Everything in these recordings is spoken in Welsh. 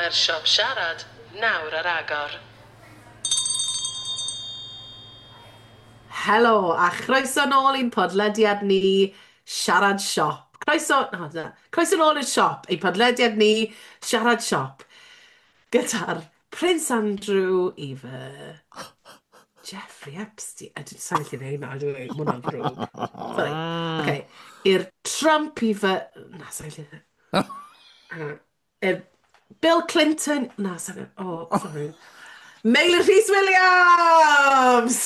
Mae'r siop siarad nawr ar agor. Helo, a chroeso nôl i'n podlediad ni, Siarad Siop. Croeso, na, na, croeso nôl i'r siop, ein podlediad ni, Siarad Siop. Gyda'r Prince Andrew i fy Jeffrey Epstein. I didn't sound like name now, do I? Mae hwnna'n ddrwg. Sorry. Okay. I'r Trump i fy... Na, sa'n gallu... I'r Bill Clinton... Na, sa'n... Oh, sorry. Meilir Rhys Williams!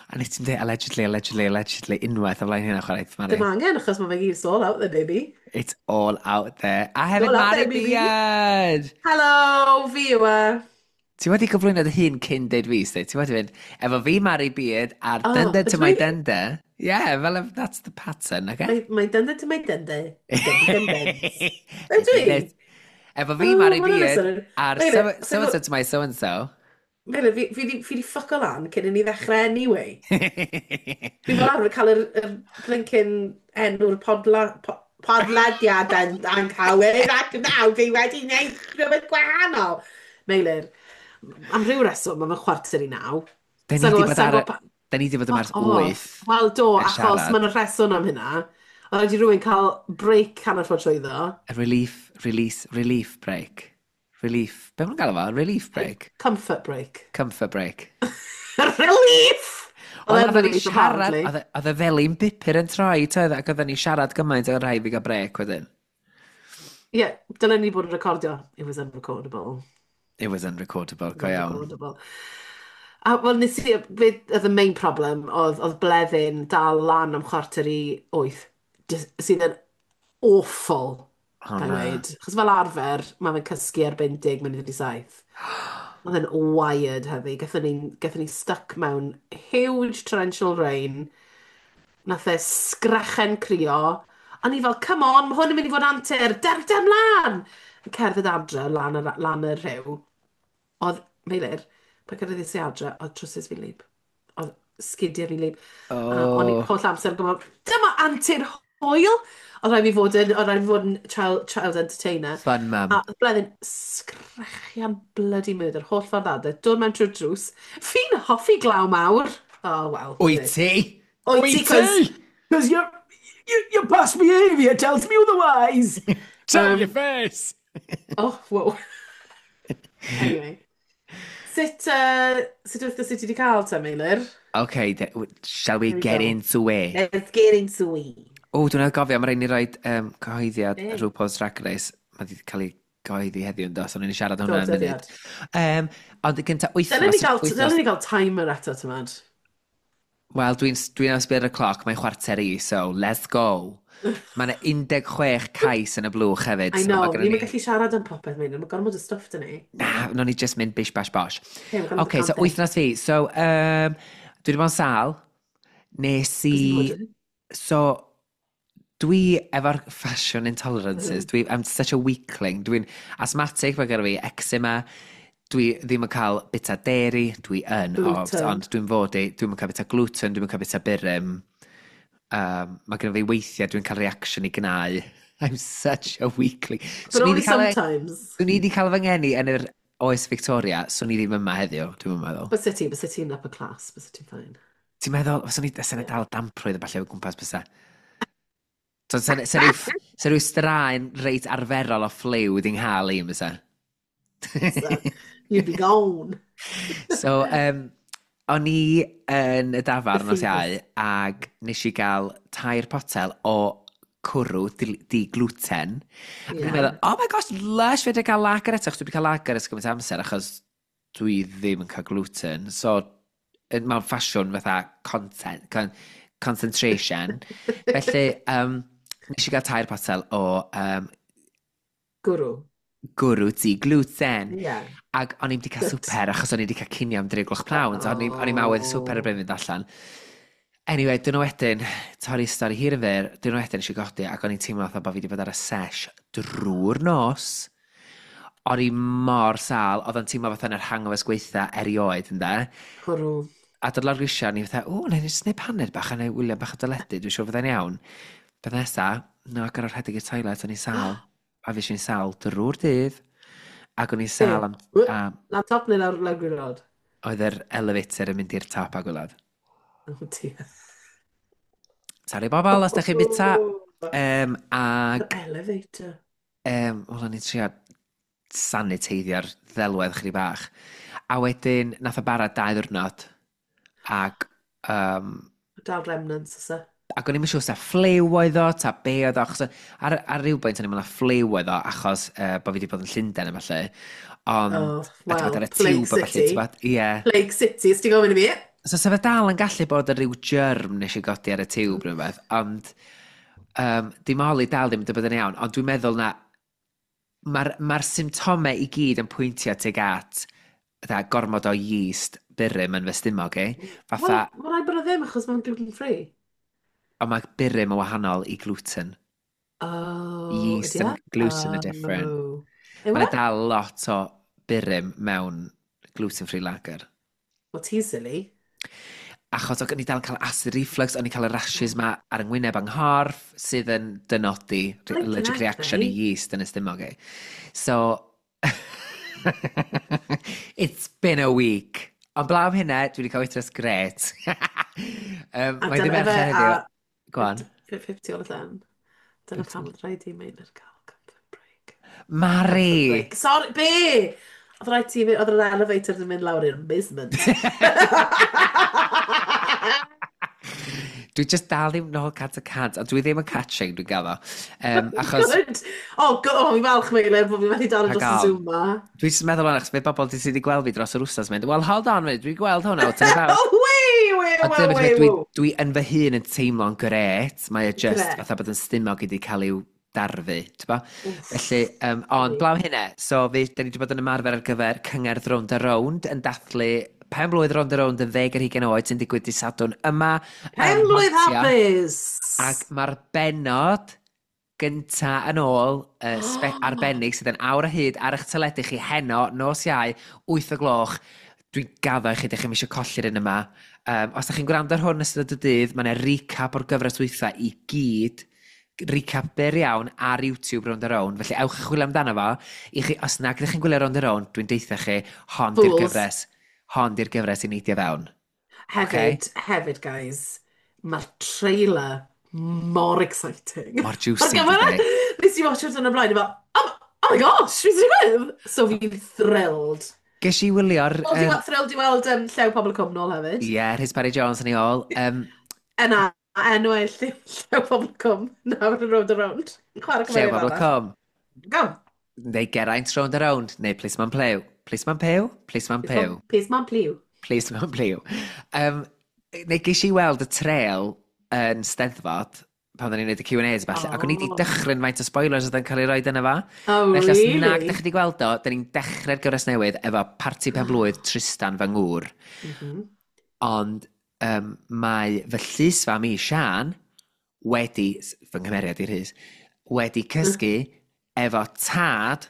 A nes ti'n dweud allegedly, allegedly, allegedly, unwaith o flaen hynna chwaith, Mari. Dim angen, achos mae fe gyd, it's all out there, baby. It's all out there. A hefyd Mari Beard! Hello, fi yw e. Ti wedi gyflwyno dy hun cyn deud fi, sti? Ti wedi fynd, efo fi Mari Beard a'r oh, dunder to my dunder. Yeah, fel that's the pattern, okay? My dunder to my dunder. Ydw i? Efo fi Mari Beard a'r so-and-so to my so-and-so. Meilir, fi di ffuco lan cyn i ni ddechrau anyway. Fi fel arfer cael yr blinking enw'r podlediad yn anghywir ac nawr fi wedi gwneud rhywbeth gwahanol. Meilir, am ryw reswm, mae fe'n 8:45. Da ni wedi bod ar... Da ni wedi bod yma ers 8. Wel, do, achos mae'n rheswm am hynna. Oedd rhaid i rhywun cael break hanner ffordd trwyddo. A relief, release, relief break. Relief. Be ma'n gael fo? Relief break? Comfort break. Comfort break. Relief! Oedd oedden ni siarad, oedd y felin bupur yn troi, toedd, ac oedden ni siarad gymaint oedd rhaid fi gael break wedyn. Ie, yeah, dylen ni bod yn recordio. It was unrecordable. It was unrecordable, go iawn. Unrecordable. A wel, nes i, beth oedd y main problem, oedd Bleddyn dal lan am 7:45, sydd yn awful. Oh, na. Gweud. Chos fel arfer, mae fe'n cysgu erbyn 6:50. Oedd e'n wired heddi. Gathon ni stuck mewn huge torrential rain. Nath e sgrechen crio. A ni fel, come on, mae hwn yn mynd i fod antur. Der, der mlaen! Yn cerdded adre lan y, lan y rhiw. Oedd, Meilir, pan cyrraeddais i adre, oedd trowsus fi'n wlyb. Oedd sgidiau fi'n wlyb. Oh. A o'n i holl amser yn gwybod, dyma antur hwyl! Oedd rhaid fi fod yn, oedd rhaid fi fod yn child entertainer. Fun mum. A oedd Bleddyn sgrechian bloody murder, holl ffordd adre, dod mewn trwy'r drws. Fi'n hoffi glaw mawr. Oh, well. Wyt ti? Wyt ti? Cos your past behaviour tells me otherwise. Tell your face! Oh, whoa. Anyway. Sut wythnos ti wedi cael te, Meilir? Okay, shall we get into it? Let's get into it. O, dwi'n gofio, mae rhaid ni roed cyhoeddiad RuPaul's Drag Race. Mae wedi cael ei gyhoeddi heddiw yn dos, ond ni'n siarad hwnna yn munud. Ond gyntaf wythnos... Dylen ni gael timer eto, ti'n mad? Wel, dwi'n sbio ar y cloc, mae'n 9:45, so let's go. Mae yna 16 cais yn y blwch hefyd. I know, ni'n gallu siarad am popeth, Meilir, mae gormod o stwff dyn ni. Na, no ni just mynd bish bash bosh. OK, so wythnos fi. So, dwi wedi bod yn sâl. Nes i... So, dwi efo'r fashion intolerances. I'm such a weakling. Dwi'n asthmatic, mae gyda fi eczema. Dwi ddim yn cael bita dairy. Dwi yn, ond dwi'n fod i. Dwi'n cael bita gluten, dwi'n cael bita burum. Mae gyda fi weithiau, dwi'n cael reaction i gnau. I'm such a weakling. But only sometimes. Swn i wedi cael fy ngeni yn yr oes Victoria, swn i ddim yma heddiw, dwi'n meddwl. Bysa ti'n upper class, bysa ti'n fine. Ti'n meddwl, swn i dal damprwydd a falle o gwmpas bysa. So, sa rhyw straen reit arferol o ffliw wedi'n nghael i, bysa. So, you'd be gone. So, o'n i yn y dafarn nos Iau, ac nes i gael 3 potel o cwrw di-gluten. Yeah. Ac o'n i'n meddwl, oh my gosh, lush, fe wedi cael lager eto, achos dwi wedi cael lager ers gymaint amser, achos dwi ddim yn cael gluten. So, mewn ffasiwn fatha content, concentration. Felly, nes i gael 3 potel o... Gwrw. Gwrw di-gluten. Yeah. Ac o'n i'm wedi cael swper, achos o'n i wedi cael cinio am 3 gloch pnawn, so o'n i'n awydd swper erbyn fynd allan. Anyway, dyn nhw wedyn, torri stori hir yn fyr, dyn nhw wedyn eisiau godi, ac o'n i'n teimlo fatha bod fi wedi bod ar y sesh drwy'r nos. O'n i mor sâl, oedd o'n teimlo fatha yn yr hangovers gweitha erioed, ynde? Cwrw. A dod lawr grisiau, o'n i fatha, o, na i jyst neud paned bach, a na i wylio bach o deledu, dwi'n siŵr fyddai'n iawn. Beth nesa, no, ac ar o'r rhedeg i'r toilet, o'n i'n sâl. A fi i'n sâl drwy'r dydd. Ac o'n i'n Be? sâl am, am Lan top neu lawr, lawr gwylod? Oedd yr elevator yn mynd i'r top a gwylod. Oh dear. Sori bobl, os da chi'n bita. The Ag, elevator. Wel, o'n i'n trio saniteiddio'r ddelwedd chydig bach. A wedyn, nath o bara 2 ddiwrnod. Ac, Dal remnants, oes e? ac o'n i'n siŵr sa ffliw oedd o, ta be oedd o, achos ar ryw bwynt o'n i'n meddwl na ffliw oedd o, achos bod fi wedi bod yn Llundain a falle. Ond, Oh, a ti'n bod well, ar y Plague tiwb a falle, ti'n City. bod, ie. Plague City, os ti'n gofyn i fi? So sa fe dal yn gallu bod yn rhyw germ nes i godi ar y tiwb neu rhywbeth, ond dim oli dal ddim yn bod yn iawn, ond dwi'n meddwl na mae'r ma symptomau i gyd yn pwyntio tuag at fatha, gormod o yeast burum yn fy stumog i. Wel, Fatha, mae'n rhaid bod o ddim, achos mae'n gluten-free. ond mae burum yn wahanol i gluten. Oh, Yeast ydy e? and gluten are different. Oh. Yw Mae'n e? dal lot o burum mewn gluten-free lager. Well, ti'n silly. Achos o'n i dal yn cael acid reflux, o'n i'n cael y rashes ma ar yng ngwyneb yng nghorff, sydd yn dynodi Blinking allergic heck, reaction i mate. yeast yn y stumog i. So, it's been a week. Ond blaw am hynna, dwi wedi cael wythnos gret. A Mae ddim dyna fe Mercher heddiw. a Go on. 50 o'r llen. Dyna pam oedd rhaid i Meilir gael comfort break. Comfort Mari! break. Sorry, be? Oedd rhaid ti, oedd yr elevator yn mynd lawr i'r basement. Dwi just dal ddim nôl 100%, ond dwi ddim yn catching, dwi'n gaddo. Achos, Good. Oh, go, oh, fi'n falch, Meilir, bod fi wedi dal rhag dros y ofn. Zoom ma. Dwi jyst yn meddwl o'n achos fe bobl sydd wedi gweld fi dros yr wsos mynd, "Well, hold on, mate, dwi'n gweld hwnna, what's it about?" Oh, wei, wei, Ond wei, dyna beth wei, dwi, wei. dwi yn fy hun yn teimlo'n gret, mae o just Gret. fatha bod yn stumog wedi cael i'w darfu, ti'n bo? Wff. Felly, ond blaw hynna, so fi, da ni wedi bod yn ymarfer ar gyfer cyngerdd Rownd a Rownd yn dathlu pen blwydd Rownd a Rownd yn 20 oed sy'n digwydd dydd Sadwrn yma ym Pen blwydd Mhontia. hapus! Ac mae'r benod gynta yn ôl, arbennig sydd yn awr o hyd ar eich teledu chi heno, nos Iau, 8 o gloch. Dwi'n gaddo i chi, ydych chi'n eisiau colli'r un yma. Os ydych chi'n gwrando ar hwn ystod y dydd, mae yna recap o'r gyfres wytha i gyd, recap byr iawn ar YouTube Rownd a Rownd, felly ewch i chwilio amdano fo. I chi, os nag ydych chi'n gwylio Rownd a Rownd, dwi'n deutha chi, hon di'r Fools. gyfres, hon di'r gyfres i neidio fewn. Okay? Hefyd, hefyd, guys, mae'r trailer mor exciting. Mor Mae'r juicy, gyfer dydi? Nes i watch it yn y blaen, i fel, oh my gosh, beth sy'n digwydd? So fi'n thrilled. Ges i wylio'r... Thrilled i thrilled i weld Llew Pobl y Cwm nôl hefyd. Ie, yeah, Rhys Parry Jones yn ei ôl. Yna, enw e Llew Pobl y Cwm, nawr yn Rownd a Rownd. Chwarae Llew cymeriad Pobl y arall. Cwm. Go! Neu Geraint Rownd a Rownd, neu Plisman Plew. Plisman Pew? Plisman Pew. Plisman Plew. Plisman Plew. Neu ges i weld y trail yn Steddfod, pan oedden ni'n gwneud y Q&As falle, ac o'n i wedi dychryn faint o spoilers oedd yn cael ei roed yna fa. Oh, Felly os nag really? ydych chi wedi gweld o, da ni'n dechrau'r gyfres newydd efo parti pen blwydd Tristan fy ngŵr. Ond mae fy llys fam i, Sian, wedi, fy nghymeriad i Rhys, wedi cysgu efo tad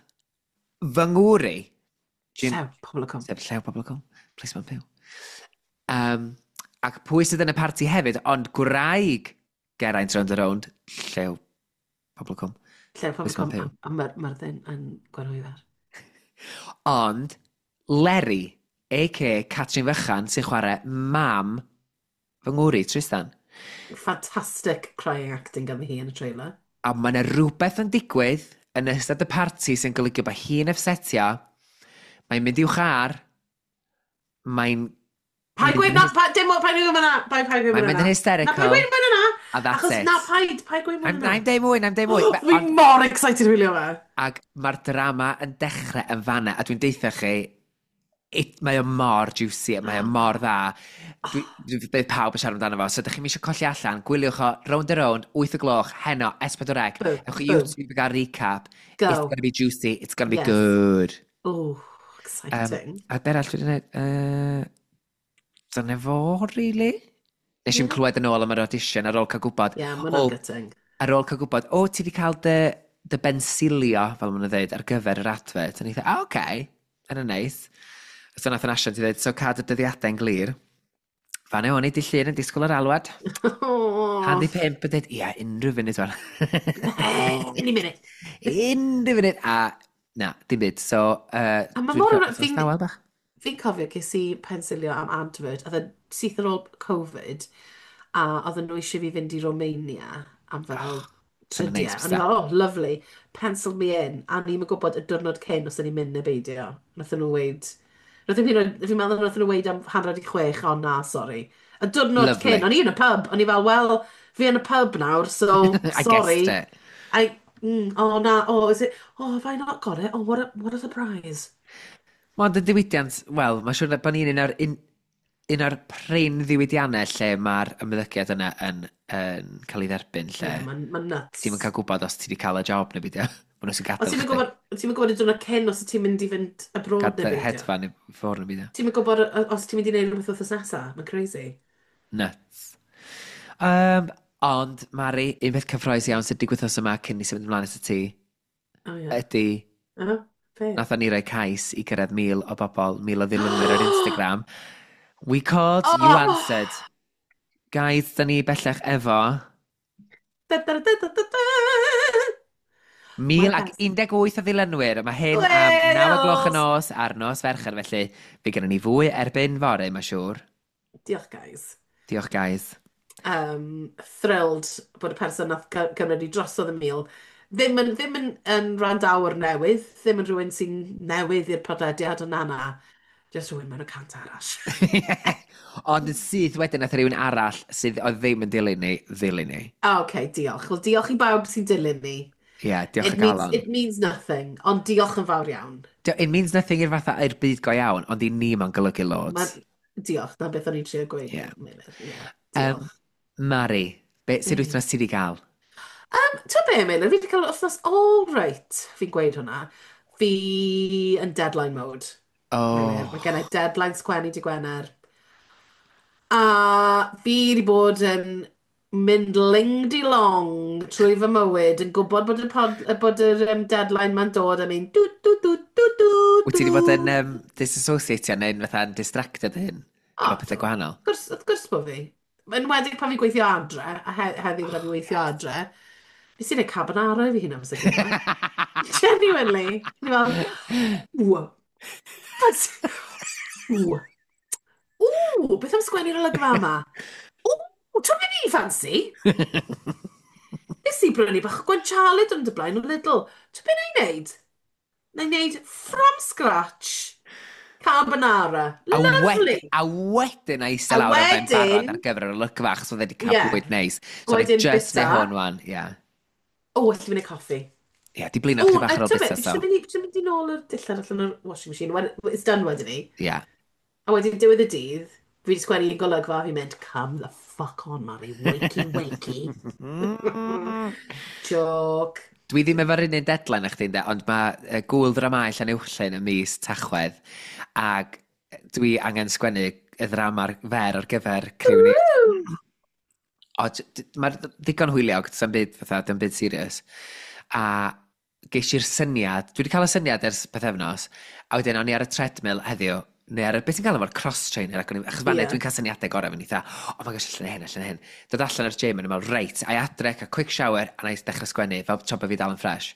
fy ngŵr i. Jim, Llew Pobl y Cwm. sef Llew Pobl y Cwm, Plisman Byw. Ac pwy sydd yn y parti hefyd, ond gwraig Geraint Rownd a Rownd, Llew Pobl y Cwm. Llew Pobl y Plisman Cwm. Byw. A Myrddin yn Gwenhwyfar. Ond Leri, a.k.a. Catrin Fychan, sy'n chwarae mam fy ngŵr i, Tristan. Fantastic crying acting gan hi yn y trailer. A mae yna rhywbeth yn digwydd yn ystod y parti sy'n golygu bod hi'n upsetio. Mae'n mynd i'w char. Mae'n Paid mynd gweud yn na, dim paid gweud na, paid gweud Mae'n na. mynd yn Na, hysterical. paid gweud na. A that's Achos it. na, paid gweud I'm, na. I'm deud mwy, I'm deud mwy. Fi mor excited i wylio fe. Ac mae'r drama yn dechrau yn fanna, a dwi'n deutha chi, mae o mor juicy, mae o mor dda. Bydd pawb yn siarad amdano fo, so ydych chi'n eisiau colli allan, gwyliwch o Rownd a Rownd, 8 o gloch, heno, S4C. Boom, Ewch i boom. YouTube i gael recap. Go. It's gonna be juicy, it's gonna be Yes. good. Oh, exciting. A be arall dwi wedi gwneud? Dyna fo, really? Nes i'm clywed yn ôl am yr audition ar ôl cael gwybod. Yeah, mae O, hwnna'n gutting. ar ôl cael gwybod, o, ti wedi cael dy bensilio, fel maen nhw'n dweud, ar gyfer yr advert. A ni dweud, ah, oce, okay. Yna neis. So nath yn asiant i ddweud, so cadw dyddiadau'n glir. Fan o'n i di Llun yn disgwyl yr alwad. Oh. 4:30 yn dweud, ia, unrhyw funud fan. Any minute. Unrhyw funud. A Na, dim byd. So, A mae dwi wedi mor... cael wythnos Fi'n dawel bach. fi cofio ces i pensilio am advert, oedd e syth ar ôl Covid, a oedden nhw eisiau fi fynd i Romania am fel Oh, sy'n neis tridiau. O'n i bysa. fel, "Oh, lovely, pencil me in." A ni'n gwybod y diwrnod cyn os o'n i'n mynd neu beidio. Nathon nhw weud, nathon nhw, fi'n meddwl nathon nhw weud am 5:30, "O na, sorry." Y diwrnod Lovely. cyn, o'n i yn y pub, o'n i fel, "Well, fi yn y pub nawr, so I guessed sorry." it. Oh na, oh, is it, oh, have I not got it? Oh, what a surprise. Ond y diwydiant, wel, mae'n siŵr bod ni'n un o'r prin ddiwydiannau lle mae'r ymddygiad yna yn cael ei dderbyn, lle Yeah, mae'n ma nuts. ti'n cael gwybod os ti wedi cael y job neu beidio. Maen nhw'n sy'n O gadael ti'n chdi. gwybod, ti'n gwybod y diwrnod cyn os ti'n mynd i fynd abroad neu Gadael beidio. hedfan i ffwrdd neu beidio. Ti'n gwybod os ti'n mynd i wneud rhywbeth wythnos nesaf. Mae'n crazy. Nuts. Ond, Mari, un peth cyffrous iawn sydd digwydd wythnos yma cyn ni symud ymlaen at y ti, Oh, yeah. ydy Oh, be? nathon ni roi cais i gyrraedd 1,000 o bobl, 1,000 o ddilynwyr ar Instagram. We called, you answered. Oh! Guys, da ni bellach efo Da, da, da, da, da, da. mil Mae'r ac pers. 18 o ddilynwyr. Mae hyn am 9 o gloch y Wales! nos ar nos Fercher, felly fe gennym ni fwy erbyn fory, mae'n siŵr. Diolch, guys. Diolch, guys. Thrilled bod y person nath gymryd i drosodd y 1,000 ddim yn wrandawr newydd, ddim yn rhywun sy'n newydd i'r podlediad, ond na na, just rhywun mewn y cant arall. Ond yn syth wedyn nath rhywun arall sydd oedd ddim yn dilyn ni, ddilyn ni. OK, diolch. Wel, diolch i bawb sy'n dilyn ni. Ie, yeah, diolch It o means, galon. it means nothing, ond diolch yn fawr iawn. It means nothing i'r fatha i'r byd go iawn, ond i ni mae'n golygu Ma, loads. diolch, na beth o'n i'n trio gweud. Ie. Yeah. Yeah, Um, diolch. Mari, be, sut wythnos ti wedi gael? Ti'n be, Meilir, fi wedi cael wythnos all right, fi'n gweud hwnna. Fi yn deadline mode. Meilir. Mae gen i Oh, deadline sgwennu dy Gwener. A fi wedi bod yn mynd ling-di-long trwy fy mywyd yn gwybod bod y, pod, bod yr deadline ma'n dod a mynd dw dw dw dw dw Wyt ti wedi bod yn dw. disassociatio neu'n fatha'n distracted hyn? O, Efo pethau do. gwahanol? Wrth gwrs bod fi. Yn enwedig pan fi'n gweithio adre, a heddiw gyda fi Oh, weithio yes. adre, nes i wneud carbonara i fi hun amser cinio. Genuinely. Ni fel, ww. Ww. Ww, beth am sgwennu'r olygfa yma? Ww, ti'n mynd i ffansi? Nes i brynu bach o guanciale yn dy blaen o Lidl. Ti'n beth na i wneud? Na i wneud from scratch carbonara. Lovely. A wedyn a eistedd A lawr ar ben barod wedyn, ar gyfer yr olygfa, achos oedd wedi cael ie, bwyd neis. So oedd wedyn just neu bita. hwn wan, ie. Yeah. O, well, fi wneud coffi. Ie, yeah, di blino O, chdi bach a ar ôl ti'n bita, beth, so. fi mynd i nôl yr dillad allan o'r washing machine. When, it's done wedyn ni. Ie. Yeah. A wedyn diwedd y dydd, fi wedi sgwennu un golygfa, fi'n mynd, "Come the fuck on, Mari, wakey, wakey." Joke. Dwi ddim efo'r un un deadline â chdi, ynde, ond mae gwyl dramau Llanuwchllyn yn mis Tachwedd, ac dwi angen sgwennu y ddrama'r fer ar gyfer criw ni. Woo! O, mae'r ddigon hwyliog, does byd, fatha, dim byd serious. A ges i'r syniad, dwi wedi cael y syniad ers pythefnos, a wedyn o'n i ar y treadmill heddiw, neu ar y, beth ti'n gael efo'r cross-trainer, ac o'n i, achos fan dwi'n cael syniadau gorau, fi'n eitha, "Oh my gosh, allan hyn, allan hyn." Dod allan o'r gym, yn meddwl, "Reit, a i adre, cael quick shower, a na i dechrau sgwennu, fel tra bod fi dal yn fresh."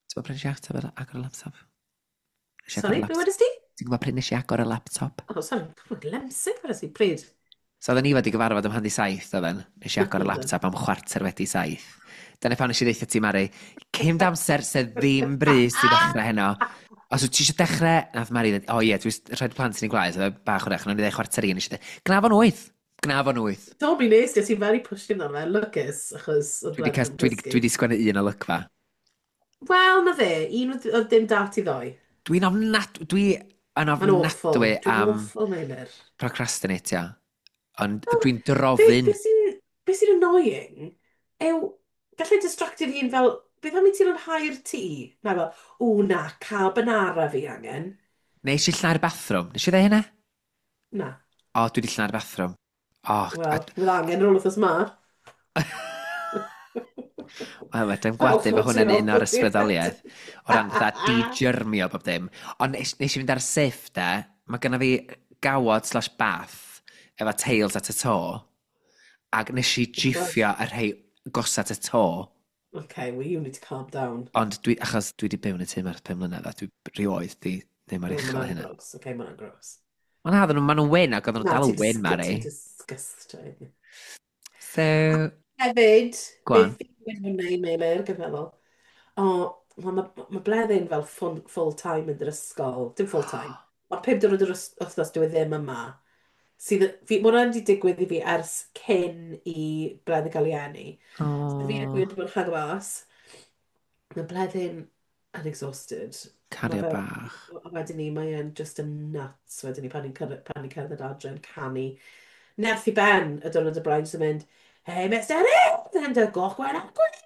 Ti'n gwybod pryd nes i ateb agor y laptop? Nes i agor y Sorry, be laptop. wedest ti? Ti'n gwybod pryd nes i agor y laptop? Oh, sorry, lemsip wedest ti, pryd? So oedden ni fod i gyfarfod am 6:30, oedden. Nes i agor y laptop am 7:15. Dyna pan nes i ddeutha ti, "Mari, cyn amser sydd ddim brys i ddechrau heno. Os wyt ti eisiau dechrau," nath Mari ddweud, "O ie, dwi'n rhaid plant yn ei gwlâu," so oedd e bach wrach, nawn ni ddweud 12:45, nes i ddweud, "Gna fo'n 8, gna fo'n 8." Do, mi nes ti, ti'n very pushy amdano fe, lwcus, achos oedd Dwi wedi blant yn dwi gysgu. wedi sgwennu un olygfa. Wel, na fe, un oedd dim dat i ddoi. Dwi yn Mae'n awful. ofnadwy Dwi'n am awful, Meilir. procrastinatio. Ond Wel, dwi'n be, drofyn. be sy'n annoying yw, gallai distractio fi hun fel, "Beth am i ti lanhau'r tŷ?" Na fel, "O na, carbonara fi angen." Nes i llnau'r bathroom. Nes i ddweud hynna? Na, O, dwi wedi llnau'r bathroom. O, wel, fydd angen ar ôl wythnos ma. Wel, fedrai'm Falch gwadu, fod mae hwnna'n ti'n un o'r ôl ysbrydoliaeth o ran fatha di-germio bob dim. Ond nes i fynd ar siff, de, mae genna fi gawod/bath efo teils at y to, ac nes i jiffio y rhai gosat y to. Okay, well you need to calm down. Ond dwi, achos dwi wedi byw yn y tŷ 'ma ers 5 mlynedd, a dwi rioed di ddim ar Oh, uchel ma' hwnna'n hynna. gross. Okay, ma' hwnna'n gross. Ond na, maen nhw'n wyn ac oedden nhw'n Na, dal yn ti'n wyn, Mari. Ti'n disgusting. So, Hefyd, go on. beth fi wedi bod yn gwneud, Meilir, gyda meddwl, o, mae ma Bleddyn fel full time yn yr ysgol. Dim full time. Mae 5 diwrnod yr wythnos dyw e ddim yma. Sydd, fi, mae hwnna wedi digwydd i fi ers cyn i Bleddyn gael ei eni. So fi Oh, wedi bod yn rhag mas. Mae Bleddyn yn exhausted. Mae cariad fe, bach. a wedyn ni, mae e'n just yn nuts wedyn ni pan ni'n cerdded adre yn canu. Nerth i ben y diwrnod y blaen sy'n mynd, "Hey, Mr Ed, goch gwen a gwen."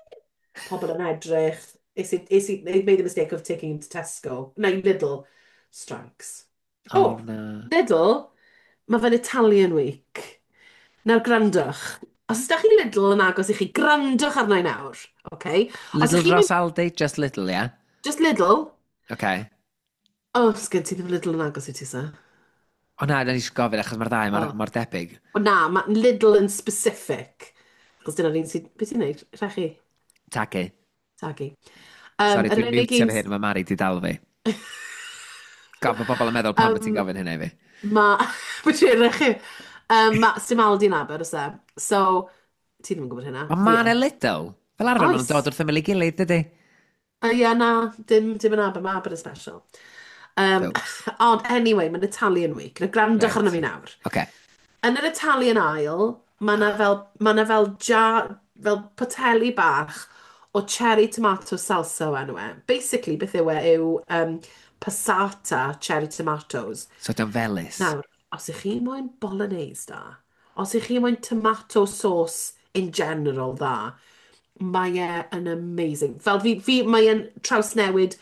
Pobl yn edrych. Is i, they made the mistake of taking him to Tesco. No, Lidl. Stranks. Oh, Oh, na. Lidl, mae fe'n Italian week. Nawr, grandwch. Os ydych chi Lidl yn agos i chi, grandwch arna i nawr. Okay? Os Lidl ydych chi'n dros mynd, Aldi, just Lidl, yeah? Just Lidl. Okay. Oh, sgen ti ddim Lidl yn agos i ti, sa? O na, na ni eisiau gofyn achos mae'r ddau mor, Oh. mor debyg. O na, mae Lidl yn specific. Achos dyna'r un sydd. Beth ti'n neud? Rhechu? Tagu. Tagu. Sorry, Yr dwi'n unig mutio un fy hyn, mae Mari di dal fi. God, mae bobl yn meddwl pam bod ti'n gofyn hynna i fi. Ma. Beth ti'n rhechu? Ma, sim Aldi yn Aber, oes e? So, ti ddim yn gwybod hynna. Ond Fi ma' 'na yn. Lidl. Fel arfer, maen nhw'n Oes. dod wrth ymyl ei gilydd, dydy? Ie, na, dim yn Aber, mae Aber yn special. Folks. Ond anyway, mae'n Italian week. Nawr, grandwch arno fi nawr. Yn yr Italian aisle, mae 'na fel jar, fel poteli bach o cherry tomato salsa o enw e. Basically, beth yw e yw passata cherry tomatoes. So, di'n felys. Nawr, os ych chi moyn bolognese da, os ych chi moyn tomato sauce in general dda, mae e yn amazing. Fel fi mae e'n trawsnewid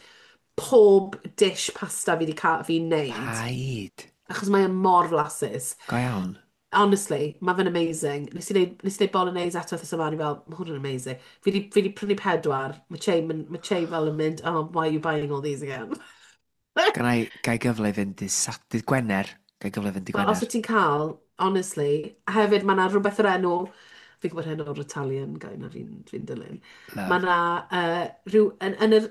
pob dish pasta fi wedi cael fi'n neud. Paid. Achos mae e mor flasus. Go iawn. Honestly, mae fe'n amazing. Nes i neud bolognese eto wythnos yma, o'n i fel, "Mae hwn yn amazing." Fi di prynu pedwar. Mae Che fel yn mynd, "Oh, why are you buying all these again?" Ga i gyfle i fynd i dydd Gwener. Ga i gyfle i fynd i Wel, os Gwener. wyt ti'n cael, honestly, a hefyd mae yna rhywbeth o'r enw, fi'n gwybod hyn o'r Italian guy na fi'n dilyn. Mae Love. yna rhyw, yn yr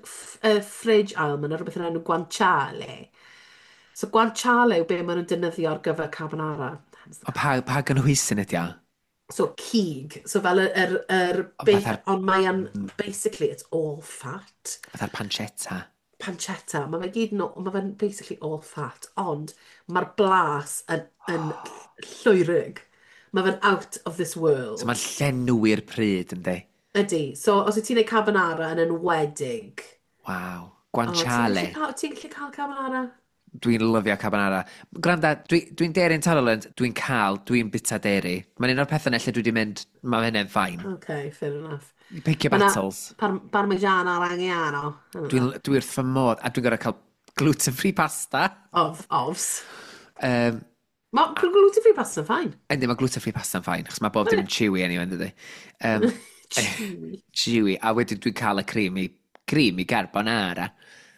fridge aisle, mae yna rhywbeth o'r enw guanciale. So guanciale yw be maen nhw'n defnyddio ar gyfer carbonara. Hence the O, pa gynhwysyn ydi o? So cig, so fel yr O, beth, fatha'r ond mae yn, basically, it's all fat. Fatha'r pancetta. Pancetta, mae fe gyd yn, mae fe'n basically all fat, ond mae'r blas yn llwyrig. Mae fe'n out of this So world. mae'n llenwi'r pryd, yndi? Ydy. So, os wyt ti'n gwneud carbonara yn enwedig, Waw. oh, ti'n Guanciale. gallu cael carbonara? Dwi'n lyfio carbonara. Gwranda, dwi'n dairy intolerant, dwi'n bita dairy. Mae'n un o'r pethau 'na lle dwi wedi mynd, mae hynny'n fine. Okay, fair enough. Pick your Mae 'na battles. Parmigiana Reggiano. Dwi wrth fy modd, a dwi'n gorfod cael gluten-free pasta. Ofs. Mae gluten-free pasta yn fine. Yndi, mae gluten-free pasta'n fine, achos mae bob dim yn chewy anyway, yn dydi? Chewy. Chewy, a wedyn dwi'n cael y creamy carbonara.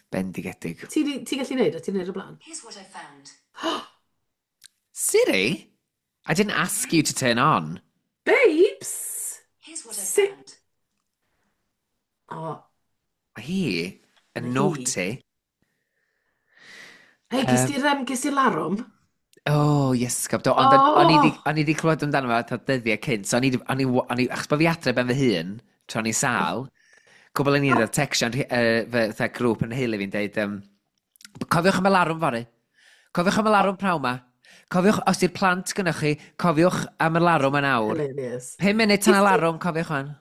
Bendigedig. Ti gallu neud o? Ti'n neud o blaen? Here's what I found. Siri? I didn't ask you to turn on. Babes! Here's what I found. O, Mae hi yn Mae hi. naughty. Hei, ges ti'r larwm? Oh, yes, do. Ond o'n i Oh! o'n i 'di clywed amdano fo fatha dyddiau cynt, so o'n i, achos bod fi adre ben fy hun, tra o'n i sâl, gwbl o'n i'n textio'n fatha grŵp yn nheulu fi'n deud, "Cofiwch am y larwm fory. Cofiwch am y larwm pnawn ma. Cofiwch, os di'r plant gynnwch chi, cofiwch am y larwm yn awr. Hilarious. 5 munud tan y Ges ti larwm, cofiwch wan."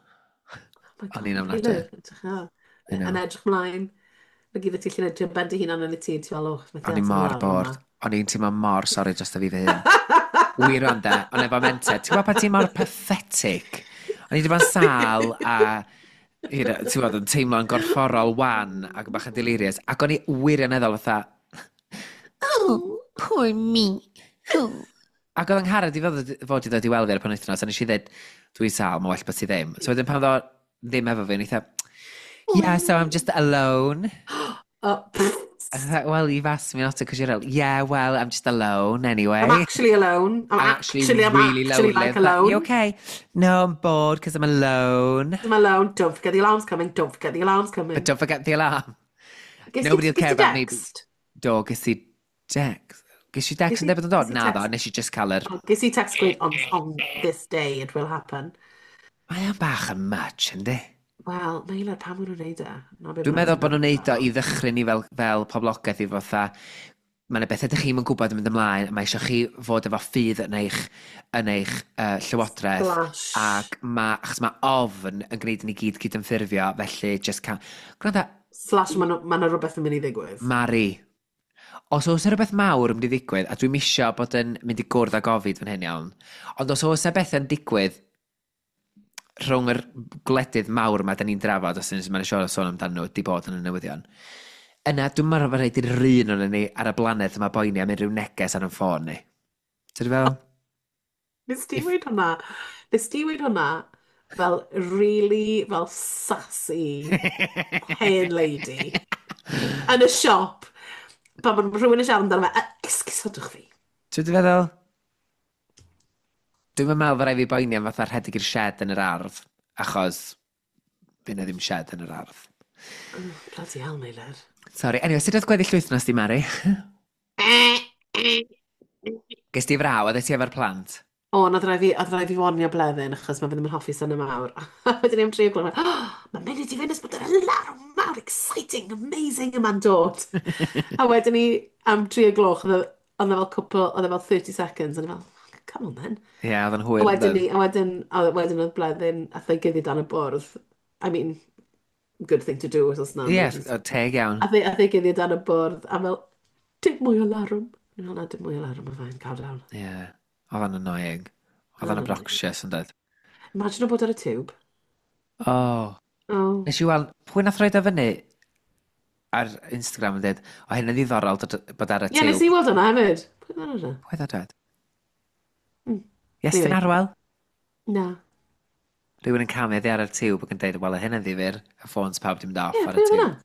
Oh my O'n God, i'n ofnadwy. Meilir, edrych ar. I know. Yn edrych mlaen. Na gyd ti allu neud, ben dy hunan yn y tŷ, ti'n fel, oh, methu O'n i ateb y mor larwm bored. yma. O'n i'n teimlo mor sori dros fi fy hun. Wir ond de, ond efo mentor. Ti'n gwybod pan ti'n mor pathetic? O'n i wedi bod yn sâl a ti'n gwybod, yn teimlo'n gorfforol wan ac yn bach yn delirious. Ac o'n i wirioneddol fatha, "Oh, poor me. Oh." Ac oedd Angharad i fod i ddod i weld fi ar y penwythnos, a nes i ddweud, "Dwi'n sâl, mae well bod ti ddim." So wedyn pan ddo ddim efo fi, o'n i fatha, "Yeah, so I'm just alone." Oh, pff. Well, you've asked me not to because you're ill. Yeah, well, I'm just alone anyway. I'm actually alone. I'm I'm actually actually, I'm really actually lonely. like But you alone. okay? No, I'm bored because I'm alone. I'm alone. Don't forget the alarm's coming. Don't forget the alarm's But coming. don't forget the alarm. Ges ti, Nobody will ges care ti about me. text? Do, ges i dex. Ges i dex Ges yn i, dweud bod yn dod? ges i Na ddo, text? nes i just cael yr... Oh, ges i text gweud on this day it will happen. Mae o'n bach yn much, yndi? Wel, Meilir, pam maen nhw'n neud e? Na be Dwi'n maen meddwl nhw'n bod nhw'n neud o meddwl. i ddychryn ni fel poblogaeth i fatha, mae yna bethau ydych chi'm yn gwybod yn mynd ymlaen, a mae eisiau chi fod efo ffydd yn eich llywodraeth, Splash. ac ma, achos mae ofn yn gwneud i ni gyd cydymffurfio, felly just ca... Gwranda, Slash, mae ma 'na rhywbeth yn mynd i ddigwydd. Mari, os oes 'na rhywbeth mawr yn mynd i ddigwydd, a dwi'n misio bod yn mynd i gwrdd â gofid fan hyn iawn, ond os oes 'na bethau'n digwydd rhwng yr gwledydd mawr yma da ni'n drafod, os ydyn ni'n siarad sôn amdano nhw, di bod yn y newyddion, yna dwi'n meddwl bod rhaid i'r un o'n ni ar y blaned yma boeni am unrhyw neges ar yn ffôn ni. Ti'n fel? Nes ti If... weud hwnna? Nes ti weud hwnna fel really, fel sassy hen lady yn y siop pan mae rhywun yn siarad amdano fe, "Esgusodwch fi." Ti'n feddwl? Dwi'n meddwl fod rhaid fi boeni am fatha rhedeg i'r shed yn yr ardd, achos fydd 'na ddim shed yn yr ardd. Oh, bloody hell, Meilir. Sorry. Anyway, sut oedd gweddill wythnos di, Mari? Ges ti fraw, oedd ti efo'r plant? O, nath raid fi warnio Bleddyn achos mae fe ddim yn hoffi synnau mawr. A wedyn ni am 3 o'r gloch, oh, mae'n mynd i fynd os bod yr larwm mawr, exciting, amazing yma'n dod. A wedyn ni am 3 o'r gloch, oedd e fel cwpl, oedd e fel 30 seconds, a ni fel, come on then. Ie, yeah, oedd yn A hwyr wedyn yn ni, a wedyn oedd Bleddyn, ath ei guddio dan y bwrdd. I mean, good thing to do os na Ie, emergency. yeah, teg iawn. Ath ei guddio dan y bwrdd, a fel, dim mwy o larwm. Ni'n fel, na, dim mwy o larwm, mae fe'n calm down. Ie, yeah. Oedd o'n annoying. Oedd o'n Oedd o'n annoying. obnoxious yn dweud. Imagine o bod ar y tube. Oh. Oh. Nes i weld, pwy nath roed o fyny ar Instagram yn dweud, o hyn yn ddiddorol bod ar y Ie, nes tiwb. i weld hwnna hefyd. Pwy oedd hwnna? Pwy oedd o dweud? Iestyn Anyway. Arwel? Na. Rhywun yn camu oddi ar y tiwb ac yn dweud, wel, hyn yn ddifyr, y ffôns pawb di mynd off Ie, ar y pwy oedd tiwb. hwnna?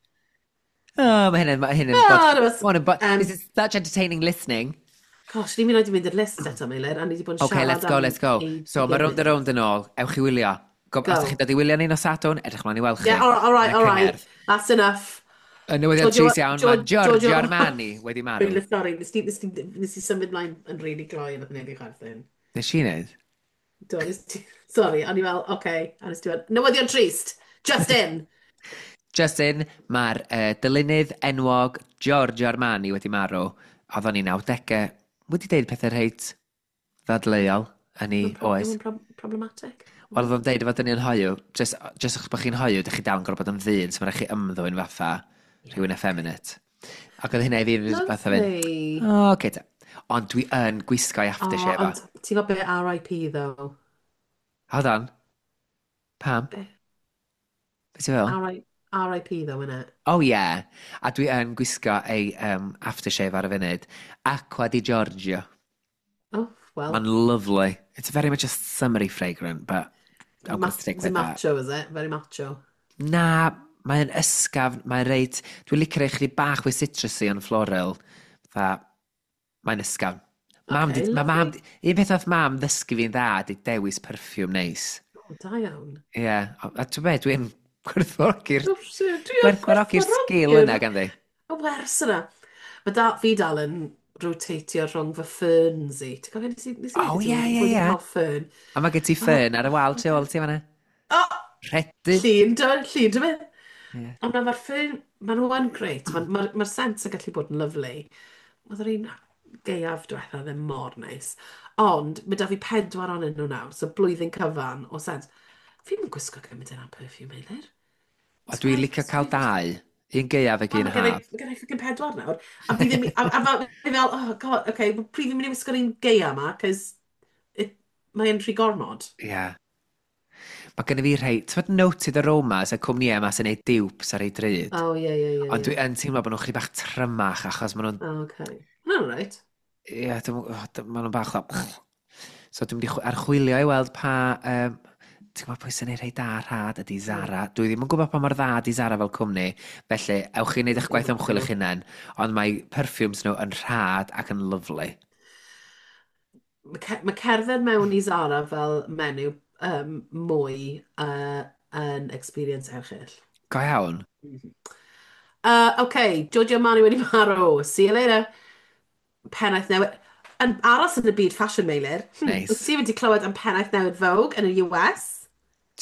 Oh, mae hyn yn Oh, bod, that was, ma' hwn yn bod, um, this is such entertaining listening. Gosh, ni'n mynd i mynd i'r list eto, Meilir, a ni wedi bod yn Okay, siarad let's go, am let's go. ein So, mae Rownd gilydd. a Rownd yn ôl. Ewch i wylio. Go, Go. os ydych chi'n dod i wylio ni nos Sadwrn, edrych mlaen i weld chi. Yeah, all right, Yn y all right. cyngerdd. That's enough. Y newyddion Giorgio- trist iawn, mae Giorgio Armani wedi marw. Really sorry, nes ti symud mlaen yn really gloi yn wneud i chwerthin. Nes i wneud? Do, nes ti, sorry, o'n i fel, okay, a nes ti fel, newyddion trist, just in. Just in, mae'r dylunydd enwog Giorgio Armani wedi marw. Oedd o'n i 90au wedi deud pethau reit ddadleuol yn ei oes. Mae'n problematic. Wel, oedd o'n deud efo dynion hoyw, just achos bod chi'n hoyw, dych chi dal yn gorfod bod yn ddyn, so mae'n rhaid chi ymddwyn fatha rhywun effeminate. Ac oedd hynna i fi fatha fynd, Lovely. o, oce ta. Ond dwi yn gwisgo i aftershave Oh, o. ond ti'n gwybod be RIP though? Hold on. Pam? Be? Be ti'n fel? RIP though, innit? Oh yeah. A dwi yn gwisgo ei aftershave ar y funud. Acqua di Giorgio. Oh, well. Mae'n lovely. It's very much a summery fragrant, but I'm gonna stick Is it with that. macho, is it? Very macho. Na, mae'n ysgafn, mae'n reit... Dwi'n licio rei chydig bach fwy citrusy ond floral. Fa, mae'n ysgafn. Mam, Okay, di, ma mam, lovely. un peth nath mam ddysgu fi'n dda di dewis perfume neis. Oh, da iawn. Ie, yeah. A ti'n be, dwi'n gwerthfawrogi'r Dwi yn gwerthfawrogi'r sgil yna ganddi. Y wers yna. Mae da, fi dal yn rotatio rhwng fy ferns i. Ti'n cofio nes i Oh, weud i ti ie, ie, wedi ie. cael fern? A mae gen ti ffern ar y wal tu ôl ti fan'na. Oh, Rhedu. llun, do, llun, do fe? Ie. Ond mae'r ffern, maen nhw yn grêt. Mae'r ma scent yn gallu bod yn lyfli. Oedd yr un gaeaf diwetha ddim mor neis. Ond mae da fi pedwar ohonyn nhw nawr, so blwyddyn cyfan o scent. Fi'n mynd gwisgo gymaint yna perfume, Meilir. A dwi'n licio cael dau. Un gaeaf ac un Mae gen i haf. ma' gen i fucking pedwar nawr. A fi ddim, a fi fel, oh god, okay, well, pryd fi'n mynd i wisgo'r un gaea yma, cos mae'n rhy gormod. Ie. Yeah. Mae gen i fi rhai, ti'n fod Noted Aromas, y cwmni yma sy'n neud dupes ar ei drud. Oh, ie. Ond dwi yn teimlo bod nhw'n chydig bach trymach achos maen nhw'n, Oh, okay. No, right. ie, yeah, maen nhw'n bach fel. So dwi'n mynd i archwilio i weld pa. Ti'n gwybod pwy sy'n ei rhai da rhad ydy Mm. Zara. Dwi ddim yn gwybod pa mor dda ydy Zara fel cwmni, felly ewch chi wneud eich Ddim gwaith yn ymchwil nhw. eich hunain, ond mae perfumes nhw yn rhad ac yn lyfli. Mae cerdded mewn i Zara fel menyw mwy yn experience erchyll. Go iawn. OK, Giorgio Armani wedi marw. See you later. Pennaeth newydd. Yn aros yn y byd fashion, Meilir. Wyt Neis. ti wedi clywed am pennaeth newydd Vogue yn y US?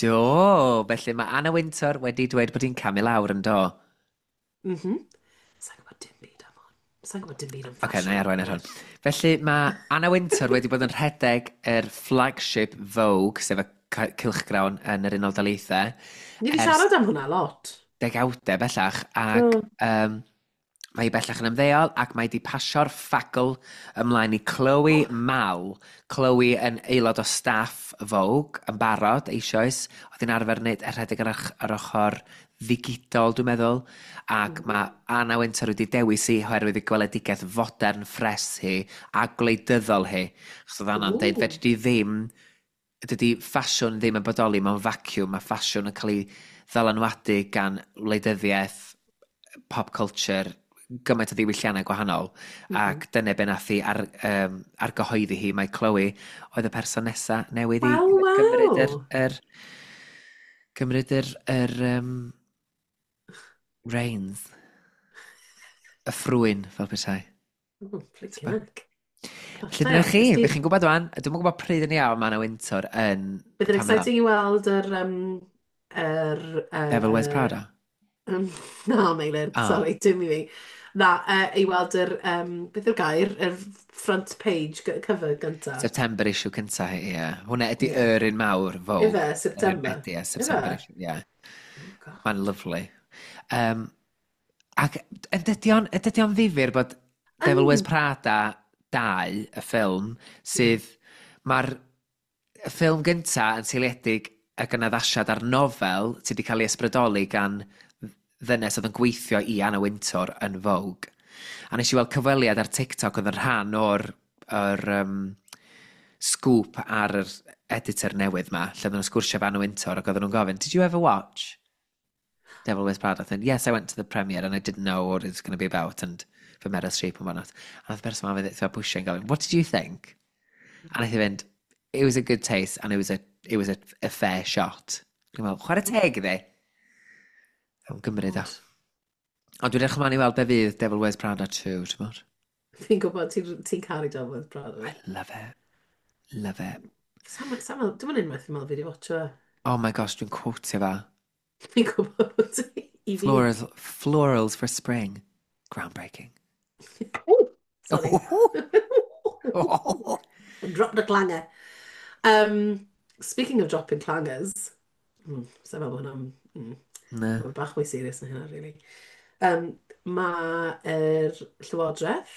Do, felly mae Anna Wintour wedi dweud bod hi'n camu lawr yn do. Mhm. Sa'n gwybod dim byd am hwn. Sa'n gwybod dim byd am Oce, okay, na i fashion. arwain ar hwn. Felly mae Anna Wintour wedi bod yn rhedeg yr flagship Vogue, sef y cylchgrawn yn yr Unol Daleithiau, Ni wedi ers siarad am hwnna lot. degawdau bellach, ac Do. mae hi bellach yn ymddeol ac mae di pasio'r ffagl ymlaen i Chloe Mal. Chloe yn aelod o staff Vogue yn barod eisoes. Oedd hi'n arfer wneud rhedeg ar ochr ddigidol, dwi'n meddwl. Ac mae Anna Wintour wedi dewis hi oherwydd ei gweledigaeth fodern ffres hi a gwleidyddol hi. Achos oedd Anna'n deud, fedri di ddim, dydy ffasiwn ddim yn bodoli mewn vacuum. Mae ffasiwn yn cael ei ddylanwadu gan wleidyddiaeth, pop culture, gymaint o ddiwylliannau gwahanol. Ac dyna be nath hi argyhoeddi hi, mae Chloe oedd y person nesa newydd i gymryd yr, yr, gymryd yr reins. Y ffrwyn, fel petai. Oh, flicking heck. Felly dyna chi, bych chi'n gwybod wan, dwi'm yn gwybod pryd yn iawn mae Anna Wintour yn Bydd yn camu lawr. exciting i weld yr Devil Wears Prada. Na, Meilir, Ah. sorry, dim i fi. Na, i weld beth yw'r gair, yr front page cover gynta. September issue cynta hi, ie. Hwna ydy yr un mawr, Vogue. Ife, Yr un September? Medi, ie, September Ife? issue, ie. Oh, God. Mae'n lyfli. Ac yn dydy o'n ddifyr bod Devil Wears Prada 2, y ffilm, sydd... Mae'r ffilm gynta yn seiliedig ac yn addasiad ar nofel sydd wedi cael ei ysbrydoli gan ddynes oedd yn gweithio i Anna Wintour yn Vogue. A nes i weld cyfweliad ar TikTok oedd yn rhan o'r or, scoop ar yr editor newydd ma, lle oedden nhw'n sgwrsio efo Anna Wintour ac oedden nhw'n gofyn, "Did you ever watch Devil Wears Prada?" And yes, I went to the premiere and I didn't know what it was going to be about and for Meryl Streep and whatnot. A nath y person ma'n fynd pwysio yn gofyn, "What did you think?" A nath i fynd, "It was a good taste and it was a fair shot." Dwi'n meddwl, chwarae teg iddi. Am gymryd o. Ond dwi'n edrych ymlaen i weld be fydd Devil Wears Prada 2, ti'n bod? Fi'n gwybod ti'n caru Devil Wears Prada. I love it. Love it. Sam, dwi'n mynd unwaith i'n meddwl fi wedi watcho e. Oh my gosh, dwi'n quotio fa. Fi'n gwybod bod ti i fi. Florals, florals for spring. Groundbreaking. Oh, sorry. Drop the clanger. Speaking of dropping clangers, sa'n meddwl bod hwnna'n Na. Mae'n bach mwy serious na hynna, really. Mae'r Llywodraeth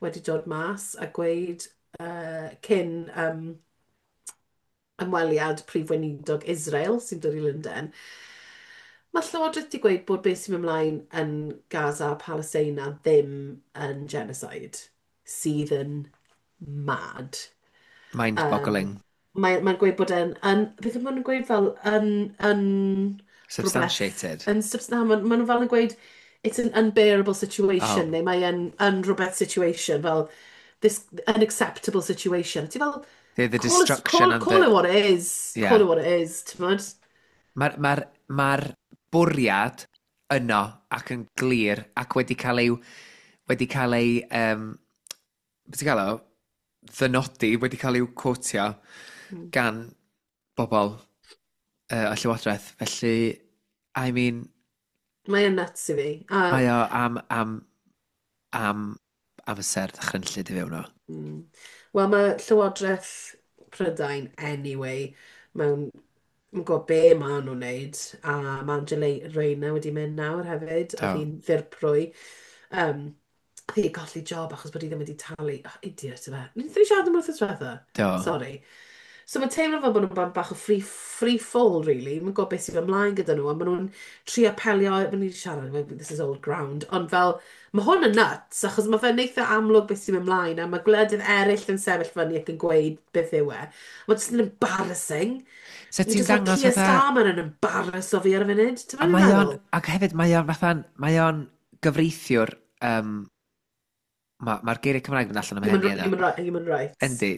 wedi dod mas a gweud cyn ymweliad Prif Weinidog Israel sy'n dod i Lundain, mae Llywodraeth wedi gweud bod beth sy'n mynd ymlaen yn Gaza a Palestina ddim yn genocide, sydd yn mad. Mind-boggling. Mae'n gweud bod e'n, beth maen nhw'n gweud fel, yn rhywbeth Substantiated. Yn, na, ma nhw fel yn gweud, it's an unbearable situation, neu mae yn rhywbeth situation, fel this unacceptable situation. Ti fel, The call it, destruction call, and call the it what it is. Call it what it is, ti'n gwbod? Mae'r ma bwriad yno ac yn glir ac wedi cael ei, beth ti'n gael o? Ddynodi, wedi cael ei quotio gan bobl y Llywodraeth. Felly, I mean, Mae yn nuts i fi. A, mae o am amser ddychrynllyd i fewn o. Wel, mae Llywodraeth Prydain, anyway, mewn yn gwybod be maen nhw'n wneud, a mae Angela Rayner wedi mynd nawr hefyd, Do. oedd hi'n ddirprwy. Oedd hi colli job achos bod hi ddim wedi talu. Oh, idiot yfe. Wnaethon ni siarad am wythnos diwetha? Do. Sorry. So mae'n teimlo fel bod nhw'n bach o free fall, really. Mae'n gwybod beth sydd ymlaen gyda nhw, a maen nhw'n trio apelio, maen nhw'n siarad, this is old ground, ond fel, mae hwn yn nuts, achos mae fe'n eitha amlwg beth sy'n ymlaen, a mae gwledydd eraill yn sefyll fyny ac yn gweud beth yw e. Mae'n just yn embarrassing. So Mae'n ti'n just fel dangos Keir fatha Starmer yn embarrass o fi ar y funud. Ti'n A meddwl? mae o'n, ac hefyd mae o'n fatha, mae o'n gyfreithiwr, mae'r ma geiriau Cymraeg yn allan am Human, hynny yna. human rights. Yndi,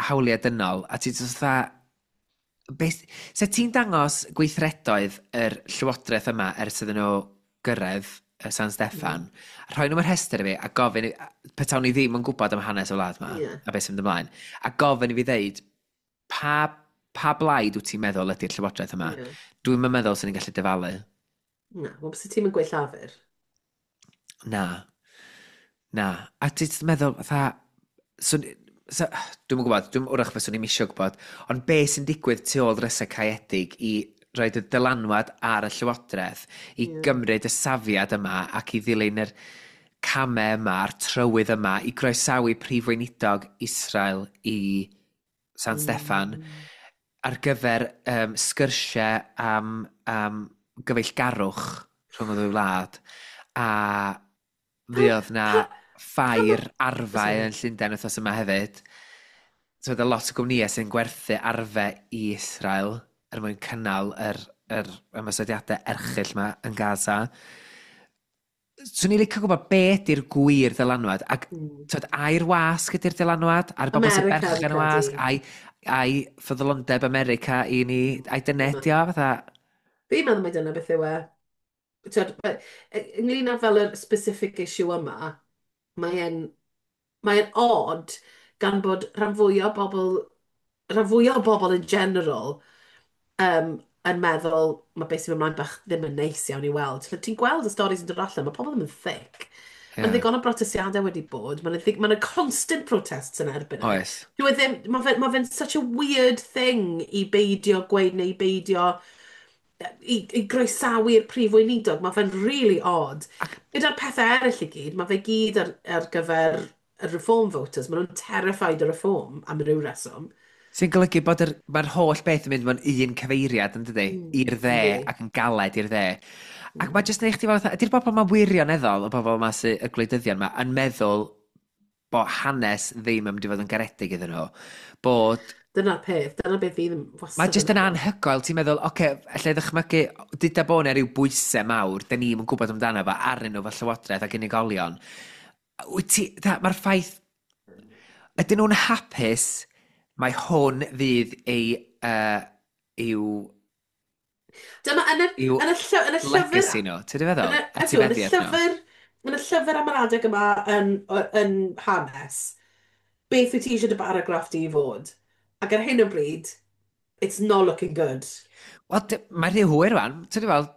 hawliau dynol, a ti'n just fatha, beth, se ti'n dangos gweithredoedd yr llywodraeth yma ers iddyn nhw gyrraedd San Steffan, rhoi nhw'n rhestr i fi a gofyn, petawn ni ddim yn gwybod am hanes y wlad yma, a beth sy'n mynd ymlaen, a gofyn i fi ddeud, pa blaid wyt ti'n meddwl ydy'r llywodraeth yma? Yeah. Dwi'n meddwl sy'n ni'n gallu dyfalu. Na, wel, bys ti'n mynd gweud Llafur? Na. Na. A ti'n meddwl, fatha, so, dwi'm yn gwybod, dwi'n wrach fyswn i'm isio gwybod, ond be sy'n digwydd tu ôl drysau caeedig i roed y dylanwad ar y llywodraeth i gymryd y safiad yma ac i ddilyn yr camau yma a'r trywydd yma i groesawu prif weinidog Israel i San Steffan ar gyfer sgyrsiau am gyfeillgarwch rhwng y ddwy wlad, a fuodd na ffair arfau yn Llundain wythnos yma hefyd. So oedd lot o gwmnïau sy'n gwerthu arfau i Israel er mwyn cynnal yr ymosodiadau erchyll yma yn Gaza. Swn i'n licio gwybod be ydy'r gwir ddylanwad, ac twyd, ai'r wasg ydy'r dylanwad, a'r bobl sy'n America, berchen fi'n y wasg, credu. ai ffyddlondeb America i ni, ai dyna ydi o, fatha. Fi'n meddwl mai dyna beth yw e. Twyd, ynglyn â fel yr specific issue yma, mae e'n odd gan bod rhan fwyaf o bobl in general yn meddwl mae beth sy'n mynd ymlaen bach ddim yn neis iawn i weld. Ti'n gweld y stories yn dod allan, mae pobl ddim yn thick. Mae'n ddigon o brotestiadau wedi bod, mae'n ma constant protests yn erbyn e. Oes. Dyw e ddim, mae fe'n such a weird thing i beidio gweud neu i beidio i groesawu'r prif weinidog. Mae fe'n really odd. Gyda'r pethau eraill i gyd, mae fe gyd ar gyfer y reform voters. Maen nhw'n terrified o reform am ryw reswm. Sy'n golygu bod mae'r holl beth yn mynd mewn un cyfeiriad, yn dydi? I'r dde ac yn galed i'r dde. Ac mae jyst yn eich ti fel, ydy'r bobl yma wirioneddol, y bobl yma sy'n y gwleidyddion yma, yn meddwl bod hanes ddim yn mynd i fod yn garedig iddyn nhw. Bod Dyna'r peth, dyna beth fi ddim wastad Mae jyst yn meddwl. anhygoel, ti'n meddwl, oce, okay, allai ddychmygu, dyda bod yna rhyw bwysau mawr, da ni'm yn gwybod amdano fo arnyn nhw fel llywodraeth ac unigolion. Wyt ti, mae'r ffaith, ydyn nhw'n hapus, mae hwn fydd ei, i'w, Dyma yn y, i'w yn y, yn y llyfr legacy nhw, ti'n feddwl? Yn y, ydw, yn y Etifeddiaeth nhw. llyfr am yr adeg yma yn hanes, beth wyt ti eisiau dy baragraff di i fod? Ac ar hyn o bryd, it's not looking good. Wel, mae rhy hwyr rwan. Ti'n fel,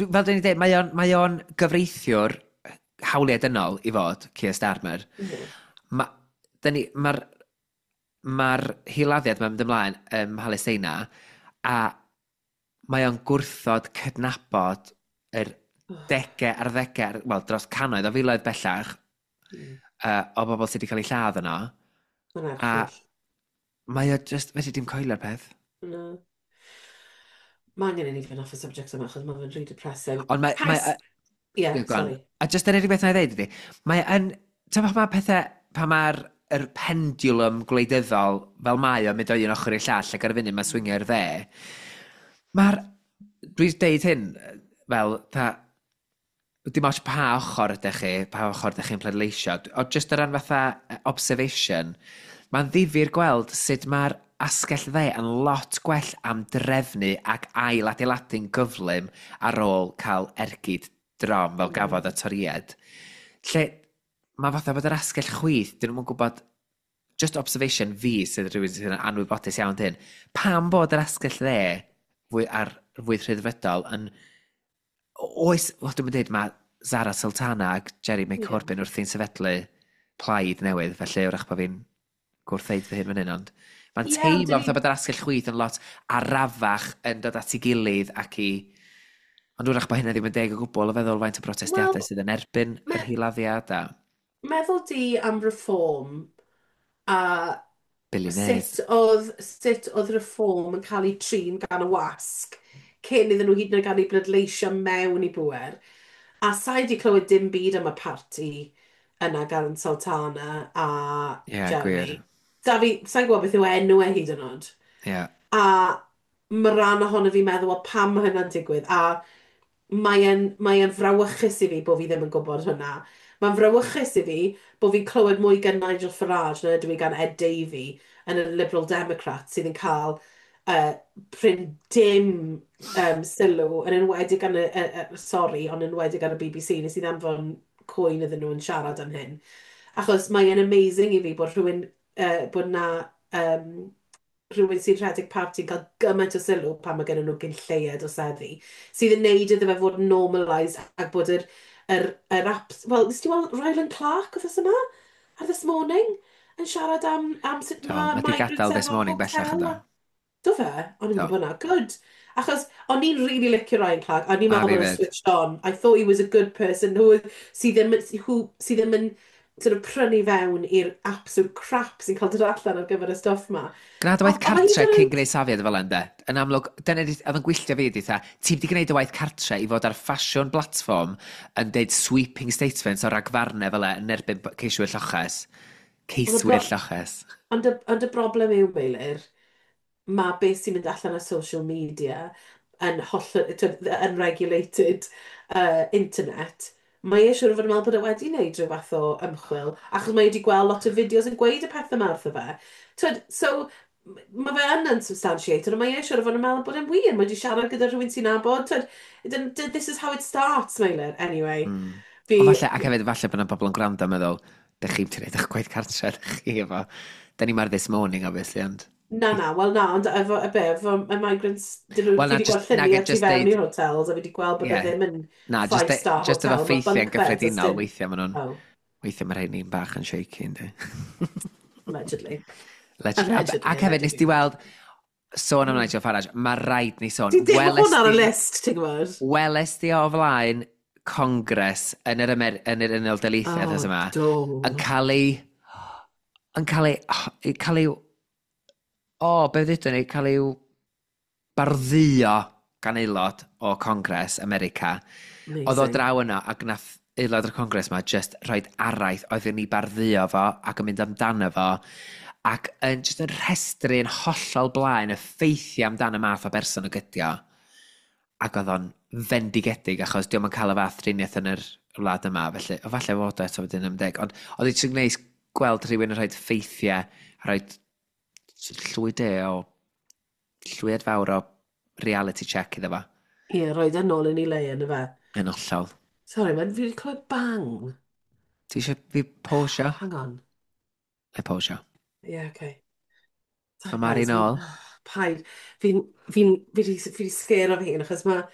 fel dyn ni dweud, mae o'n gyfreithiwr hawliau dynol i fod, Keir Starmer. Mae'r ma hiladdiad mae'n mynd ymlaen ym Mhalesteina, a mae o'n gwrthod cydnabod yr degau ar ddegau, wel, dros cannoedd o filoedd bellach, o bobl sydd wedi cael eu lladd yno. Mae'n A erchyll. mae o just, fedri dim coelio'r peth. No. Mae angen i ni fynd off y subject yma, achos mae fe'n really depressing. Ond mae, mae, Yeah, Go on. sorry. A just yr unig beth na i ddeud ydy, mae yn, ti'n pan mae pethau, pan mae'r yr pendulum gwleidyddol fel mae o'n mynd o un ochr i'r llall ac ar y funud mae'n swingio i'r dde, mae'r, dwi'n deud hyn fel, ta, dim ots pa ochr ydych chi, pa ochr ydych chi'n pleidleisio, ond just o ran fatha observation, mae'n ddifyr gweld sut mae'r asgell dde yn lot gwell am drefnu ac ail adeiladu'n gyflym ar ôl cael ergyd drom fel gafodd y Torïaid. Lle mae fatha bod yr asgell chwith, dyn nhw'n gwybod, just observation fi sydd rhywun sydd yn anwybodus iawn dyn, pam bod yr asgell dde fwy ar fwy rhyddfrydol yn oes, wel dwi'n dweud, mae Zara Sultana ac Jeremy Corbyn wrthi'n sefydlu plaid newydd, felly wrach bod fi'n gwrthdeud fy hun fan hyn, ond mae'n Ie, ond teimlo fatha bod yr asgell chwith yn lot arafach yn dod at ei gilydd ac i. Ond wrach bod hynna ddim yn deg o gwbl o feddwl faint o protestiadau Wel, sydd yn erbyn yr hiladdiad a Meddwl di am reform a Billionaires. Sut oedd Reform yn cael ei trin gan y wasg cyn iddyn nhw hyd yn oed gael eu bleidleisio mewn i bwer. A sa i wedi clywed dim byd am y parti yna gan Sultana a Ie, yeah, Jeremy. Gwir. Da fi, sa'n gwybod beth yw enw e hyd yn oed. Ie. Yeah. A mae rhan ohono fi'n meddwl, wel, pam mae hynna'n digwydd? A mae e'n frawychus i fi bod fi ddim yn gwybod hynna. Mae'n frawychus i fi bod fi'n clywed mwy gan Nigel Farage na ydw i gan Ed Davey yn y Liberal Democrat sydd yn cael prin dim sylw, yn enwedig gan y, sorry, ond yn enwedig gan y BBC, nes i ddanfon cwyn iddyn nhw yn siarad am hyn. Achos mae'n amazing i fi bod rhywun, bod na rhywun sy'n rhedeg parti yn cael gymaint o sylw pan mae gen nhw gyn lleied o seddi, sydd yn neud iddo fe fod yn normalised ac bod yr apps. Wel, nes ti weld Ryland Clark wythnos yma? Ar This Morning? Yn siarad am sut Do, mae mae di migrants gadael This efo Morning bellach hotel. ynddo. Do fe? O'n i'n Do. gwybod hwnna. Good. Achos o'n i'n really licio Ryan Clark. O'n i'n A meddwl fi bod o'n fyd. switched on. I thought he was a good person who, sydd ddim yn sort of prynu fewn i'r absolute crap sy'n cael dod allan ar gyfer y stwff ma. Gwna dy waith A mae hyd cartre yn cyn oed- gwneud safiad fel ynddo. Yn amlwg, dyna oedd yn gwylltio fi, di, ti wedi gwneud y waith cartre i fod ar ffasiwn platform yn deud sweeping statements o ragfarnau fel e yn erbyn ceiswyr lloches. Ceiswyr lloches. Ond y broblem yw, Meilir, mae beth sy'n mynd allan ar social media yn holl, twyd, the unregulated internet, mae e siŵr o fod yn meddwl bod e wedi wneud rhyw fath o ymchwil, achos mae e wedi gweld lot o fideos yn gweud y pethau yma wrtho fe. Twyd, so, mae fe yn unsubstantiated, ond mae e siŵr o fod yn meddwl bod e'n wir. Mae wedi siarad gyda rhywun sy'n nabod. Twyd, this is how it starts, Meilir. Anyway, fi. Ond falle, ac hefyd, falle bod yna bobl yn gwrando yn meddwl, dych chi'n gwneud eich gwaith cartre, dych chi efo. Da ni mar This Morning, obviously, ond. Na, wel na, ond efo, y be, efo y migrants, dyn nhw, Wel, fi na, wedi gweld lluniau tu just fewn deud i'r hotels, a fi wedi gweld bod e ddim yn Na, just, five-star just efo hotel, ma' ffeithiau'n bunk beds, os gyffredinol, weithiau maen nhw'n Oh, weithiau mae rhai ni'n bach yn shaky, yndi. Allegedly. Allegedly. Allegedly, Ac hefyd, nes di weld, sôn am Nigel Farage, mae rhaid ni sôn. Di dim Welest hwn ar y list, ti'n gwybod? Weles di o flaen Congress yn yr Unol Daleithiau oh, yma, do. yn cael ei, o, be ddudwn ni, cael ei bardduo gan aelod o Congress America. Oedd o Amazing. draw yno ac nath aelod o'r Congress ma just rhoid araith oedd yn ei bardduo fo ac yn mynd amdano fo ac yn just yn rhestru yn hollol blaen y ffeithiau amdano math o berson o gydio. Ac oedd o'n fendigedig achos diolch yn cael y fath driniaeth yn yr wlad yma, felly o falle fod o eto wedyn am deg. Ond oedd hi'n neis gweld rhywun yn rhoi ffeithiau a rhoi llwy de o llwyad fawr o reality check iddo fo. Ie, roed e nôl yn ei le yn y fe. Yn hollol. Sorry, man, fi wedi clywed bang. Ti eisiau fi pausio? Hang on. Na i pausio. Ie, yeah, okay. Mae Mari nôl. Paid. Fi di scare o fi hun, achos mae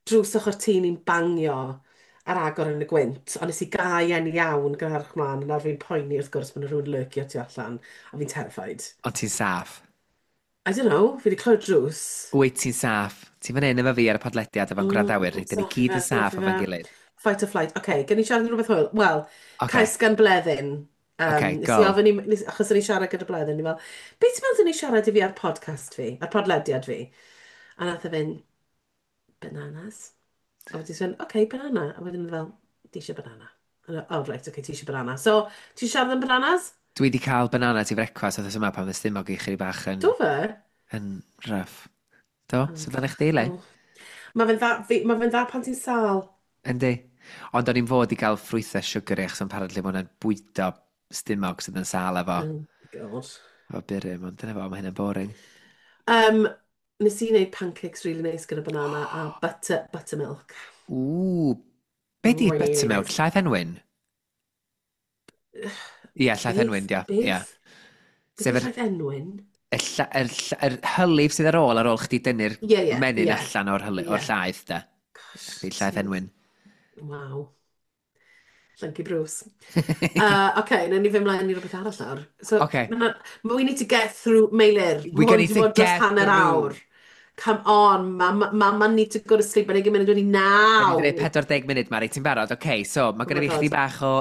drws ochr tŷ ni'n bangio ar agor yn y gwynt, ond nes i gau e'n iawn gyda'r mlaen, a nawr fi'n poeni wrth gwrs bod yna rhywun lurkio tu allan, a fi'n terrified. Ond ti'n saff. I don't know, fi wedi clywed drws. Wyt ti'n saff. Ti'n fan hyn efo fi ar y podlediad efo'n gwrandawyr. Dyn ni gyd yn saff efo'n gilydd. Fight or flight. OK, gen i siarad yn rhywbeth hwyl? Wel, Ocê. cais gan Bleddyn. Ocê, Nes go. i ofyn i, nes, achos o'n i siarad gyda Bleddyn, ni fel, "Beth ti'n meddwl ni siarad i fi ar podcast fi, ar podlediad fi?" A nath e fynd, "Bananas." A wedyn sôn, "OK, banana." A wedyn fel, "Di eisiau banana." A oh, right, OK, ti eisiau banana. So, ti siarad am bananas? Dwi wedi cael banana ti frecwas oedd yma pan fy stumog i chydig bach yn, Do fe? Yn rough. Do? So dan eich deulu? Oh. Mae fe'n dda pan ti'n sâl. Yndi. Ond o'n i'n fod i gael ffrwythau sugary achos apparently mae hwnna'n bwydo stumog sydd yn sâl efo, Oh, God. efo burum, ond dyna fo, mae hynny'n boring. Nes i wneud pancakes really nice gyda banana a buttermilk. Ww, be di Really buttermilk? nice. Llaeth enwyn? Ie, llaeth Beth? enwyn, dia. Beth? Ie. Beth Sef yw llaeth enwyn? yr hylif sydd ar ôl chdi dynnu'r Ie, ie, menyn allan o'r llaeth, de. Gosh, Chdi llaeth enwyn. Waw. Llyncu Bruce. OK, na ni fynd mlaen i rhywbeth arall nawr. So, Ocê. We need to get through, Meilir. We Ma' hwn need 'di to bod dros get hanner through. awr. Come on, mama, mama need to go to sleep. Mae'n 20 munud wedi Da ni 9. wedi gwneud 40 munud, Mari, ti'n barod? OK, so mae Oh gennym my fi chdi God. bach o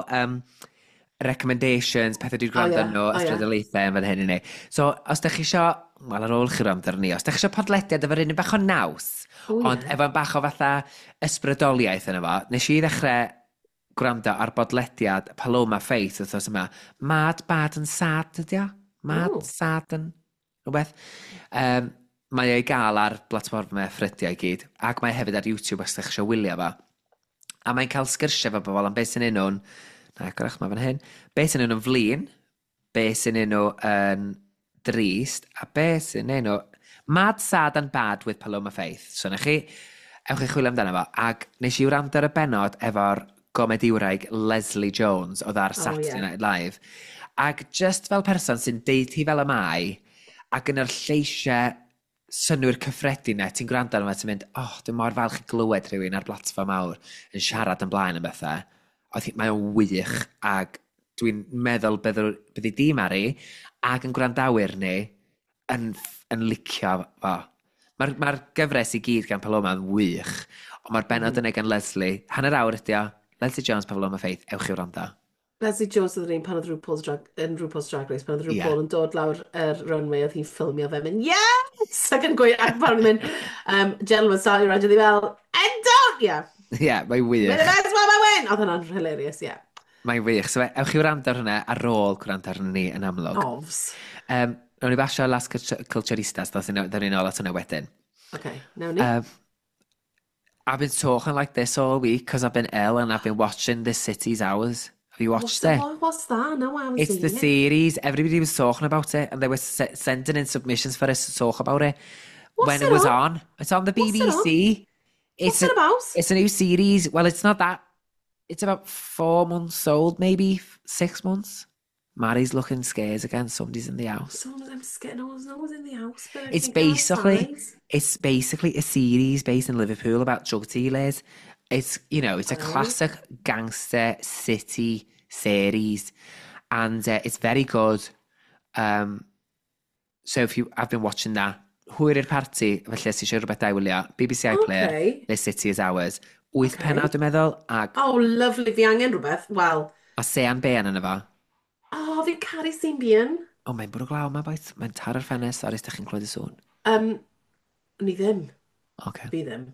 Recommendations, pethau dwi'n gwrando nhw, Oh, yeah. ysbrydoliaethau yn fan hyn i ni. So, os da chi isio, wel, ar ôl chi wrando ar ni, os da chi isio podlediad efo'r un bach o naws, ond efo'n bach o fatha ysbrydoliaeth yna fo, nes i ddechrau gwrando ar bodlediad Paloma Faith wythnos yma. Mad, Bad and Sad ydi o? Mad, Sad and rhywbeth. Mae o'i gael ar blatfformau ffrydiau i gyd, ac mae hefyd ar YouTube os ydych chi eisiau wylio fo. A mae'n cael sgyrsiau efo bobl am beth sy'n nhw'n, na, gorach mae fan hyn, beth sy'n nhw'n flin, beth sy'n nhw yn drist, a beth sy'n nhw Mad, Sad and Bad with Paloma Faith. So na chi, ewch i chwilio amdano fo. Ac nes i wrando ar y benod efo'r gomediwraig Leslie Jones oedd ar Saturday Night Live. Ac just fel person sy'n deud hi fel y mae, ac yn yr lleisiau synnwyr cyffredin na, ti'n gwrando arno fo, ti'n mynd, "Oh, dwi'n mor falch i glywed rhywun ar blatfform mawr yn siarad yn blaen am bethau." Oedd mae o'n wych, ac dwi'n meddwl byddi di, Mari, ac yn gwrandawyr ni, yn licio fo. Mae'r gyfres i gyd gan Paloma yn wych, ond mae'r benod yna gan Leslie, hanner awr ydi o, Leslie Jones, Paloma Faith, ewch i wrando. Leslie Jones oedd yr un pan oedd RuPaul's Drag, yn RuPaul's Drag Race, pan oedd RuPaul yn dod lawr yr runway, oedd hi'n ffilmio fe, mynd, "Yes!" Ac yn gweud, ac pan o'n mynd, "Gentlemen, sorry, Roger," oedd hi fel, "And don't!" Yeah. Ie, yeah, mae'n wych. "We're the best one, I win!" Oedd hwnna'n hilarious, yeah. Mae'n wych. So, ewch i wrando ar hwnna ar ôl gwrando arno ni yn amlwg. Ofs. Nawn ni basio Las Culturistas, ddown ni nôl at hwnna wedyn. Okay, nawn ni. I've been talking like this all week because I've been ill and I've been watching This City's Ours. Have you watched What's it? What's that? No, I haven't It's seen the it. series. Everybody was talking about it and they were sending in submissions for us to talk about it What's when it it was on? on. It's on the What's it on? BBC. What's it about? It's a new series. Well, it's not that. It's about 4 months old, maybe 6 months. Mary's looking scared again. Somebody's in the house. Someone's, I'm scared. No one's in the house, but I It's can go basically outside. it's basically a series based in Liverpool about drug dealers. It's you know it's a classic gangster city series, and it's very good. So if you, I've been watching that. Hwyr i'r parti, felly os ti eisiau rhywbeth da i wylio, BBC iPlayer, This City Is Ours. Wyth pennod dwi'n meddwl, ac Oh, lovely. Fi angen rhywbeth. Wel, mae Sean Bean yna fo. Oh, fi'n caru Sean Bean. O, mae'n bwrw glaw yma, boys. Mae'n taro'r ffenest, sori os ydych chi'n clywed y sŵn. Ni ddim. Fi ddim.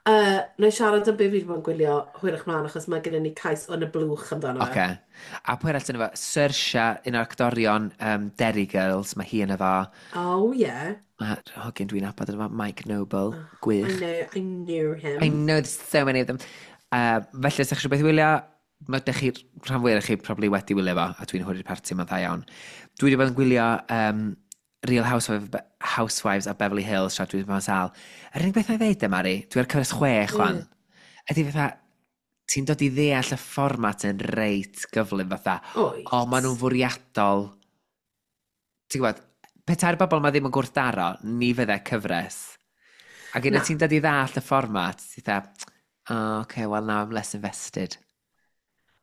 Na i siarad am be fi wedi bod yn gwylio hwyrach mlaen, achos mae gennym ni cais yn y blwch amdano fe. Oce. A pwy arall sy'n efo? Saoirse, un o'r actorion Derry Girls, mae hi yn efo. Oh, yeah. Mae hogyn dwi'n nabod yn efo, Mike Noble, I gwych. know, I knew him. I know there's so many of them. Felly, os ydych chi eisiau beth i wylio, mae dych chi, rhan fwyaf chi probably wedi wylio fo, a dwi'n hwyr i'r parti, mae'n dda iawn. Dwi wedi bod yn gwylio Real Housewives of Beverly Hills, tra dwi wedi bod yn sâl. Yr unig beth na i ddeud, e, Mari, dwi ar cyfres 6, chwan, ydy fatha, ti'n dod i ddeall y fformat yn reit gyflym fatha. Oes. O, maen nhw'n fwriadol. Ti'n gwybod, petai'r bobl ma ddim yn gwrthdaro, ni fydde cyfres. Ac unwaith Na. ti'n dod i ddallt y fformat, ti'n dda, "Oh, okay, well now I'm less invested."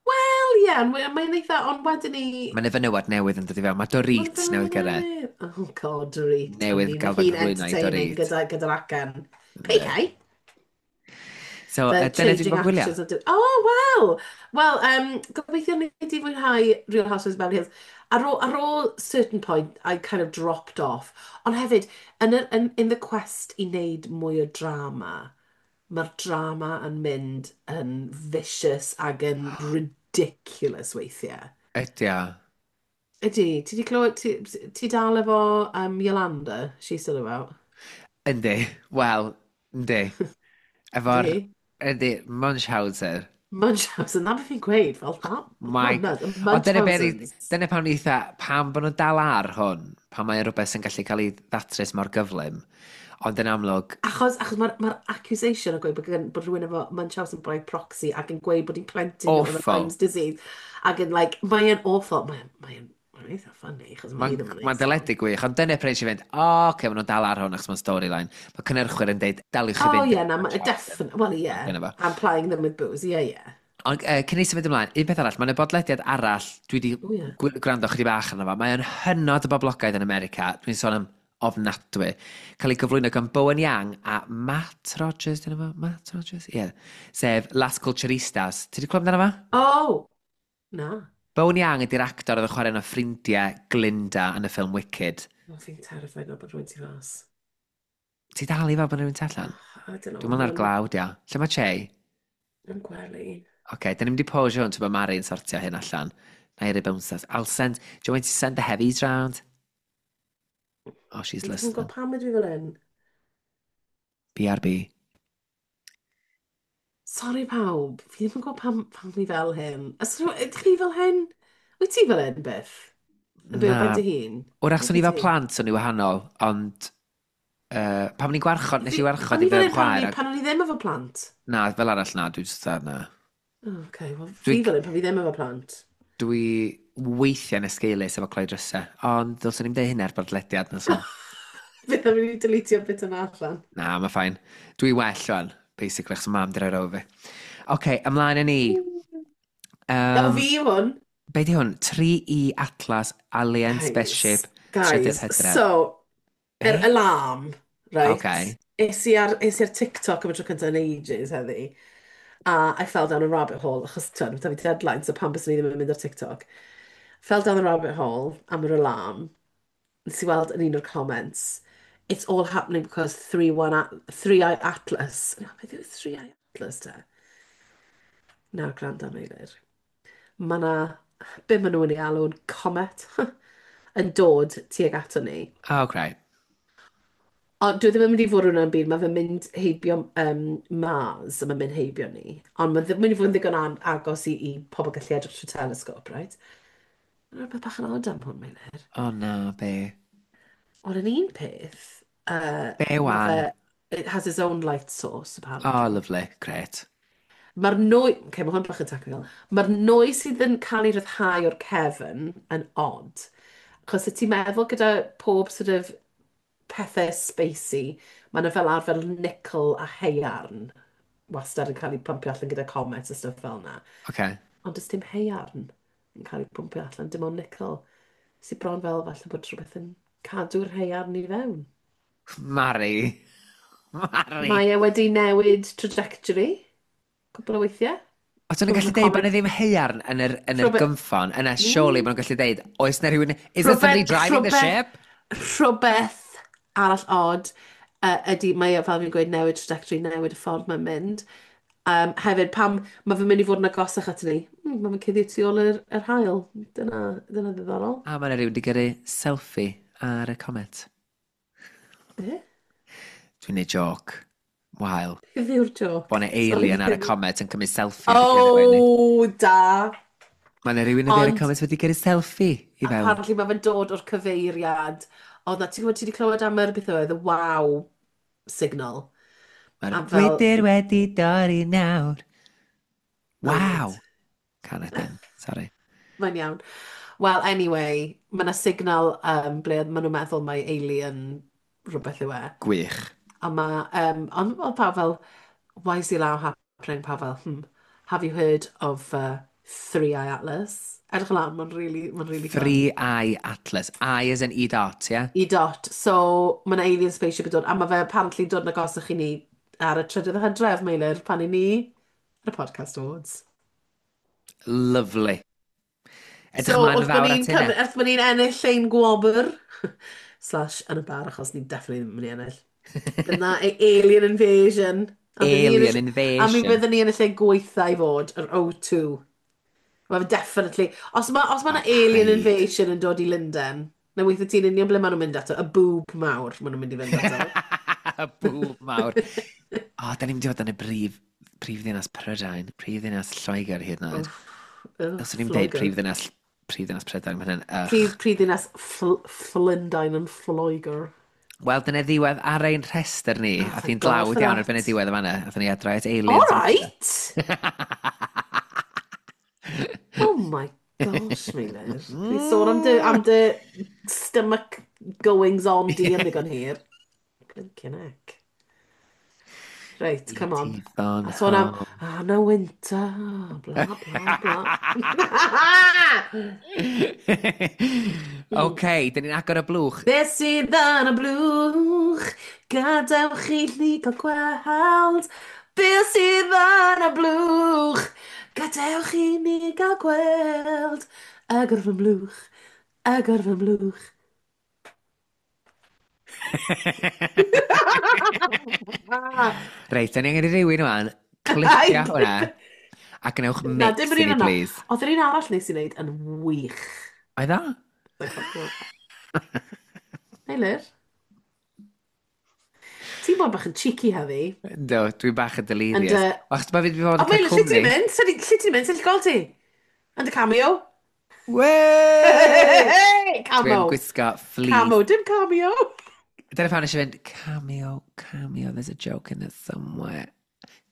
Wel, ie, yeah, mae'n eitha, ond wedyn ni. Mae'n fenywod newydd yn dod i fewn. Mae Dorit newydd gyrraedd. Oh God, Dorit. Newydd gael fy nghyflwyno i entertaining Dorit. gyda'r acen. PK. So, The dyna dwi'n changing bod yn gwylio. actions of Oh, wow! Wel, gobeithio ni wedi fwynhau Real Housewives of Beverly Hills. Ar ôl certain point, I kind of dropped off. Ond hefyd, in the quest i wneud mwy o drama, mae'r drama yn mynd yn vicious ac yn ridiculous weithiau. Ydy o. Ydy, ti di clywed, ti dal efo Yolanda? She's still about. Yndi. Wel, yndi. Efo'r Ydy. Yndi, Munchausen. Munchausen, na beth fi'n gweud, fel that. Mike. Oh, no, Ond dyna be Munchausen's. dyna pam ni eitha, pam bod nhw'n dal ar hwn, pam mae'n rhywbeth sy'n gallu cael ei ddatrys mor gyflym. Ond yn amlwg, Achos mae'r accusation o gweud bod rhywun efo Munchausen by proxy ac yn gweud bod hi'n plentyn nhw efo Awful. Lyme's disease. Ac yn, like, mae'n awful. Mae'n eitha funny, achos mae Mae'n hi ddim yn ma deledu gwych, ond dyna pryd eisiau fynd, o, oh, oce, maen nhw'n dal ar hwn achos mae'n storyline. Mae cynnyrchwyr yn deud, daliwch chi Oh, fynd. yeah, na, definitely. Well, yeah. Dyna fo. I'm plying them with booze, yeah. Ond cyn i symud ymlaen, un peth arall, mae'n y bodlediad arall, dwi wedi O, ie. gwrando chydig bach arno fo. Mae'n hynod o boblogaidd yn America. Dwi'n sôn am ofnadwy. Cael ei gyflwyno gan Bowen Yang a Matt Rogers, dyna fo? Matt Rogers? Ie. Yeah. Sef Las Culturistas. Ti wedi clywed amdano fo? Oh, na. Bowen Yang ydy'r actor oedd yn chwarae yn y ffrindiau Glinda yn y ffilm Wicked. Oh, fi'n terrified nawr bod rhywun tu fas. Ti dal i fel bod rhywun tu allan? Oh, I don't know. Dwi'n meddwl ar glawd, ia. Lle mae Che? Yn gwely. Oce, okay, dyn ni'n mynd i pause hwn, ti'n bod Mari'n sortio hyn allan. Na i roi bouncers. I'll send... Do you want to send the heavies round? Oh, she's Fi'n listening. gwybod pam ydw i fel hyn. BRB. Sorry pawb, fi ddim yn gwybod pam fi fel hyn. Ydych chi fel hyn? Wyt ti fel hyn, Biff? Yn byw ben dy hun? Wrach, swn i fel plant, o'n i wahanol, ond pan o'n i'n gwarchod, nes i warchod i i fy chwaer. Pan o'n i ddim efo plant? Na, fel arall na, dwi'n just na. Oh, okay, well, fi fel hyn pan fi ddim efo plant. Dwi weithiau'n esgeulus efo cloi drysau, ond ddylswn i'n deud hynny ar bodlediad na so. Fydd am i deletio bit yna allan. Na, mae fine. Dwi well o'n, basically, achos mam di roi row fi. Oce, okay, ymlaen â ni. Fi hwn. Be di hwn? 3E Atlas Alien Guys, Spaceship guys, Trydydd Hydref. So, Be? yr alarm, right? Okay. Es i ar TikTok am y tro cyntaf yn ages heddi. A I fell down a rabbit hole, achos ti'n fi deadline, so pam bys ni ddim yn mynd ar TikTok. Fell down the rabbit hole am yr alarm. Nes i weld yn un o'r comments, "It's all happening because 3I Atlas." Na, beth yw 3I Atlas te? Nawr, gwrando Meilir. Mae na, be maen nhw'n ei alw'n comet, yn dod tuag ato ni. Oh, great. Ond dwi ddim yn mynd i fod hwnna'n byd, mae fe'n mynd heibio Mars, a mae'n mynd heibio ni. Ond mae'n mynd i fod yn ddigon agos i pobl gallu edrych trwy telescope, right? Mae'n rhywbeth bach yn odd am hwn, Meilir. Oh na, be? Ond yn un peth, Be ma' wan? It has its own light source, apparently. Oh, lovely. Great. Mae'r nwy... Okay, mae hwn bach yn technical. Mae'r nwy sydd yn cael ei ryddhau o'r cefn yn odd. Achos y ti'n meddwl gyda pob sort of pethau spacey, mae yna fel arfer nickel a haearn wastad yn cael ei pumpio allan gyda comets a stuff fel yna. Ond does dim haearn yn cael ei pumpio allan, dim ond nickel. Sydd bron fel falle bod rhywbeth yn cadw'r haearn i fewn. Mari. Mari. Mae e wedi newid trajectory cwpl o weithiau. Os o'n nhw'n gallu deud bod yna ddim haearn yn yr gynffon, yna surely bod nhw'n gallu deud, oes na rhywun... Is there somebody driving the ship? Rhywbeth arall odd ydy, mae e, fel fi'n gweud, newid trajectory, newid y ffordd mae'n mynd. Hefyd, pam mae fe'n mynd i fod yn agosach at ni? Mae fe'n cuddio tu ôl yr haul. Dyna ddiddorol. A mae yna rhywun wedi gyrru selfie ar y comet. Be? Dwi'n neud joc. Wael. Beth yw'r joc? Bod yna alien ar y comet yn cymryd selfie ar y gyrru ni. Oh, da! Mae yna rhywun ar y comet wedi gyrru selfie i fewn. Apparently mae fe'n dod o'r cyfeiriad. Oedd na, ti'n gwybod, ti wedi clywed am yr beth oedd, y wow signal. Mae'r A fel- gwydr wedi dorri nawr. Oh, Waw! right. Can ydyn, sorry. Mae'n iawn. Well, anyway, mae yna signal ble maen nhw'n meddwl mai alien rhywbeth yw e. Gwych. A mae, ond oedd pawb fel, "Why is the alarm happening?" Pawb fel, have you heard of 3I Atlas?" Edrych lan, mae'n really fun. 3I Atlas. I as in E dot, yeah? E dot. So, mae yna alien spaceship yn dod, a mae fe apparently dod yn agosach i ni ar y 3rd o Hydref, Meilir, pan i ni ar y Podcast Awards. Lovely. Edrych So, ymlaen yn wrth bod fawr ni'n at hynna. wrth bod ni'n ennill ein gwobr, slash yn y bar, achos ni definitely ddim yn mynd i ennill. Bydd na alien invasion. A bydd ni yn y Alien A mi invasion. byddwn ni yn y lle gweitha i fod, yr O2. Mae fe definitely... Os ma Oh, na alien paid. invasion yn dod i Lundain, na weithio ti'n union ble maen nhw'n mynd ato, y boob mawr maen nhw'n mynd i fynd ato. Y boob mawr. O, da ni'n mynd i fod yn y brif ddinas Prydain, prif ddinas Lloegr hyd yn oed. Ugh, Os o'n i'n deud Lloegr. prif ddinas Prydain, mae hynny'n ych. Prif ddinas Llundain yn Lloegr. Wel, dyna ddiwedd ar ein rhestr ni. Oh, A thank thi'n God dlawd for iawn that. erbyn y diwedd yma. Athyn ni adra at aliens. All right! Oh my gosh, Meilir. Ni'n sôn am dy stomach goings on di am ddigon hir. Blinking heck. Right, come on. Phone A sôn am, home. ah, no winter, bla, bla, bla. OK, dyn ni'n agor y blwch. Beth sydd yn y blwch? Gadewch i ni gael gweld. Beth sydd yn y blwch? Gadewch i ni gael gweld agor fy mlwch, agor fy mlwch. Reit, da ni angen i rywun wan, clipio hwnna, a gwnewch Na, dim mix yr i un ni, yna. please. Oedd yr un arall nes i wneud yn wych. Oedd o? Meilir, ti'n bod bach yn cheeky heddi. Do, dwi'n bach yn And, delirious. Achos mae fi wedi bod o yn cael Meilir, lle ti'n cwmni. mynd? Lle ti'n mynd? Sut ti'n gweld ti? Yn dy cameo? Wey! Camo. Dwi'n gwisgo Camo, fleece. dim cameo. Dyna pan eisiau fynd, cameo, cameo, there's a joke in it somewhere.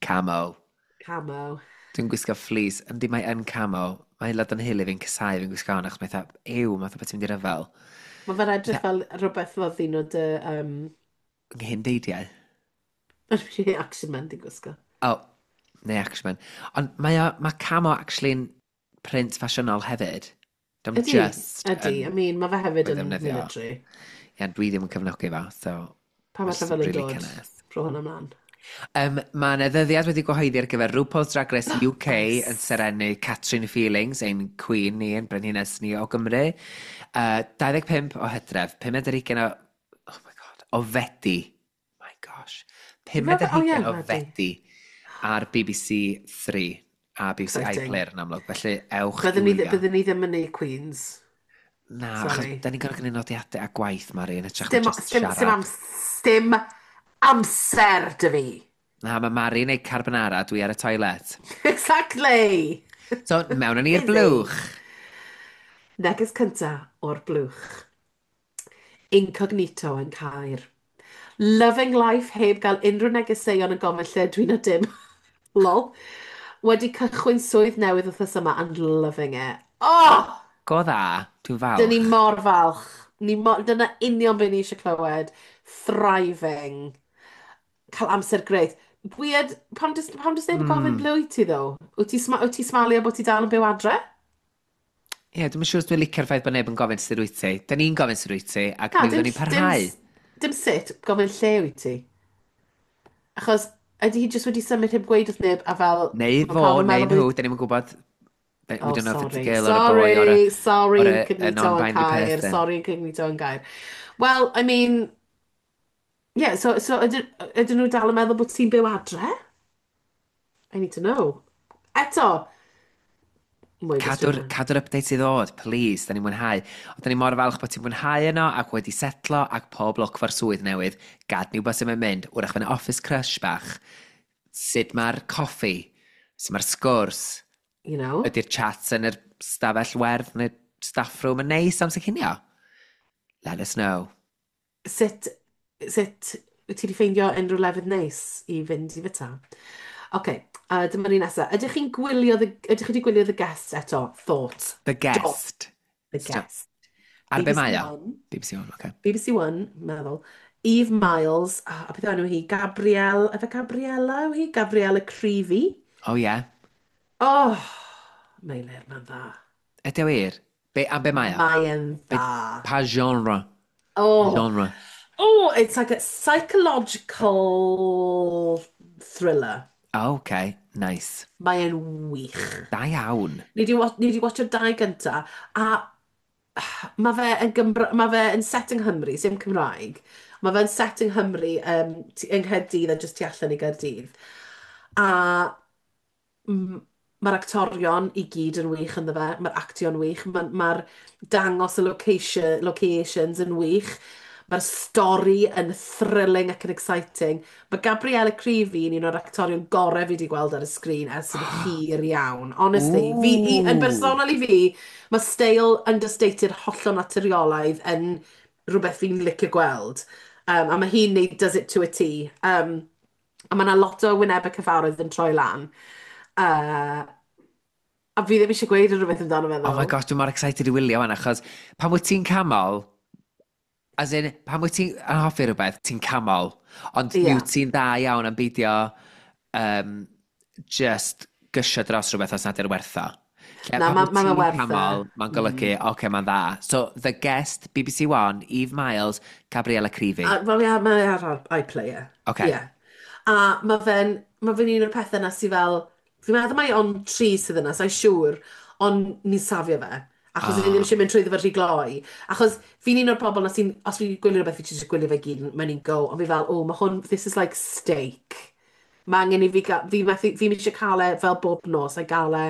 Camo. Camo. Dwi'n gwisgo fleece, yndi mae yn camo. Mae aelod yn hili fi'n casau fi'n gwisgo hwn, achos mae eitha, ew, mae fatha bod ti'n mynd i ryfel. Mae fe'n edrych fel rhywbeth fel ddyn o dy... Nghyndeidiau. Action Man di gwisgo. Oh, neu Action Man. Ond mae, o, mae camo actually'n print ffasiynol hefyd. Dim Ydy, just ydy. yn I mean, mae fe hefyd ei yn ddefnyddio. military. Ie, dwi ddim yn cefnogi fo, so... Pa mae mae jyst yn rhyfel yn really dod? cynnes. Rho hwnna ymlaen. Mae yna ddyddiad wedi gyhoeddi ar gyfer RuPaul's Drag Race UK Oes. yn serennu Catrin Feelings, ein queen ni, ein brenhines ni o Gymru. 25 o Hydref, 25 o... Oh my god, o Fedi. My gosh. 5 Fe- oh ie, o Fedi. Fedi ar BBC 3 a BBC Exciting. iPlayer yn amlwg. Felly ewch i Byddwn ni, wylio. byddwn ni ddim yn neud Queens. Na, achos Sorry. da ni'n gorfod gwneud nodiadau a gwaith, Mari, yn hytrach na Dim, just dim, dim, siarad. dim amser dy fi. Na, mae Mari'n neud carbonara, dwi ar y toilet. Exactly. So, mewn â ni'r Busy. blwch. Neges cynta o'r blwch. Incognito yn Caer. Loving life heb gael unrhyw negeseuon yn gofyn lle dwi'n o dim. Lol. Wedi cychwyn swydd newydd wythnos yma and loving it. Oh! Go dda, dwi'n Dyn ni falch. mor falch. Ni mor, dyna union beth ni eisiau clywed. Thriving. Cael amser grêt. Weird, pam does neb yn gofyn ble wyt ti ddo? Wyt ti smalio bod ti dal yn byw adre? Ie, yeah, dwi'n siŵr os dwi'n licio'r ffaith bod neb yn gofyn sut wyt ti. Da ni'n gofyn sut wyt ti, ac Na, mi dim, fyddwn ni'n dim, parhau. dim sut, gofyn lle wyt ti. Achos ydy hi jyst wedi symud heb gweud wrth neb a fel, Neu mae fo, pawb yn neu meddwl nhw, bod... da ni'n gwybod. We Oh, don't know if it's a sorry. girl or a boy or a, Sorry, sorry, or a incognito yn non-binary Caer. person. Sorry, incognito yn Gaer. Well, I mean, yeah, so ydyn nhw dal yn meddwl bod ti'n byw adre? I need to know. Eto, mwy o Cadw'r gwestiynau. cadw'r updates i ddod, please, da ni'n mwynhau. Ond da ni mor falch bod ti'n mwynhau yno ac wedi setlo ac pob lwc fo'r swydd newydd. Gad ni wybod sut mae'n mynd. Wrach fy'n office crush bach. Sut mae'r coffi? Sut mae'r sgwrs? You know? Ydy'r chats yn yr stafell werdd neu staff room yn neis amser cinio? Let us know. Sut wyt ti wedi ffeindio unrhyw lefydd neis i fynd i fyta? Oce, dyma ni nesaf. Ydych chi wedi gwylio The Guest eto? Thoughts? The Do. Guest. The Stop. Guest. Ar be BBC mae o? One. BBC One, oce. BBC One, meddwl. Eve Miles, a beth enw hi? Gabrielle, efe Gabriella yw hi? Gabriella Creevy. Oh, yeah. Oh, Meilir, mae'n dda. Ydy o wir? Be, am be mae o? Mae'n Be, dda. pa genre? Oh, Genre. oh, it's like a psychological thriller. Oh, okay. Nice. Mae'n wych. Da iawn. Ni di watcho'r dau gynta, a mae fe yn set yng Nghymru, sim Cymraeg. Mae fe'n set yng Nghymru, yng Nghaerdydd a jyst tu allan i Gaerdydd. A mae'r actorion i gyd yn wych ynddo fe, mae'r actio'n wych, mae'r dangos y locations yn wych, mae'r stori yn thrilling ac yn exciting. Mae Gabriella Creevy yn un o'r actorion gorau fi wedi gweld ar y sgrin ers yn hir iawn. Honestly, yn bersonol i fi, mae steil understated hollol naturiolaidd yn rhywbeth fi'n licio gweld. A mae hi'n neud does it to a T. A mae yna lot o wynebau cyfarwydd yn troi lan. A fi ddim eisiau gweud rhywbeth amdano fe, Oh my ddo. gosh, dwi'n mor excited i wylio wan, achos pan wyt ti'n camol, as in, pan wyt ti'n yn hoffi rhywbeth, ti'n camol, ond mi wyt ti'n dda iawn am beidio just gysio dros rhywbeth os nad yw'r werth o. Lle, Na, pan mae wyt ma fe ti'n werth e. camol, mae'n golygu, oce, okay, mae'n dda. So, The Guest, BBC One, Eve Miles, Gabriella Creevy. A, wel, ie, mae ar iPlayer. Oce. Ie. A mae fe'n un o'r pethau na sydd fel, Fi'n meddwl mai ond 3 sydd yna, sa'i siŵr, ond ni'n safio fe. Achos oh. Ni ddim eisiau mynd trwyddo fe rhy gloi. Achos fi'n un o'r bobl na sy'n, os fi'n gwylio rhywbeth, fi jyst gwylio fe gyd mewn un go, ond fi fel, oh, mae hwn, this is like steak. Mae angen i fi, fi methu, fi'n eisiau cael e fel bob nos, a gael e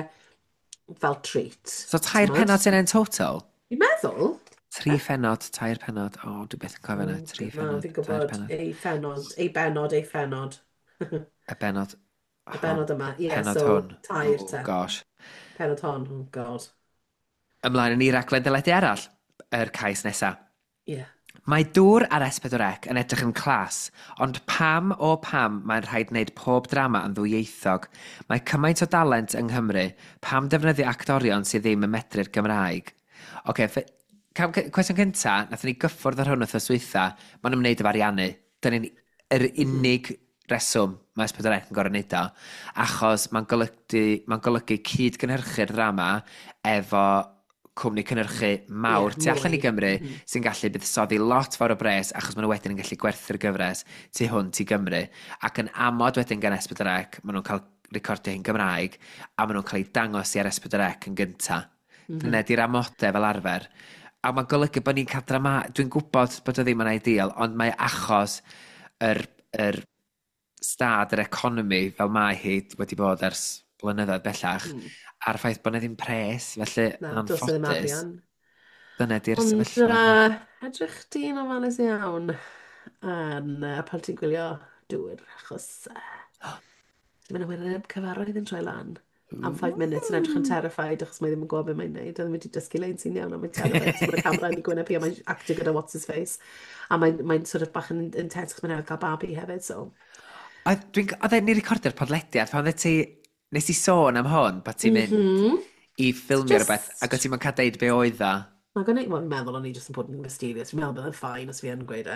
fel treat. So 3 pennod sy'n yn total? Fi'n meddwl. 3 phennod, 3 pennod. O, oh, dwi beth yn cofio yna. 3 phennod, 3 pennod. Ei phennod, ei bennod, ei phennod. Y bennod. Y bennod yma, ie, yeah, so hwn. 3 oh, te. Gosh. Pennod hon, oh god. Ymlaen yn i raglen deledu arall, yr cais nesaf. Ie. Yeah. Mae dŵr ar S4C yn edrych yn clas, ond pam o pam mae'n rhaid wneud pob drama yn ddwyieithog? Mae cymaint o dalent yng Nghymru, pam defnyddio actorion sydd ddim yn medru'r Gymraeg? Oce, okay, cwestiwn cynta, nathon ni gyffwrdd ar hwn wythnos dwytha, mae'n ymwneud efo ariannu. Dyna'n yr unig reswm mae S4C yn gorfod wneud o, achos mae'n golygu, mae golygu cyd-gynhyrchu'r ddrama efo cwmni cynhyrchu mawr tu allan i Gymru sy'n gallu buddsoddi lot fawr o bres achos maen nhw wedyn yn gallu gwerthu'r gyfres tu hwnt i Gymru. Ac yn amod wedyn gan S4C, maen nhw'n cael recordio hi'n Gymraeg a maen nhw'n cael ei dangos i ar S4C yn gynta. Dyna di'r amodau fel arfer. A mae'n golygu bod ni'n cael drama... Dwi'n gwybod bod o ddim yn ideal, ond mae achos yr stad yr economi fel mae hi wedi bod ers blynyddoedd bellach, a'r ffaith bod 'na ddim pres, felly yn anffodus. Dyna di'r sefyllfa. Ond edrych di'n ofalus iawn yn pan ti'n gwylio dŵr, achos mae'n wyneb cyfarwydd yn troi lan am 5 minutes yn edrych yn terrified achos mae ddim yn gwybod beth mae'n neud. A ddim wedi dysgu lein sy'n iawn, a mae'n terrified. So mae'r camera yn ei gwyneb hi a mae'n actio gyda what's his face. A mae'n sort of bach yn intense achos mae'n newydd cael babi hefyd, so... Oedd ni recordio'r podlediad, pan oedd ti... Nes i sôn am hwn, bod ti'n mynd i ffilmio rhywbeth, ac oedd ti'n cael deud be oedd o. Mae'n gwneud, wel, meddwl o'n i jyst yn bod yn mysterious. Fi'n meddwl bydd yn fine os fi yn gweud e.